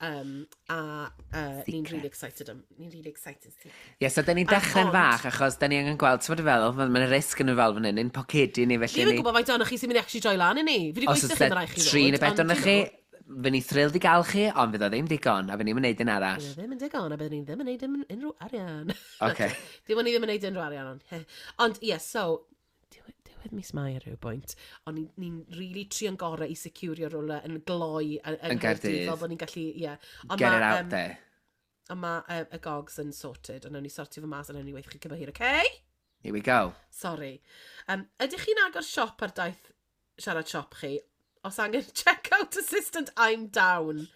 Um, a uh, ni'n Secret. really excited am, ni'n really excited. Ie, yeah, so da ni'n dechrau'n Ond- fach, achos da ni angen gweld, ti'n bod yn feddwl, mae'n risg yn y fel fan hyn, ein pocedi ni, Fi felly ddim yn ni. gwybod faint ohonoch chi sy'n mynd i actually droi lan i ni. Fi wedi Os gweithio oes chi, mae rhaid chi tri neu ddod, bedwar ond, na you chi, know, fy ni thrilled i gael chi, ond fydd o ddim digon, a fy ni'n mynd un arall. Bydd e ddim yn digon, a byddwn ni ddim yn neud dim unrhyw arian. Ocê. Dim ond ni ddim yn neud unrhyw arian, ond. Ond, ie, so, diwedd, diwedd bydd mis Mai ar ryw bwynt, ond ni'n ni really trio'n gorau i securio rhywle yn gloi yn, yn Gaerdydd. Fel bod ni'n gallu, ie. Yeah. Get it out um, there. Ond mae uh, y gogs yn sorted, ond nawn ni sortio fo mas a nawn ni weithio chi cyn bo hir, okay? Here we go. Sorry. Um, ydych chi'n agor siop ar daith siarad siop chi? Os angen check-out assistant, I'm down.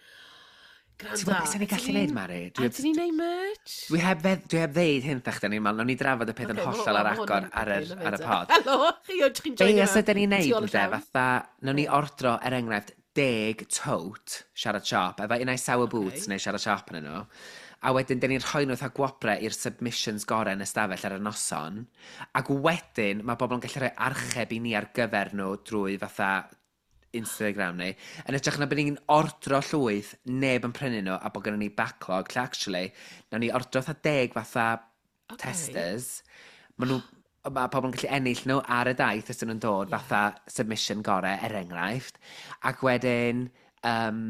Ti'n gwybod beth ni'n gallu neud, Mari? Dwi heb... Ni'n neud merch? Dwi heb, fedd, dwi heb ddeud hyn, thach, ni'n meddwl, nawn ni drafod y peth yn hollol ar agor ar, yr, ar y pod. Helo, chi o'n chi'n joinio. Be os ydyn ni'n neud, ynde, fatha, nawn ni ordro, er enghraifft, deg tote siarad siop, efo unai sour boots okay. neu siarad siop yn nhw. A wedyn, dyn ni'n rhoi nhw fatha gwobrau i'r submissions gorau yn y stafell ar y noson. Ac wedyn, mae bobl yn gallu rhoi archeb i ni ar gyfer nhw drwy fatha Instagram ni. Yn hytrach na bod ni'n ordro llwyth, neb yn prynu nhw, a bod gennym ni backlog, lle actually, nawn ni ordro fatha deg fatha okay. testers. Ma nhw, mae pobl yn gallu ennill nhw ar y daith os ydyn nhw'n dod yeah. fatha submission gorau, er enghraifft. Ac wedyn, um,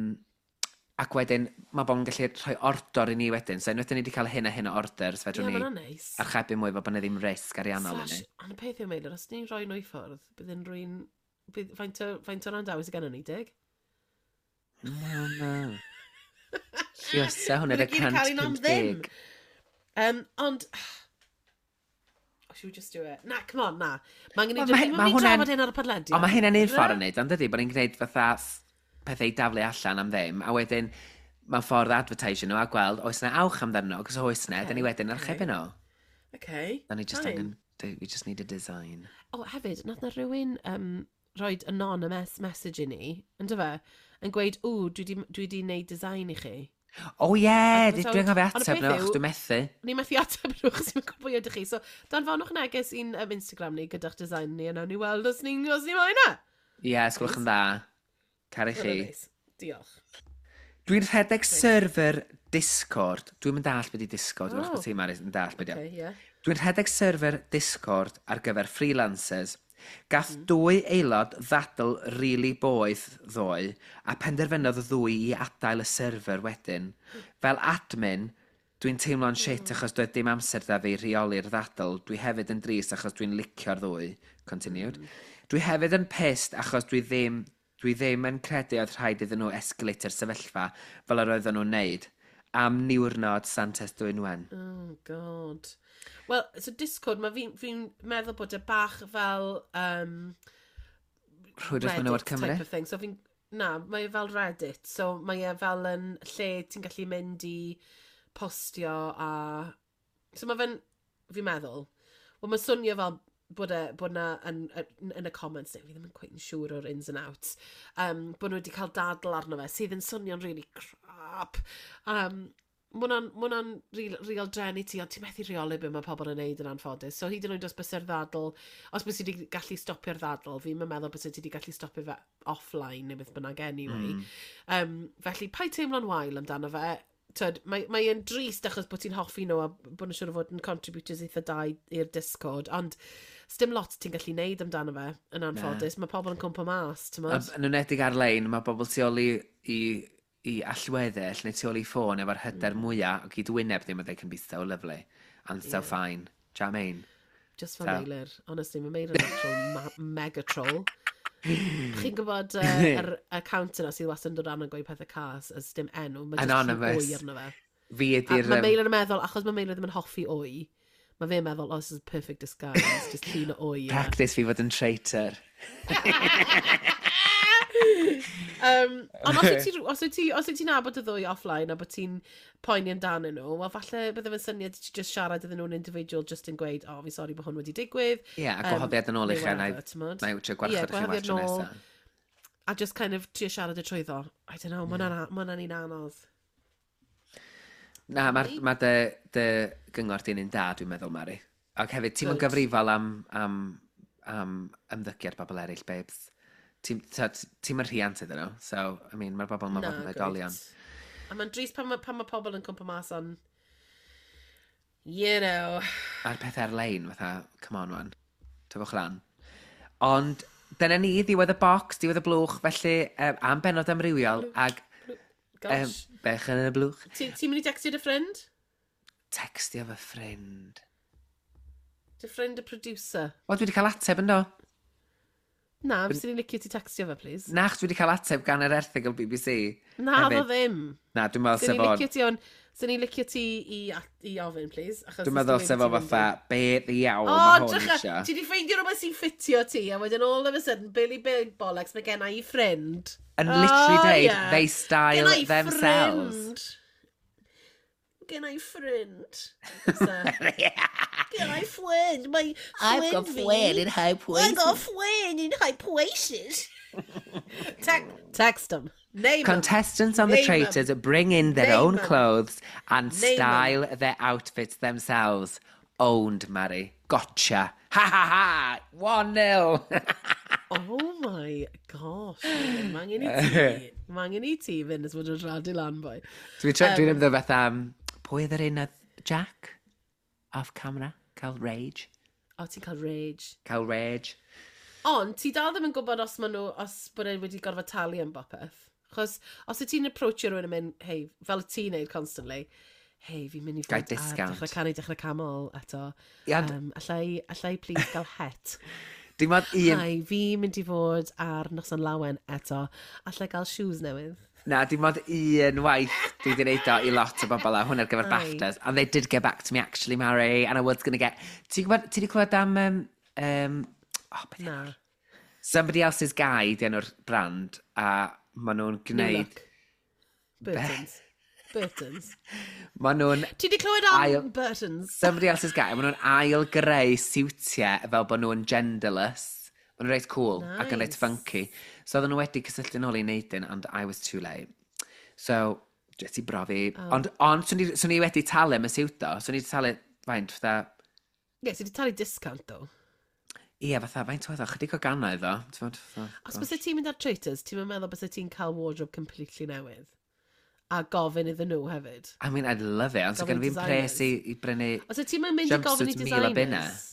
ac wedyn mae bobl yn gallu rhoi ordor i ni wedyn. So unwaith ni wedi cael hyn a hyn o orders, fedrwn yeah, ni nice. archebu mwy fel bod yna ddim risg ariannol i ni. Ond y peth yw, Meilir, os ni'n rhoi nhw i ffwrdd, bydd yn rwy'n... Bydd, faint o, faint o randawys y gennym ni, dig? No, no. Lluosa hwnna y cant pump deg. Um, ond... Oh, should we just do it? Na, come on, na. Mae angen i Wel, ma' ni ma' hwnna'n- drafod hyn ar y podlediad. Ond mae hynna'n un ffordd yn neud, ond dydy, bod ni'n gwneud fatha pethau i daflu allan am ddim, a wedyn mae'n ffordd advertisio nhw a gweld oes yna awch amdano nhw, cos oes yna, okay, dyn ni wedyn archebu nhw. Okay. Da ni just angen, we just need a design. O, oh, hefyd, nath na rhywun um, roed anonymous message i ni, yn fe, yn gweud, ww, dwi di, dwi di neud design i chi. O oh, ie, yeah, dwi'n anghofio ateb nhw, achos dwi'n methu. Ni methu ateb nhw, achos dwi'n gwybod pwy ydych chi. So, danfonwch neges i'n um, Instagram ni gyda'ch design ni, a nawn ni weld os ni'n os ni moyn e. Ie, yeah, sgwelwch yn dda. Caru chi. Diolch. Dwi'n rhedeg server Discord. Dwi'n mynd dall beth i Discord. Oh. Wrach bod ti'n Mari yn dall beth i. Okay, yeah. Dwi'n rhedeg server Discord ar gyfer freelancers. Gath mm. dwy aelod ddadl really boeth ddoe a penderfynodd y ddwy i adael y server wedyn. Fel admin, dwi'n teimlo'n shit achos doedd dim amser da fi rheoli'r ddadl. Dwi hefyd yn drist achos dwi'n licio'r ddwy. Continued. Mm. Dwi hefyd yn pissed achos dwi ddim, dwi ddim yn credu oedd rhaid iddyn nhw escalate'r sefyllfa fel yr oedden nhw'n neud. Am niwrnod Santes Dwynwen. Oh, God. Wel, so Discord, mae fi'n fi meddwl bod e bach fel... Um, Rhwydwaith Menywod Cymru? Type of thing. So fi'n, na, mae e fel Reddit. So mae e fel yn lle ti'n gallu mynd i postio a... So mae fe'n, fi'n meddwl, wel mae'n swnio fel bod, e, bod na yn, yn, yn y comments, neu fi ddim yn quite yn siŵr o'r ins and outs, um, bod nhw wedi cael dadl arno fe, sydd yn swnio'n really crap. Um, Ma hwnna'n ma hwnna'n real, real drueni ti, ond ti'n methu rheoli be mae pobl yn neud yn anffodus. So hyd yn oed os byse'r ddadl, os byse ti wedi gallu stopio'r ddadl, fi'n meddwl byse ti wedi gallu stopio fe offline neu beth bynnag anyway. Mm. Um, felly, paid teimlo'n wael amdano fe. Tyd, mae, mae e'n drist achos bod ti'n hoffi nhw a bod nhw'n siŵr o fod yn contributors eitha da i'r Discord, ond sdim lot ti'n gallu neud amdano fe yn anffodus. Mae pobl yn cwmpo mas, ti'n modd? Yn enwedig ar-lein, mae pobl tu ôl i, i, i allweddell neu tu ôl i ffôn efo'r hyder mm. mwyaf o gyd wyneb ddim, they can be so lovely and so yeah. fine. Do you know what I mean? Just for so. Meilir. Honestly, mae Meilir yn actual ma mega troll. Chi'n gwybod uh, yr account yna sydd wastad yn dod arno yn gweud pethau cas as dim enw. Mae just Anonymous. Wy arno fe. Fi ydy'r... Mae Meilir yn meddwl, achos mae Meilir ddim yn hoffi wy, mae fe'n meddwl, oh, this is perfect disguise, just llun o wy. Practice fi fod yn traitor. um, ond os wyt ti, os wyt ti, os wyt ti'n nabod y ddwy offline a bod ti'n poeni amdanyn nhw, wel falle bydde fe'n syniad i ti just siarad iddyn nhw'n individual just yn gweud, oh, fi sori bod hwn wedi digwydd. Ie, yeah, a gwahoddiad yn ôl i chi, na i trio gwarchod chi well tro nesaf. A just kind of trio siarad y trwyddo. I don't know, mae hwnna'n un anodd. Na, mae ma dy, dy gyngor di'n un da, dwi'n meddwl, Mari. Ac hefyd, ti'n mynd gyfrifol am, am, am ymddygiad bobl eraill, babes. Ti'n ti mynd rhiant iddyn nhw, so, I mean, mae'r bobl yma fod yn oedolion. A mae'n drist pan mae, pan ma pobl yn cwmpo mas on, you know. A'r peth ar-lein, fatha, come on, wan. Tyfwch lan. Ond, dyna ni, ddiwedd y box, diwedd y blwch, felly, um, am benod amrywiol, ag... Gosh. Um, bech yn y blwch. Ti'n ti mynd i textio dy ffrind? Textio fy ffrind. Dy ffrind y producer. Wel, dwi wedi cael ateb yn do. Na, fyswn i'n licio ti textio fe, please. Na, achos dwi wedi cael ateb gan yr erthygl B B C. Na, hefyd. ddo ddim. Na, dwi'n meddwl Swn sef i'n o'n. licio ti on... Swn i'n licio ti i, i ofyn, please. Achos Dwi'n meddwl sef o fatha, be ddiawl O, mae hwn drycha, isio. ti di ffeindio rhywbeth sy'n ffitio ti, a wedyn all of a sudden, Billy Big Bollocks, mae gen i ffrind. And literally Oh, deud, yeah. they style Gen i themselves. ffrind. Gen i ffrind. So, gen i ffrind. Mae ffrind fi. In high. I've got friend in high places. Te text them. Name 'em. Contestants on The Name 'em. Traitors bring in their Name own 'em. clothes and Name 'em. style their outfits themselves. Owned, Mary. Gotcha. Ha ha ha! One nil. Oh my gosh. Mae angen i ti. Mae angen i ti fynd ys fod yn radu lan, boi. Dwi'n um, dwi ymddod fatha, um, pwy oedd yr un oedd Jack? Off camera? Cael rage? O, ti'n cael rage. Cael rage. Ond, ti dal ddim yn gwybod os maen nhw, os bod e wedi gorfod talu am bopeth. Chos, os y ti'n approachio rhywun yn mynd, "Hey," fel y ti'n neud constantly, "Hey, fi'n mynd i Gai fod ar discount. Dechrau Canu, Dechrau Canmol eto. Ie, ond- Um, allai, allai please gael het? Dim ond un. Hi, fi'n mynd i fod ar Noson Lawen eto. Allai gael shoes newydd?" Na, dim ond un waith dwi wedi gwneud o i lot o bobl a hwn ar gyfer Aye. BAFTAs. And they did get back to me actually, Mary, and I was going to get. Ti'n gwybod, ti wedi clywed am... Um, um, oh, beth Na. Somebody Else's Guy, di enw'r brand, a maen nhw'n New gwneud. Look. Burtons. Burtons. Maen nhw'n Ti wedi clywed am Ail- Burtons? Somebody Else's Guy, maen nhw'n ail greu siwtiau fel bod nhw'n genderless. Maen nhw'n reit cool nice. Ac yn reit Nice. funky. So oedden nhw wedi cysylltu nôl i wneud un, and I was too late. So, jyst i brofi. Oh. Ond, ond swn i, swn i wedi talu am y siwt o. Swn i wedi talu, faint, fatha, Ie, ti wedi talu discount, though. Ie, fatha, faint oedd o? Chydig o gannoedd o. T'mod, fatha, Os byse ti'n mynd ar Traitors, ti'n meddwl byse ti'n cael wardrobe completely newydd? A gofyn iddyn nhw hefyd. I mean, I'd love it, ond so Gofyn gen fi'n pres i, designers. i brynu. Os wyt ti'n mynd i gofyn i Jumpsuit mil o bunna. designers?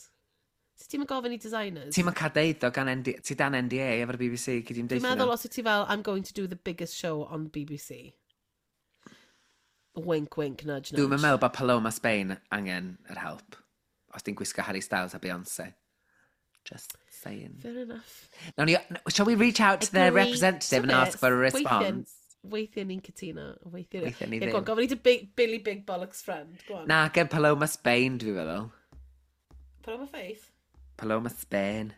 Os ti'n mynd gofyn i designers? Ti'n mynd cael deud o gan N D, ti dan N D A efo'r B B C, gyd i'n Dwi'n deud meddwl os wyt ti fel, "I'm going to do the biggest show on B B C" Wink, wink, nudge, nudge. Dwi'n meddwl bod Paloma Spain angen yr help. Os ti'n gwisgo Harry Styles a Beyoncé. Just saying. Fair enough. Nawn ni, shall we reach out to their Agree. representative and T'o' ask for a beth? response? Weithiau ni'n cytuno. Weithiau Weithiau ni Ie, go on, ddim. gofyn i dy Big, Billy Big Bollocks friend. Go on. Na, gen Paloma Spain, dwi'n feddwl. Paloma Faith. Paloma Spain.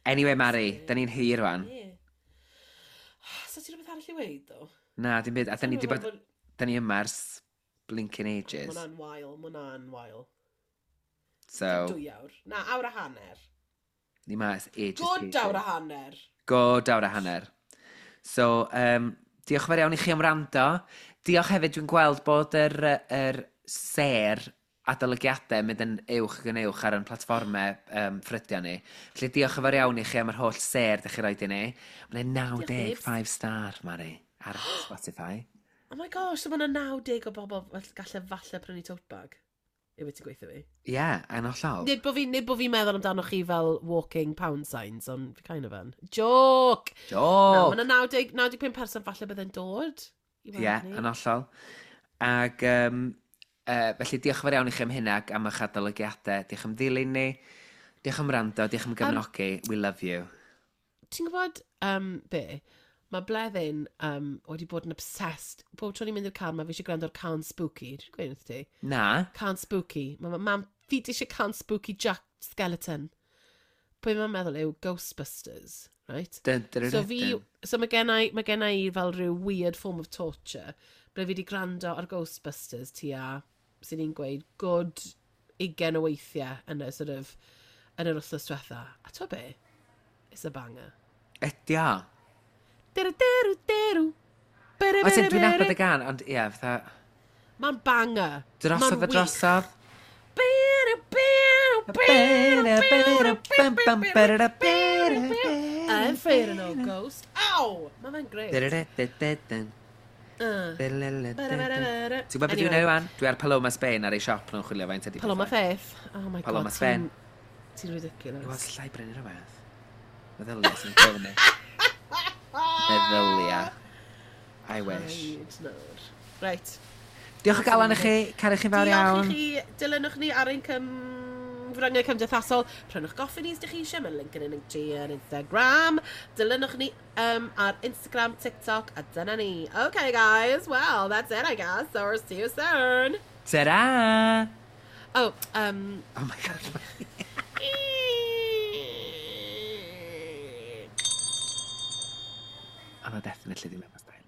Anyway, Mari, da ni'n hir rwan. Ie. So ti rhywbeth arall i weud, though? Na, dim byd. A da ni Dwi'n di bod. meddwl bod- Da ni yma ers blinking ages. Ma' hwnna'n wael, ma' hwnna'n wael. So, Dwy awr. Na, awr a hanner. Ni ma ers ages. Good pages. awr a hanner. Good awr a hanner. So, um, diolch yn fawr iawn i chi am wrando. Diolch hefyd, dwi'n gweld bod yr, yr ser adolygiadau mynd yn uwch ac yn uwch ar ein platfformau um, ffrydio ni. Felly diolch yn fawr iawn i chi am yr holl ser ydych chi roed i ni. Mae'n Diolch, naw deg five star, Mari, ar Spotify. Oh my gosh, so mae yna naw deg o bobl fall- galle falle prynu tote bag. Yw ti'n gweithio fi? Ie, yeah, yn hollol. Nid bod fi, nid bo fi'n meddwl amdano chi fel walking pound signs, ond fi kind of yn. Joke! Na, Joke! mae yna naw deg, naw deg pump person falle bydd yn dod i Ie, weld yeah, ni. yn hollol. Ac um, uh, felly diolch yn fawr iawn i chi am hynna ac am eich adolygiadau. Diolch am ddilyn ni. Diolch am wrando, diolch am gefnogi. We love you. Ti'n gwybod um, be? Mae Bleddyn um, wedi bod yn obsessed. Bob tro ni'n mynd i'r car, mae fi eisiau gwrando ar Can Spooky. Dwi'n gweud wrth ti? Na. Can Spooky. Mae ma, mam, fi di eisiau Can Spooky Jack Skeleton. Pwy mae'n meddwl yw Ghostbusters, right? Dun, dun, dun, So fi, dun. So mae gen i, mae gen i fel rhyw weird form of torture, ble fi wedi gwrando ar Ghostbusters tua, sy'n ni'n gweud, good ugain o weithiau yn y sort of, yn yr wythnos diwetha. A ti'n be? It's a banger. Ydi o. Deru, deru, deru. Bere, Oes, bere, dwi'n nabod bere. y gan, ond ie, fatha. Mae'n banger. Drosodd Ma'n a drosodd. Bere, bere, bere, bere, bere, bere, bere. I'm afraid of no ghost. Ow! Mae fe'n great. Uh. Bere, bere, bere. Ti'n gwybod beth dwi'n neud wan? Dwi ar Paloma Spain ar ei siop nhw'n chwilio faint ydi Paloma pethau. Faith. Oh my Paloma God. Spain. Ti'n ti'n ridiculous. Wel, llai brynu rhywbeth. Meddylia sy'n gofyn. Meddylia. I wish. Paid nawr. Right. Diolch o galon i chi. Caru chi fawr Diolch iawn. i chi. Dilynwch ni ar ein cym. cyfryngau cymdeithasol. Prynwch goffi ni os ydych chi eisiau. Mae'n link yn ein Linktree yn Instagram. Dilynwch ni um, ar Instagram, TikTok, a dyna ni. Okay, guys. Well, that's it, I guess. So, we'll see you soon. Ta-ra! Oh, um... Oh my God. Oedd o definitely ddim efo style.